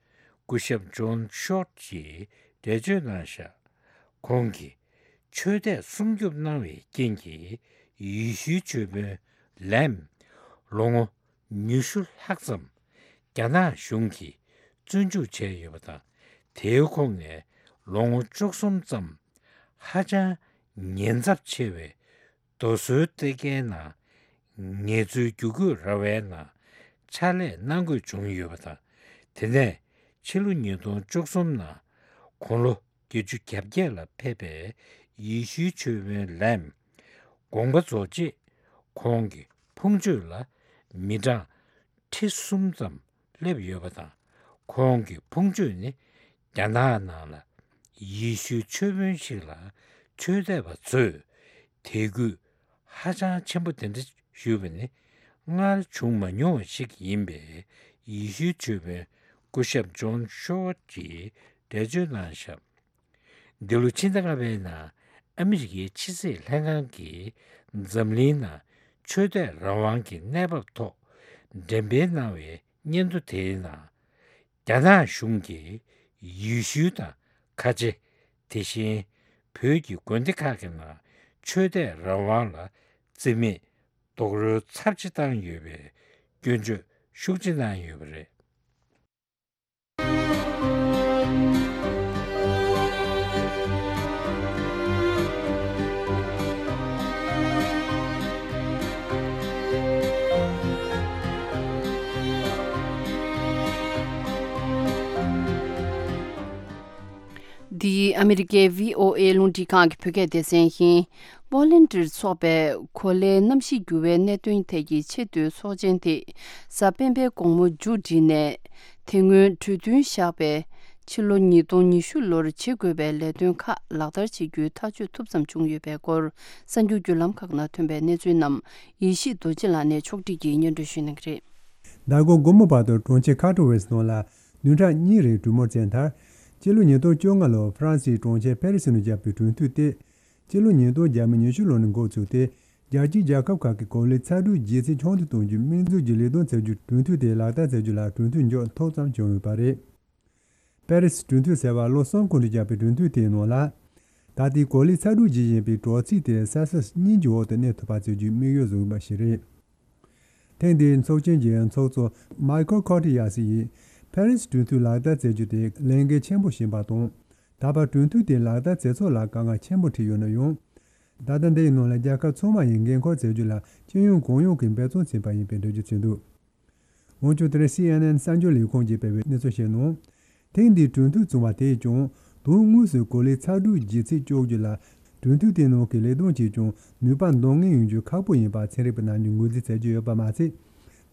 སྐུ་ཞབས་ཇོན་ཤོར་གྱིས་འགྲེལ་བརྗོད་གནང་བཞག་ཁོང་གིས་ཆོས་དད་སྲུང་སྐྱོབ་གནང་བའི་རྐྱེན་གྱིས་ཡེ་ཤུའི་མཆོད་དཔོན་ལེམ་ལོ་ངོ་ཉི་ཤུ་ལྷག་ཙམ་རྒྱ་ནག་གཞུང་གིས་བཙོན་འཇུག་བྱས་ཡོད་པ་དང་། དེའི་ཁོངས་ནས་ལོ་ངོ་བཅུ་གསུམ་ཙམ་ཧ་ཅང་ཉེན་ཚབས་ཆེ་བའི་རྡོ་སོལ་གཏེར་ཁའི་ནང་ངལ་རྩོལ་རྒྱུ་རྒོད་ར་བའི་ནང་ཕྱག་ལས་གནང་དགོས་བྱུང་ཡོད་པ་དང་། དེ་ནས་ཕྱི་ལོ་ཉིས་སྟོང་བཅུ་གསུམ་ནང་དགུང་ལོ་བརྒྱད་ཅུ་གྱ་བརྒྱད་ལ་ཕེབས་པའི་ཡེ་ཤུའི་མཆོད་དཔོན་ལེམ་དགོངས་པ་རྫོགས་རྗེས། ཁོང་གི་ཕུང་མཆོད་ལ་མི་གྲངས་ཁྲི་གསུམ་ཙམ་སླེབས་ཡོད་པ་དང་། ཁོང་གི་ཕུང་མཆོད་ནི་རྒྱ་ནག་ནང་ལ་ཡེ་ཤུའི་མཆོད་དཔོན་ཞིག་ལ་ཆོས་དད་པ་ཚོས་དད་གུས་ཧ་ཅང་ཆེན་པོ་དེ་འདྲ་ཞུས་པ་ནི་སྔར་བྱུང་མ་མྱོང་བ་ཞིག་ཡིན་པས། ཡེ་ཤུའི་མཆོད་དཔོན་སྐུ་ཞབས་ཇོན་ཤོ་ཝར་གྱིས་འགྲེལ་བརྗོད་གནང་བཞག་འདི་ལོ་ཕྱི་ཟླ་ལྔ་པའི་ནང་ཨ་མི་རི་ཀའི་ཕྱི་སྲིད་ལྷན་ཁང་གིས་འཛམ་གླིང་ནང་ཆོས་དད་རང་དབང་གི་གནས་བབ་ཐོག་འགྲེམས་སྤེལ་གནང་བའི་སྙན་ཐོ་དེའི་ནང་། རྒྱ་ནག་གཞུང་གིས་ཡེ་ཤུ་དང་ཁ་ཆེ། དེ་བཞིན་བོད་ཀྱི་དགོན་སྡེ་ཁག་གི་ནང་ཆོས་དད་རང་དབང་ལ་བརྩི་མེད་རྡོག་རོལ་ཚབས་ཆེ་བཏང་ཡོད་པའི་སྐྱོན་བརྗོད་ཤུགས་ཆེ་གནང་ཡོད་པ་རེད། འདི་ཨ་མི་རི་ཀའི་བྷི་ཨོ་ཨེ་རླུང་འཕྲིན་ཁང་གི་བོད་སྐད་སྡེ་ཚན་ཡིན། པོ་ལན་ཌིར་འཚོགས་པའི་གོ་ལའི་གནམ་གཤིས་འགྱུར་བའི་གནད་དོན་ཐད་ཀྱི་ཆེས་མཐོའི་ཚོགས་ཆེན་དེ་གཟའ་སྤེན་པའི་དགོང་མོ་མཇུག་བསྒྲིལ་ནས། དེ་སྔོན་གྲོས་མཐུན་བཞག་པའི་ཕྱི་ལོ་ཉིས་སྟོང་ཉི་ཤུ་ལོར་བྱེད་དགོས་པའི་ལས་དོན་ཁག་ལག་བསྟར་བྱེད་རྒྱུའི་ཐག་གཅོད་ཐུབ་ཙམ་བྱུང་ཡོད་པའི་སྐོར། གསར་འགྱུར་བརྒྱུད་ལམ་ཁག་ནང་ཐོན་པའི་གནས་ཚུལ་རྣམས་ཡེ་ཤེས་རྡོ་རྗེ་ལགས་ནས་ཕྱོགས་སྒྲིག་གིས་སྙན་སྒྲོན་ཞུ་གནང་གི་རེད། མདང་དགོང་དགོང་མོ་བར་དུ་གྲོང་ཁྱེར་ཁ་ཏོ་ཝེ་སི་ནང་ལ་བདུན་ཕྲག་གཉིས་རིང་གྲོས་མོལ་བྱས་མཐར། སྤྱི་ལོ་ཉིས་སྟོང་བཅོ་ལྔ་ལོར་ཧྥ་རན་སིའི་གྲོང་ཁྱེར་ཕེ་རི་སི་ནང་བཞག་པའི་གྲོས་མཐུན་དེ། སྤྱི་ལོ་ཉིས་སྟོང་ཉི་ཤུ་ལོ་ནས་འགོ་བཙུགས་ཏེ། རྒྱལ་སྤྱིའི་རྒྱལ་ཁབ་ཁག་གི་གོ་ལའི་ཚ་དྲོད་ལྗིད་ཚད་ཆུང་དུ་གཏོང་རྒྱུའི་དམིགས་འཛུགས་ཀྱི་ལས་དོན་བྱ་རྒྱུའི་གྲོས་མཐུན་དེ་ལག་བསྟར་བྱ་རྒྱུ་ལ་གྲོས་མཐུན་འཇོག་ཐུབ་ཙམ་བྱུང་ཡོད་པ་རེད། པེ་རི་སི་གྲོས་མཐུན་ཟེར་བ་ལོ་གསུམ་གོང་དུ་བཞག་པའི་གྲོས་མཐུན་དེའི་ནང་ལ། ད་ལྟའི་གོ་ལའི་ཚ་དྲོད་ཇི་བཞིན་པའི་དྲོ་ཚིགས་དེ་སེལ་སི་ཡས་གཉིས་ཀྱི་འོག་ཏུ་གནས་ཐུབ་པ་བྱེད་རྒྱུའི་དམིགས་ཡུལ་བཟུང་ཡོད་པ་ཞིག་རེད། ཐེངས་འདིའི་ཚོགས་ཆེན་གྱི་ཚོགས་གཙོ་མའི་ཁལ་ཁོ་ཏི་ཡ་སི་ཡིས་ཕེ་རི་སི་གྲོས་མཐུན་ལག་བསྟར་མཛད་རྒྱུ་དེ་ལས་འགན་ཆེན་པོ་ཞིག་ཡིན་པ་དང་། ད་བར་གྲོས་མཐུན་དེ་ལག་བསྟར་མཛད་ཚུལ་ལ་དཀའ་ངལ་ཆེན་པོ་འཕྲད་ཡོད་ན་ཡང་། ད་ལྟ་འདིའི་ནང་ལ་རྒྱལ་ཁབ་ཚང་མ་ཡིས་འགན་འཁུར་མཛད་རྒྱུ་ལ་སྤྱི་ཡོངས་གང་ཡོང་གིས་འབད་བརྩོན་བྱས་པ་ཡིན་པའི་འགྲེལ་བརྗོད་བྱས་འདུག་འོན་ཀྱང་དེ་རིང་སི་ཨེན་ཨེན་གསར་འགྱུར་ལས་ཁུངས་ཀྱིས་སྤེལ་བའི་གནས་ཚུལ་ཞིག་ནང་། ཐེངས་འདིའི་གྲོས་མཐུན་བྱུང་བ་དེས་ཀྱང་དོན་དངོས་སུ་གོ་ལའི་ཚ་དྲོད་ལྗིད་ཚད་གཅོག་རྒྱུ་ལ་གྲོས་མཐུན་དེའི་ནང་གི་ལས་དོན་གྱིས་ཀྱང་ནུས་པ་འདོན་ངེས་ཡོང་རྒྱུ་ཁག་པོ་ཡིན་པ་ཚན་རིག་པ་རྣམས་ཀྱིས་ངོས་འཛིན་མཛད་ཀྱི་ཡོད་པ་མ་ཟད།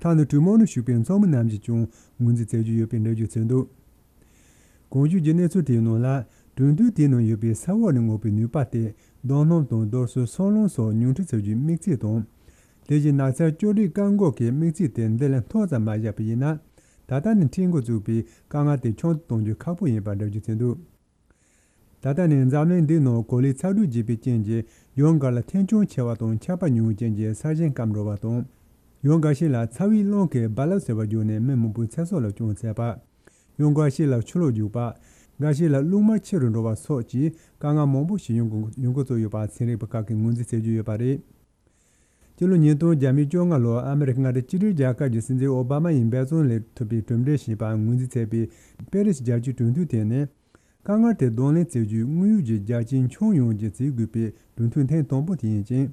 ཐ་ན་གྲོས་མོལ་ནང་ཞུགས་པའི་ཚོགས་མི་རྣམས་ཀྱིས་ཀྱང་ངོས་འཛིན་མཛད་ཀྱི་ཡོད་པའི་འགྲེལ་བརྗོད་བྱས་འདུག་གོང་ཞུས་ཀྱི་གནས་ཚུལ་དེའི་ནང་ལ། གྲོས་མཐུན་དེའི་ནང་ཡོད་པའི་ས་འོག་ནས་མངགས་པའི་ནུས་པ་དེ་རྡོ་སྣུམ་དང་རྡོ་སོལ་སོལ་རླུང་སོགས་ཉུང་འཕྲི་བྱ་རྒྱུའི་དམིགས་ཚད་དང་། དེ་བཞིན་ནགས་ཚལ་གཅོད་འབྲེག་བཀག་འགོག་གི་དམིགས་ཚད་དེ་འདི་ལས་མཐོ་ཙམ་མ་བཞག་པ་ཡིན་ན། ད་ལྟ་ནས་འཕྲད་འགོ་བཙུགས་པའི་དཀའ་ངལ་དེ་ཆུང་དུ་གཏོང་རྒྱུ་ཁག་པོ་ཡིན་པར་འགྲེལ་བརྗོད་བྱས་འདུག་ད་ལྟ་ནས་འཛམ་གླིང་འདིའི་ནང་གོ་ལའི་ཚ་དྲོད་རྒྱས་པའི་རྐྱེན་གྱིས་ཡུལ་འགའ་ལ་ཐན་སྐྱོན་ཆེ་བ་དང་ཆར་པ་ཉུང་བའི་རྐྱེན་གྱིས་ས་ཞིང་སྐམ་འགྲོ་བ་དང་། ཡུལ་འགའ་ཞིག་ལ་ཚ་བའི་རླུང་གིས་རྦ་རླབས་ཟེར་བ་བརྒྱུད་ནས་མི་མང་པོའི་ཚེ་སྲོག་ལ་སྐྱོན་བཙལ་བ། ཡང་འགའ་ཞིག་ལ་ཆུ་ལོག་རྒྱུག་པ། འགའ་ཞིག་ལ་རླུང་དམར་ཆེ་རུ་འགྲོ་བ་སོགས་ཀྱི་དཀའ་ངལ་མང་པོ་ཞིག་ཡོང་གི་ཡོང་འགོ་བཙུགས་ཡོད་པ་ཚན་རིག་པ་ཁག་གིས་ངོས་འཛིན་བྱེད་ཀྱི་ཡོད་པ་རེད། སྤྱི་ལོ་ཉིས་སྟོང་བརྒྱ་མེད་བཅོ་ལྔ་ལོར་ཨ་མི་རི་ཀ་མངའ་སྡེ་གཅིག་སྒྲིལ་རྒྱལ་ཁབ་ཀྱི་སྲིད་འཛིན་ཨོ་བྷ་མ་ཡིས་འབད་བརྩོན་ལས་ཐུབ་པའི་གྲུབ་འབྲས་ཞེས་པ་ངོས་འཛིན་བྱས་པའི་པེ་རི་སི་རྒྱལ་སྤྱིའི་གྲོས་མཐུན་དེ་ནི། དཀའ་ངལ་དེ་གདོང་ལེན་བྱེད་རྒྱུའི་དངོས་ཡོད་ཀྱི་རྒྱ་ཆེན་ཁྱོན་ཡོངས་ཀྱི་བྱེད་དགོས་པའི་གྲོས་མཐུན་ཐེངས་དང་པོ་དེ་ཡིན་ཅིང་།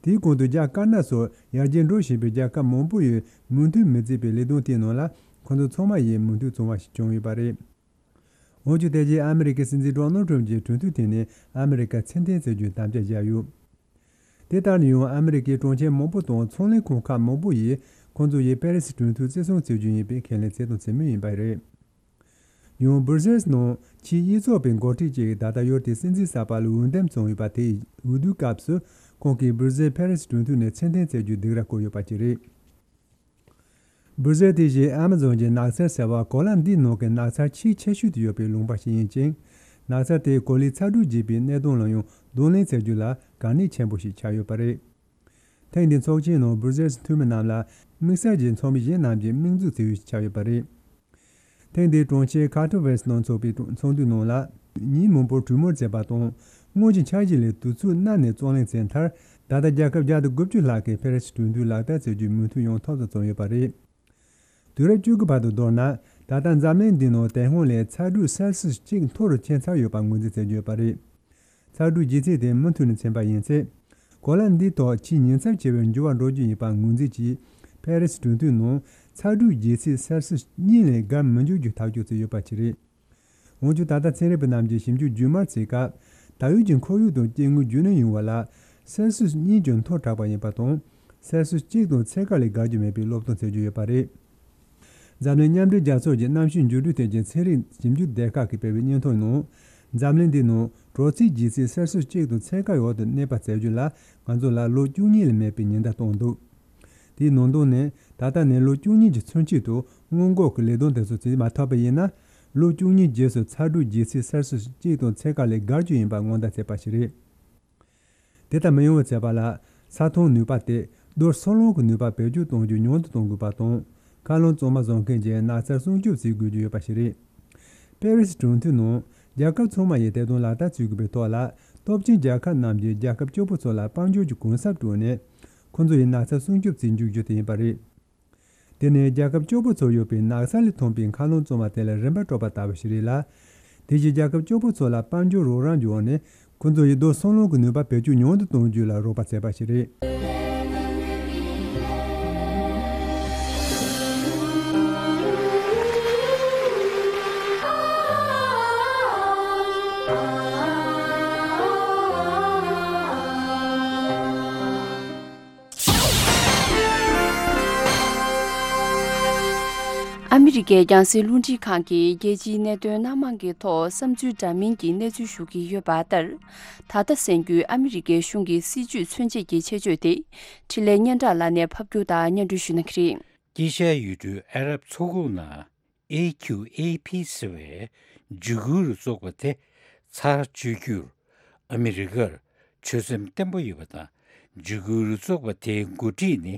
དེའི་གོང་དུ་རྒྱ་དཀར་ནག་སོགས་ཡར་རྒྱས་འགྲོ་བཞིན་པའི་རྒྱལ་ཁབ་མང་པོ་ཡིས་མོས་མཐུན་མི་བྱེད་པའི་ལས་དོན་དེའི་ནང་ལ་ཁོ་ཚོ་ཚང་མ་ཡིས་མོས་མཐུན་བྱུང་བ་ཞིག་བྱུང་ཡོད་པ་རེད། འོན་ཀྱང་དེ་རྗེས་ཨ་མི་རི་ཀའི་སྲིད་འཛིན་ཌོ་ནལ་ཊམ་གྱིས་གྲོས་མཐུན་དེ་ནི་ཨ་མི་རི་ཀ་ཚུར་འཐེན་བྱེད་རྒྱུའི་དམ་བཅའ་བཞག་ཡོད། དེ་ལྟར་ན་ཡང་ཨ་མི་རི་ཀའི་གྲོང་ཁྱེར་མང་པོ་དང་ཚོང་ལས་ཁང་ཁག་མང་པོ་ཡིས་ཁོང་ཚོ་ཡིས་པེ་རི་སི་གྲོས་མཐུན་བརྩི་སྲུང་བྱེད་རྒྱུ་ཡིན་པའི་ཁས་ལེན་བྱེད་དང་བྱེད་མུས་ཡིན་པ་རེད། ཡང་སྦུར་སེལ་སི་ནང་ ཕྱིའི་གཡུ་ཚོགས་པའི་འགོ་ཁྲིད་ཅིག་གིས་ད་ལྟ་ཡུལ་དེའི་སྲིད་འཛིན་གསར་པ་ལ་འོས་འདེམས་བྱུང་ཡོད་པ་དེའི་འོས་བསྡུའི་སྐབས་སུ་ཁོང་གིས་སྦུར་ཟེལ་ཕེ་རེ་སི་གྲོས་མཐུན་ནས་ཕྱིར་འཐེན་བྱེད་རྒྱུའི་སྡིགས་ར་བསྐུལ་ཡོད་པ་བཅས་རེད། སྦུར་ཟེལ་དེ་བཞིན་ཨ་མ་ཛོན་གྱི་ནགས་ཚལ་ཟེར་བ་གོ་ལ་འདིའི་ནང་གི་ནགས་ཚལ་ཆེས་ཆེ་ཤོས་དུ་ཡོད་པའི་ལུང་པ་ཞིག་ཡིན་ཅིང་། ནགས་ཚལ་དེས་གོ་ལའི་ཚ་དྲོད་རྒྱས་པའི་གནད་དོན་ལ་ཡང་གདོང་ལེན་བྱེད་རྒྱུ་ལ་གལ་གནད་ཆེན་པོ་ཞིག་ཆགས་ཡོད་པ་རེད། ཐེངས་འདིའི་ཚོགས་ཆེན་ནང་སྦུར་ཟེལ་གྱི་འཐུས་མི་རྣམས་ལ་དམིགས་བསལ་གྱི་ཚོགས་མི་གཞན་རྣམས་ཀྱིས་མིག་འཛུགས་བྱེད་ཡུལ་ཞིག་ཆགས་ཡོད་པ་རེད། ཐེངས་འདིའི་གྲོང་ཁྱེར་ཁ་ཐོ་ཝེ་སི་ནང་འཚོགས་པའི་ཚོགས་འདུའི་ནང་ལ། ཉིན་མང་པོར་གྲོས་མོལ་བྱས་པ་དང་། སྔོན་གྱི་འཆར་གཞི་ལས་དུས་ཚོད་སྣ་ནས་རྩོད་གླེང་བྱས་མཐར། ད་ལྟ་རྒྱལ་ཁབ་བརྒྱ་དང་དགུ་བཅུ་ལྷག་གིས་ཕེ་རེ་སི་གྲོས་མཐུན་ལག་བསྟར་བྱེད་རྒྱུའི་མོས་མཐུན་ཡོང་ཐབས་སུ་བརྩོན་ཡོད་པ་རེད། དུས་རབས་བཅུ་དགུ་བར་དུ་མདོར་ན། ད་ལྟ་འཛམ་གླིང་འདིའི་ནང་དེ་སྔོན་ལས་ཚ་དྲོད་སེལ་སིས་གཅིག་མཐོ་རུ་ཕྱིན་ཚར་ཡོད་པ་ངོས་འཛིན་བྱེད་ཀྱི་ཡོད་པ་རེད། ཚ་དྲོད་ལྗིད་ཚད་དེ་མུ་མཐུད་ནས་ཕྱིན་པ་ཡིན་ཚེ། གོ་ལ་འདིའི་ཐོག་ཆེས་ཉེན་ཚབས་ཆེ་བའི་འགྱུར་བ་འགྲོ་རྒྱུ་ཡིན་པ་ངོས་འཛིན་གྱིས། ཕེ་རེ་སི་གྲོས་མཐུན་ནང་ཚ་དྲོད་ལྗིད་ཚད་སེལ་སིས་གཉིས་ལས་བརྒལ་མི་འཇུག་རྒྱུ་ཐག་གཅོད་བྱས་ཡོད་པ་ཞིག་རེད། འོན་ཀྱང་ད་ལྟ་ཚན་རིག་པ་རྣམས་ཀྱིས་ཞིབ་འཇུག་རྒྱུན་མར་བྱེད་སྐབས། ད་ཡོད་ཀྱི་ཁོར་ཡུག་དང་སྐྱེ་དངོས་རྒྱུན་གནས་ཡོང་བ་ལ་སེལ་སིས་གཉིས་ཀྱང་མཐོ་དྲགས་པ་ཡིན་པ་དང་། སེལ་སིས་གཅིག་དང་ཚད་བཀག་ལས་བརྒལ་རྒྱུ་མེད་པའི་སློབ་སྟོན་བྱེད་ཀྱི་ཡོད་པ་རེད། འཛམ་གླིང་མཉམ་འབྲེལ་རྒྱལ་ཚོགས་ཀྱི་གནམ་གཤིས་འགྱུར་འགྲོས་ཐད་ཀྱི་ཚན་རིག་ཞིབ་འཇུག་སྡེ་ཁག་གིས་སྤེལ་བའི་སྙན་ཐོ་ནང་། འཛམ་གླིང་འདིའི་ནང་དྲོ་ཚིགས་ལྗིད་ཚད་སེལ་སིས་གཅིག་དང་ཚད་བཀག་འོག་ཏུ་གནས་པ་བྱ་རྒྱུ་ལ་ང་ཚོ་ལ་ལོ་བཅུ་གཉིས་ལས་མེད་པའི་ཉེན་བརྡ་བཏང་འདུག་དེའི་ནང་དོན་ནི། ད་ལྟ་ནས་ལོ་བཅུ་གཉིས་ཀྱི་ཚུན་ཆད་དུ་སྔོན་འགོག་གི་ལས་དོན་དེ་ཚོ་བྱེད་མ་ཐུབ་པ་ཡིན་ན། ལོ་བཅུ་གཉིས་རྗེས་སུ་ཚ་དྲོད་ལྗིད་ཚད་སེལ་སིས་གཅིག་དང་ཚད་བཀག་ལས་བརྒལ་རྒྱུ་ཡིན་པ་སྔོན་བརྡ་བྱས་པ་ཞིག་རེད། དེ་ལྟར་མི་ཡོང་བ་བྱེད་པ་ལ། ས་མཐོང་ནུས་པ་སྟེ། རྡོ་སོལ་རླུང་གི་ནུས་པ་བེད་སྤྱོད་གཏོང་རྒྱུ་ཉུང་དུ་གཏོང་དགོས་པ་དང་། མཁའ་རླུང་གཙང་མ་བཟོ་མཁན་གྱི་ནགས་ཚལ་སྲུང་སྐྱོབ་བྱེད་དགོས་ཀྱི་ཡོད་པ་ཞིག་རེད། པེ་རི་སི་གྲོས་མཐུན་ནང་། རྒྱལ་ཁབ་ཚང་མ་ཡིས་དེ་དོན་ལག་བསྟར་བྱེད་དགོས་པའི་ཐོག་ལ། སྟོབས་ཆེན་རྒྱལ་ཁབ་རྣམས་ཀྱིས་རྒྱལ་ཁབ་སྐྱོ་པོ་ཚོ་ལ་དཔལ་འབྱོར་གྱི་གུན་གསབ་སྤྲོད་ནས། ཁོ་ཚོ་ཡི་ནགས་ཚལ་སྲུང་སྐྱོབ་བྱེད་འཇུག་རྒྱུ་དེ་ཡིན་པ་རེད། དེ་ནི་རྒྱལ་ཁབ་སྐྱོ་པོ་ཚོར་ཡོད་པའི་ནགས་ས་ལས་ཐོན་པའི་མཁའ་རླུང་གཙང་མ་དེ་ལ་རིན་པ་སྤྲོད་པ་ལྟ་བུ་ཞིག་རེད་ལ། དེ་བཞིན་རྒྱལ་ཁབ་སྐྱོ་པོ་ཚོ་ལ་དཔལ་འབྱོར་རོགས་རམ་གྱི་འོག་ནས། ཁོ་ཚོ་ཡི་རྡོ་སོལ་རླུང་གི་ནུས་པ་བེད་སྤྱོད་ཉུང་དུ་གཏོང་རྒྱུ་ལ་རོགས་པ་བྱས་པ་ཞིག་རེད། ཨ་མི་རི་ཀའི་རྒྱང་སྲིང་རླུང་འཕྲིན་ཁང་གིས་རྒྱལ་སྤྱིའི་གནད་དོན་སྣ་མང་གི་ཐོག་བསམ་ཚུལ་འདྲ་མིན་གྱི་གནས་ཚུལ་ཞུ་གི་ཡོད་པ་ལྟར། ད་ལྟ་གསན་རྒྱུའི་ཨ་མི་རི་ཀའི་གཞུང་གི་སྲིད་ཇུས་མཚོན་བྱེད་ཀྱི་ཆེད་བརྗོད་དེ། འཕྲིན་ལས་སྙན་གྲགས་ལགས་ནས་ཕབ་སྒྱུར་དང་སྙན་སྒྲོན་ཞུ་གནང་གི་རེད། དཀྱིལ་ཤར་ཡུལ་གྲུའི་ཨ་རབ་མཚོ་ཁུག་ནང་། ཨེ་ཁྱུ་ཨེ་ཕི་ཟེར་བའི་འཇིགས་སྐུལ་རུ་ཚོགས་པ་དེ་ཚར་གཅོད་རྒྱུར་ཨ་མི་རི་ཀར་ཆོད་སེམས་བརྟན་པོ་ཡོད་པ་དང་། འཇིགས་སྐུལ་རུ་ཚོགས་པ་དེའི་འགོ་ཁྲིད་ནི་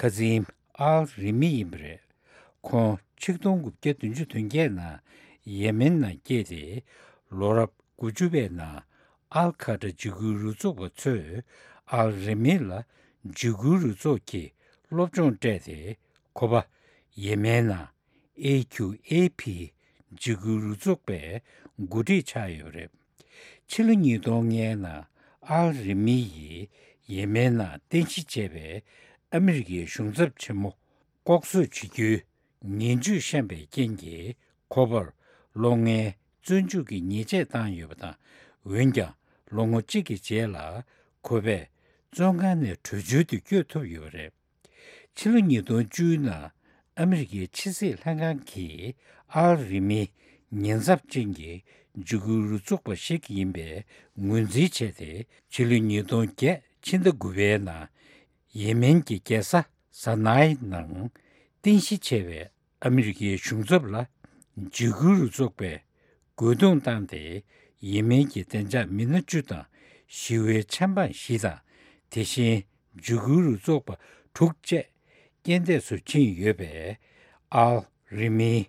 ཁ་ཛིམ་ཨལ་རི་མི་ཡིན་པ་རེད། ཁོང་ཆིག་སྟོང་དགུ་བརྒྱ་བདུན་ཅུ་དོན་བརྒྱད་ནང་ཡེ་མེན་ནང་སྐྱེས་ཏེ། ལོ་རབས་དགུ་བཅུ་པའི་ནང་ཨལ་ཁ་ཏྲ་འཇིགས་སྐུལ་རུ་ཚོགས་པ་ཚོས་ཨལ་རི་མི་ལ་འཇིགས་སྐུལ་རུ་ཚོགས་ཀྱི་སློབ་སྦྱོང་སྤྲད་དེ། ཁོ་པ་ཡེ་མེན་ནང་ཨེ་ཁྱུ་ཨེ་ཕི་འཇིགས་སྐུལ་རུ་ཚོགས་པའི་འགོ་ཁྲིད་ཆགས་ཡོད་པ་རེད། ཕྱི་ལོ་ཉིས་སྟོང་ལྔའི་ནང་ཨལ་རི་མི་ཡིས་ཡེ་མེན་ནང་རྟེན་གཞི་བྱས་པའི་ཨ་མི་རི་ཀའི་གཞུང་ཚབ་ཆེན་མོ་ལྐོག་གསོད་བྱེད་རྒྱུའི་ངན་ཇུས་བཤམས་པའི་རྐྱེན་གྱིས། ཁོ་པར་ལོ་ལྔའི་བཙོན་འཇུག་གི་ཉེས་ཆད་བཏང་ཡོད་པ་དང་། འོན་ཀྱང་ལོ་ངོ་གཅིག་གི་རྗེས་ལ་ཁོ་པས་བཙོན་ཁང་ནས་བྲོས་བྱོལ་དུ་བསྐྱོད་ཐུབ་ཡོད་པ་རེད། ཕྱི་ལོ་ཉིས་སྟོང་བཅུ་ནང་ཨ་མི་རི་ཀའི་ཕྱི་སྲིད་ལྷན་ཁང་གིས་ཨལ་རི་མི་ཉེན་ཚབས་ཅན་གྱི་འཇིགས་སྐུལ་རུ་ཚོགས་པ་ཞིག་ཡིན་པའི་ངོས་འཛིན་བྱས་ཏེ། ཕྱི་ལོ་ཉིས་སྟོང་བརྒྱད་ཕྱི་ཟླ་དགུ་པའི་ནང་ཡེ་མེན་གྱི་རྒྱལ་ས་ས་ནའི་ནང་རྟེན་གཞི་བྱས་པའི་ཨ་མི་རི་ཀའི་གཞུང་ཚབ་ལ་འཇིགས་སྐུལ་རུ་ཚོགས་པས་རྒོལ་རྡུང་བཏང་སྟེ། ཡེ་མེན་གྱི་བདེ་འཇགས་མི་སྣ་བཅུ་དང་། ཞི་བའི་ཆབ་འབངས་བཞི་དང་། དེ་བཞིན་འཇིགས་སྐུལ་རུ་ཚོགས་པ་དྲུག་བཅས་རྐྱེན་འདས་སུ་ཕྱིན་ཡོད་པས། ཨལ་རི་མིའི་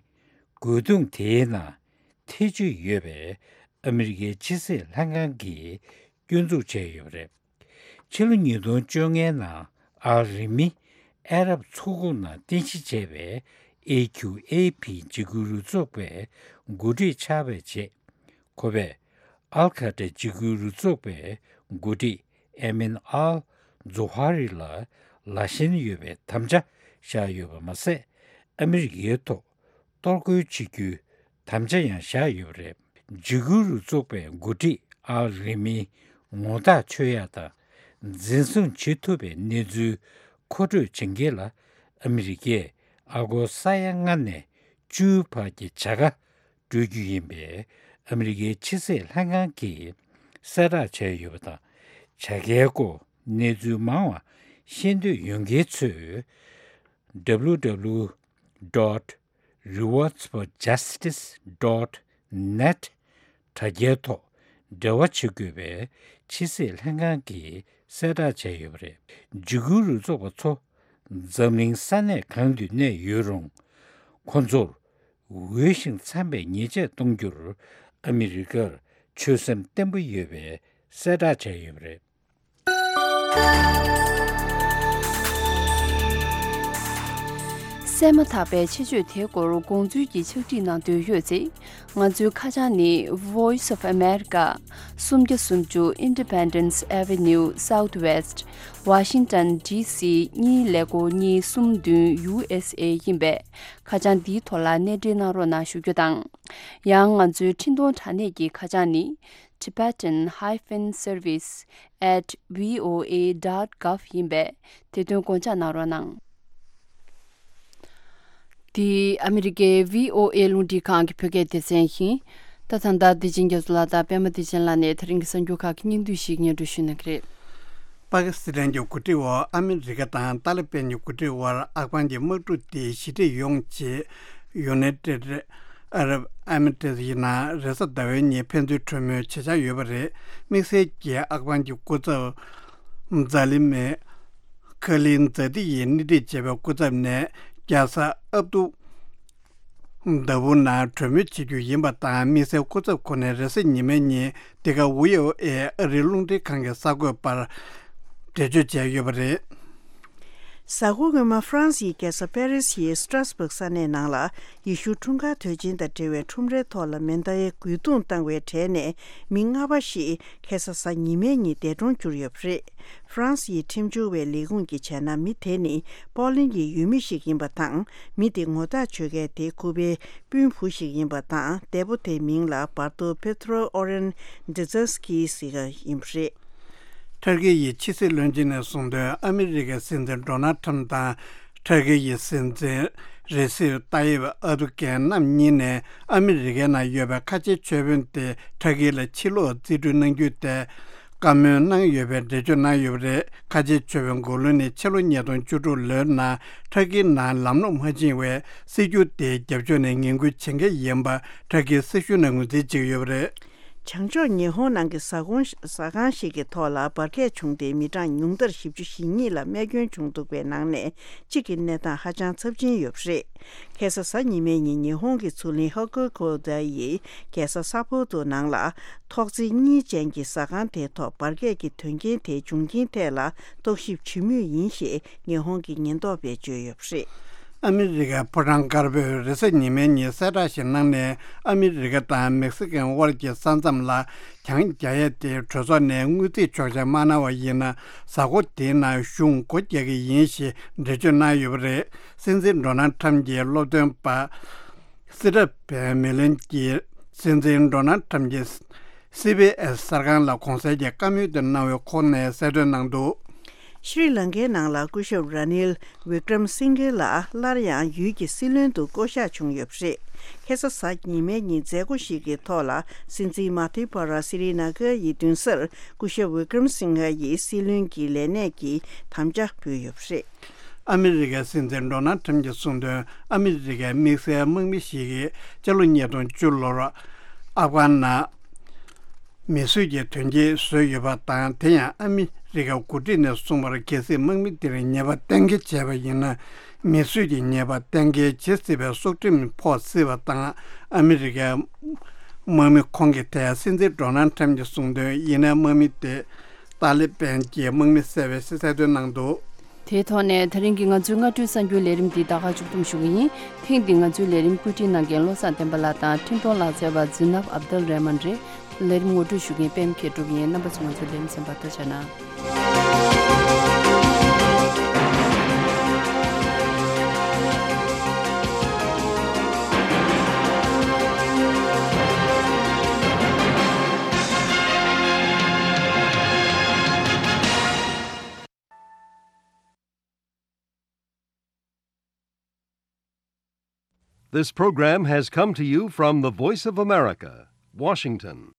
རྒོལ་རྡུང་དེའི་ནང་ཐེ་བྱུས་ཡོད་པའི་ཨ་མི་རི་ཀའི་ཕྱི་སྲིད་ལྷན་ཁང་གིས་སྐྱོན་འཛུགས་བྱས་ཡོད་པ་རེད། ཕྱི་ལོ་ཉིས་སྟོང་བཅོ་ལྔའི་ནང་ཨལ་རི་མི་ཨ་རབ་མཚོ་ཁུག་ནང་རྟེན་གཞི་བྱས་པའི་ཨེ་ཁྱུ་ཨེ་ཕི་འཇིགས་སྐུལ་རུ་ཚོགས་པའི་འགོ་ཁྲིད་ཆགས་པའི་རྗེས། ཁོ་པས་ཨལ་ཁ་ཏྲ་འཇིགས་སྐུལ་རུ་ཚོགས་པའི་འགོ་ཁྲིད་ཨེ་མིན་ཨལ་ཛོ་ཧ་རི་ལ་ལ་ཞེན་ཡོད་པའི་དམ་བཅའ་བཞག་ཡོད་པ་མ་ཟད། ཨ་མི་རི་ཀའི་ཐོག་གཏོར་རྒོལ་བྱེད་རྒྱུའི་དམ་བཅའ་ཡང་བཞག་ཡོད་པ་རེད། འཇིགས་སྐུལ་རུ་ཚོགས་པའི་འགོ་ཁྲིད་ཨལ་རི་མིའི་ངོ་རྟགས་ཆོད་ཡག་དང་འཛིན་བཟུང་བྱེད་ཐུབ་པའི་གནས་ཚུལ་མཁོ་སྤྲོད་བྱེད་མཁན་ལ་ཨ་མི་རི་ཀས་ཨ་སྒོར་ས་ཡ་ལྔ་ནས་བཅུའི་བར་གྱི་བྱ་དགའ་སྤྲོད་རྒྱུ་ཡིན་པས། ཨ་མི་རི་ཀའི་ཕྱི་སྲིད་ལྷན་ཁང་གིས་གསལ་བསྒྲགས་བྱས་ཡོད་པ་དང་། བྱ་དགའི་སྐོར་གནས་ཚུལ་མང་བ་ཤེས་འདོད་ཡོད་མཁན་ཚོས། W W W dot rewards for justice dot net དྲ་རྒྱའི་ཐོག་འབྲེལ་བ་བྱེད་དགོས་པའི་ཕྱི་སྲིད་ལྷན་ཁང་གིས་གསལ་བསྒྲགས་བྱས་ཡོད་པ་རེད། འཇིགས་སྐུལ་རུ་ཚོགས་པ་ཚོ་འཛམ་གླིང་ས་གནས་གང་དུ་གནས་ཡོད་རུང་། ཁོ་ཚོར་འོས་ཤིང་འཚམ་པའི་ཉེས་ཆད་གཏོང་རྒྱུར་ཨ་མི་རི་ཀར་ཆོད་སེམས་བརྟན་པོ་ཡོད་པའི་གསལ་བསྒྲགས་བྱས་ཡོད་པ་རེད། གསན་མ་ཐག་པའི་ཆེད་བརྗོད་དེའི་སྐོར་དགོངས་ཚུལ་གྱི་ཕྱག་བྲིས་གནང་འདོད་ཡོད་ཚེ། ང་ཚོའི་ཁ་བྱང་ནི། Voice of America, སུམ་བརྒྱ་སུམ་ཅུ་Independence Avenue Southwest, Washington D C གཉིས་ཀླད་ཀོར་གཉིས་གསུམ་བདུན། U S A ཡིན་པས། ཁ་བྱང་འདིའི་ཐོག་ལ་གནས་འབྲེལ་གནང་རོགས་གནང་ཞུ་རྒྱུ་དང་། ཡང་ང་ཚོའི་འཕྲིན་གཏོང་དྲ་གནས་ཀྱི་ཁ་བྱང་ནི། Tibetan hyphen service at V O A dot gov ཡིན་པས། དེ་དོན་དགོངས་འཇགས་གནང་རོགས་གནང་། འདི་ཨ་མི་རི་ཀའི་V O A རླུང་འཕྲིན་ཁང་གི་བོད་སྐད་སྡེ་ཚན་ཡིན། ད་ད་ལྟ་བདེ་ཆེན་རྒྱ་མཚོ་ལགས་དང་པད་མ་བདེ་ཆེན་ལགས་ནས་དེ་རིང་གི་གསར་འགྱུར་ཁག་གི་སྙིང་བསྡུས་ཤིག་སྙན་སྒྲོན་ཞུ་གནང་གི་རེད། པ་ཀི་སི་ཐན་གྱི་འགོ་ཁྲིད་འོག་ཨ་མི་རི་ཀ་དང་ཏཱ་ལི་པན་གྱི་འགོ་ཁྲིད་དབར་ཨབ་གྷན་གྱི་དམག་འཁྲུག་དེ་ཞི་འགྲིག་ཡོང་ཆེད་ཡུ་ནའི་ཏེད་ཨ་རབ་ཨེ་མི་རེ་ཊི་ཡི་ནང་རེས་གཟའ་ཟླ་བའི་ཉིན་ཕན་ཚུན་གྲོས་མོལ་བྱེད་འཆར་ཡོད་པ་རེད། དམིགས་བསལ་གྱིས་ཨབ་གྷན་གྱི་སྐུ་ཚབ་ཛཱ་ལི་མེ་ཁ་ལིན་ཛཱ་ཏི་ཡིས་སྣེ་ཁྲིད་བྱས་པའི་སྐུ་ཚབ་ནས་རྒྱལ་ས་ཨབ་དུ་ལྡ་བུ་ནང་གྲོས་མོལ་བྱེད་རྒྱུ་ཡིན་པ་དང་། དམིགས་བསལ་སྐུ་ཚབ་ཁོ་ནས་རེས་གཟའ་ཉི་མའི་ཉིན་འདི་ག་ཝི་ཨོ་ཨེ་ཨ་རིའི་རླུང་འཕྲིན་ཁང་གི་གསར་འགོད་པར་འགྲེལ་བརྗོད་བྱས་ཡོད་པ་རེད། གཟའ་འཁོར་སྔོན་མ་ཧྥ་རན་སིའི་རྒྱལ་ས་པེ་རི་སིའི་སི་ཏྲ་སི་སྦུག་ས་གནས་ནང་ལ་ཡེ་ཤུ་འཁྲུངས་སྐར་དུས་ཆེན་དང་འབྲེལ་བའི་ཁྲོམ་རའི་ཐོག་ལ་མེ་མདའི་རྒོལ་རྡུང་བཏང་བའི་གྲས་ནས་མི་ལྔ་པ་ཞིག་ཁ་སང་གཟའ་ཉི་མའི་ཉིན་འདས་གྲོངས་གྱུར་ཡོད་པ་རེད། ཧྥ་རན་སིའི་ཁྲིམས་སྦྱོར་བའི་ལས་ཁུངས་ཀྱིས་བྱས་ན། མི་དེ་ནི་པོ་ལན་གྱི་ཡུལ་མི་ཞིག་ཡིན་པ་དང་། མི་དེ་ངོ་རྟགས་ཆོད་མཁན་དེ་ཁོ་པའི་སྤུན་བུ་ཞིག་ཡིན་པ་དང་། འདས་པོ་དེའི་མིང་ལ་བར་དོ་པེ་ཏྲོ་ཨོ་རེན་ཌི་ཛེ་སི་ཀི་ཟེར་བ་ཡིན་པ་རེད། ཐར་ཀི་ཡི་ཕྱི་སྲིད་བློན་ཆེན་ནས་གསུངས་དོན། ཨ་མི་རི་ཀའི་སྲིད་འཛིན་ཌོ་ནལ་ཁྲམ་དང་། ཐར་ཀི་ཡི་སྲིད་འཛིན་རེ་སིབ་ཏཱ་ཡིབ་ཨར་དུ་གྷན་རྣམ་གཉིས་ནས་ཨ་མི་རི་ཀའི་ནང་ཡོད་པའི་ཁ་ཆེའི་ཆོས་དཔོན་དེ་ཐར་ཀི་ལ་ཕྱིར་ལོག་རྩིས་སྤྲོད་གནང་རྒྱུའི་ཐད་བཀའ་མོལ་གནང་ཡོད་པའི་འགྲེལ་བརྗོད་གནང་ཡོད་པ་རེད། ཁ་ཆེའི་ཆོས་དཔོན་མགོ་ལོག་ནི་ཕྱི་ལོ་ཉིས་སྟོང་བཅུ་དྲུག་ལོའི་ནང་ཐར་ཀིའི་ནང་ལམ་ལྷོང་མ་ཕྱིན་བའི་སྲིད་ཇུས་དེའི་རྒྱབ་ཕྱོགས་ནས་ངན་སྐུལ་བྱེད་མཁན་ཡིན་པ་ཐར་ཀིའི་སྲིད་གཞུང་ནས་ངོས་འཛིན་བྱེད་ཀྱི་ཡོད་པ་རེད། བྱང་ཕྱོགས་ཉི་ཧོང་ནང་གི་ཟ་ཁང་ཟ་ཁང་ཞིག་གི་ཐོག་ལ་འབར་གས་བྱུང་སྟེ་མི་གྲངས་ཉུང་མཐར་བཞི་བཅུ་ཞེ་གཉིས་ལ་རྨས་སྐྱོན་བྱུང་འདུག་པའི་ནང་ནས་གཅིག་གི་གནས་སྟངས་ཧ་ཅང་ཚབས་ཆེན་ཡོད་པ་རེད། ཁ་སང་གཟའ་ཉི་མའི་ཉིན་ཉི་ཧོང་གི་མཚོ་གླིང་ཧོ་ཀུ་ཀོ་ད་ཡི་རྒྱལ་ས་ས་ཕོ་ཏོ་ནང་ལ་ཐོག་བརྩེགས་གཉིས་ཅན་གྱི་ཟ་ཁང་དེའི་ཐོག་འབར་གས་ཀྱི་དོན་རྐྱེན་དེའི་འབྱུང་རྐྱེན་ཐད་ལ་རྟོག་ཞིབ་བྱེད་མུས་ཡིན་ཞེས་ཉི་ཧོང་གི་ཉེན་རྟོག་པས་བརྗོད་ཡོད་པ་རེད། ཨ་མི་རི་ཀའི་ཕོ་བྲང་དཀར་པོས་རེས་གཟའ་ཉི་མའི་ཉིན་གསལ་བསྒྲགས་ཤིག་གནང་ནས། ཨ་མི་རི་ཀ་དང་མེག་སི་ཀོའི་དབར་གྱི་ས་མཚམས་ལ་གྱང་རྒྱག་ཡས་དེ་གྲོས་ཚོགས་ནས་དངུལ་རྩིས་ཆོག་མཆན་མ་གནང་བ་ཡིན་ན། གཟའ་འཁོར་དེའི་ནང་གཞུང་སྒོ་རྒྱག་གི་ཡིན་ཞེས་འགྲེལ་བརྗོད་གནང་ཡོད་པ་རེད། སྲིད་འཛིན་ཌོ་ནལ་ཁྲམ་གྱི་སློབ་སྟོན་པ་སི་ཏྲ་བན་མེ་ལན་གྱིས་སྲིད་འཛིན་ཌོ་ནལ་ཁྲམ་གྱི་སི་བི་ཨེས་གསར་ཁང་ལ་གོང་གསལ་གྱི་བཀའ་མོལ་དེ་གནང་བའི་ཁོངས་ནས་གསལ་སྟོན་གནང་འདུག། ཤྲི་ལང་ཀའི་ནང་ལ་སྐུ་ཞབས་ར་ནིལ་ཝི་ཀྲམ་སིང་གྷེ་ལགས་སླར་ཡང་ཡུལ་གྱི་སྲིད་བློན་དུ་བསྐོ་གཞག་བྱུང་ཡོད་པ་རེད། ཁ་སང་གཟའ་ཉི་མའི་ཉིན་མཛད་སྒོ་ཞིག་གི་ཐོག་ལ་སྲིད་འཛིན་མ་ཐི་པ་ར་སི་རི་ན་གྷ་ཡི་མདུན་སར་སྐུ་ཞབས་ཝི་ཀྲམ་སིང་གྷེ་ཡིས་སྲིད་བློན་གྱི་ལས་གནས་ཀྱི་དམ་བཅའ་ཕུལ་ཡོད་པ་རེད། ཨ་མི་རི་ཀའི་སྲིད་འཛིན་ཌོ་ནལ་ཁྲམ་གྱིས་གསུངས་དོན། ཨ་མི་རི་ཀའི་དམིགས་བསལ་དམག་མི་ཞིག་གིས་སྤྱི་ལོ་ཉིས་སྟོང་བཅུ་ལོར་ཨབ་གྷན་ནང་མི་གསོད་ཀྱི་དོན་རྐྱེན་བཟོས་ཡོད་པ་དང་། དེ་ཡང་ཨ་མི་རི་ཀའི་འགོ་ཁྲིད་ནས་གསུངས་པར། གལ་སྲིད་དམག་མི་དེར་ཉེས་པ་གཏན་འཁེལ་བྱས་པ་ཡིན་ན། མི་གསོད་ཀྱི་ཉེས་པ་གཏན་འཁེལ་བྱེད་སྲིད་པའི་སྲོག་ཁྲིམས་ཕོག་སྲིད་པ་དང་། ཨ་མི་རི་ཀའི་དམག་མི་ཁོང་གི་ཐད་སྲིད་འཛིན་ཌོ་ནལ་ཁྲམ་གྱིས་གསུངས་དོན། ཡིན་ནའི་དམག་མི་དེ་ཏཱ་ལི་པན་གྱི་དམག་མི་བསད་པའི་གསལ་སྟོན་གནང་འདུག། དེའི་ཐོག་ནས་ད་རིང་གི་ང་ཚོའི་སྔ་དྲོའི་གསར་འགྱུར་ལས་རིམ་འདི་ད་ག་མཇུག་བསྡོམས་ཞུ་གི་ཡིན། ཐེངས་འདིའི་ང་ཚོའི་ལས་རིམ་བཀོད་སྒྲིག་གནང་མཁན་བློ་བཟང་བསྟན་པ་ལགས་དང་འཕྲིན་གཏོང་ལག་རྩལ་བ་ཛི་ནབ་ཨབ་དལ་རེ་མན་རེད། ལས་རིམ་ངོ་སྤྲོད་ཞུ་མཁན་པད་མ་མཁས་གྲུབ་ཡིན། རྣམ་པ་ཚོ་ང་ཚོའི་ལས་རིམ་གསན་པར་ཐུགས་རྗེ་གནང་། This program has come to you from the Voice of America, Washington.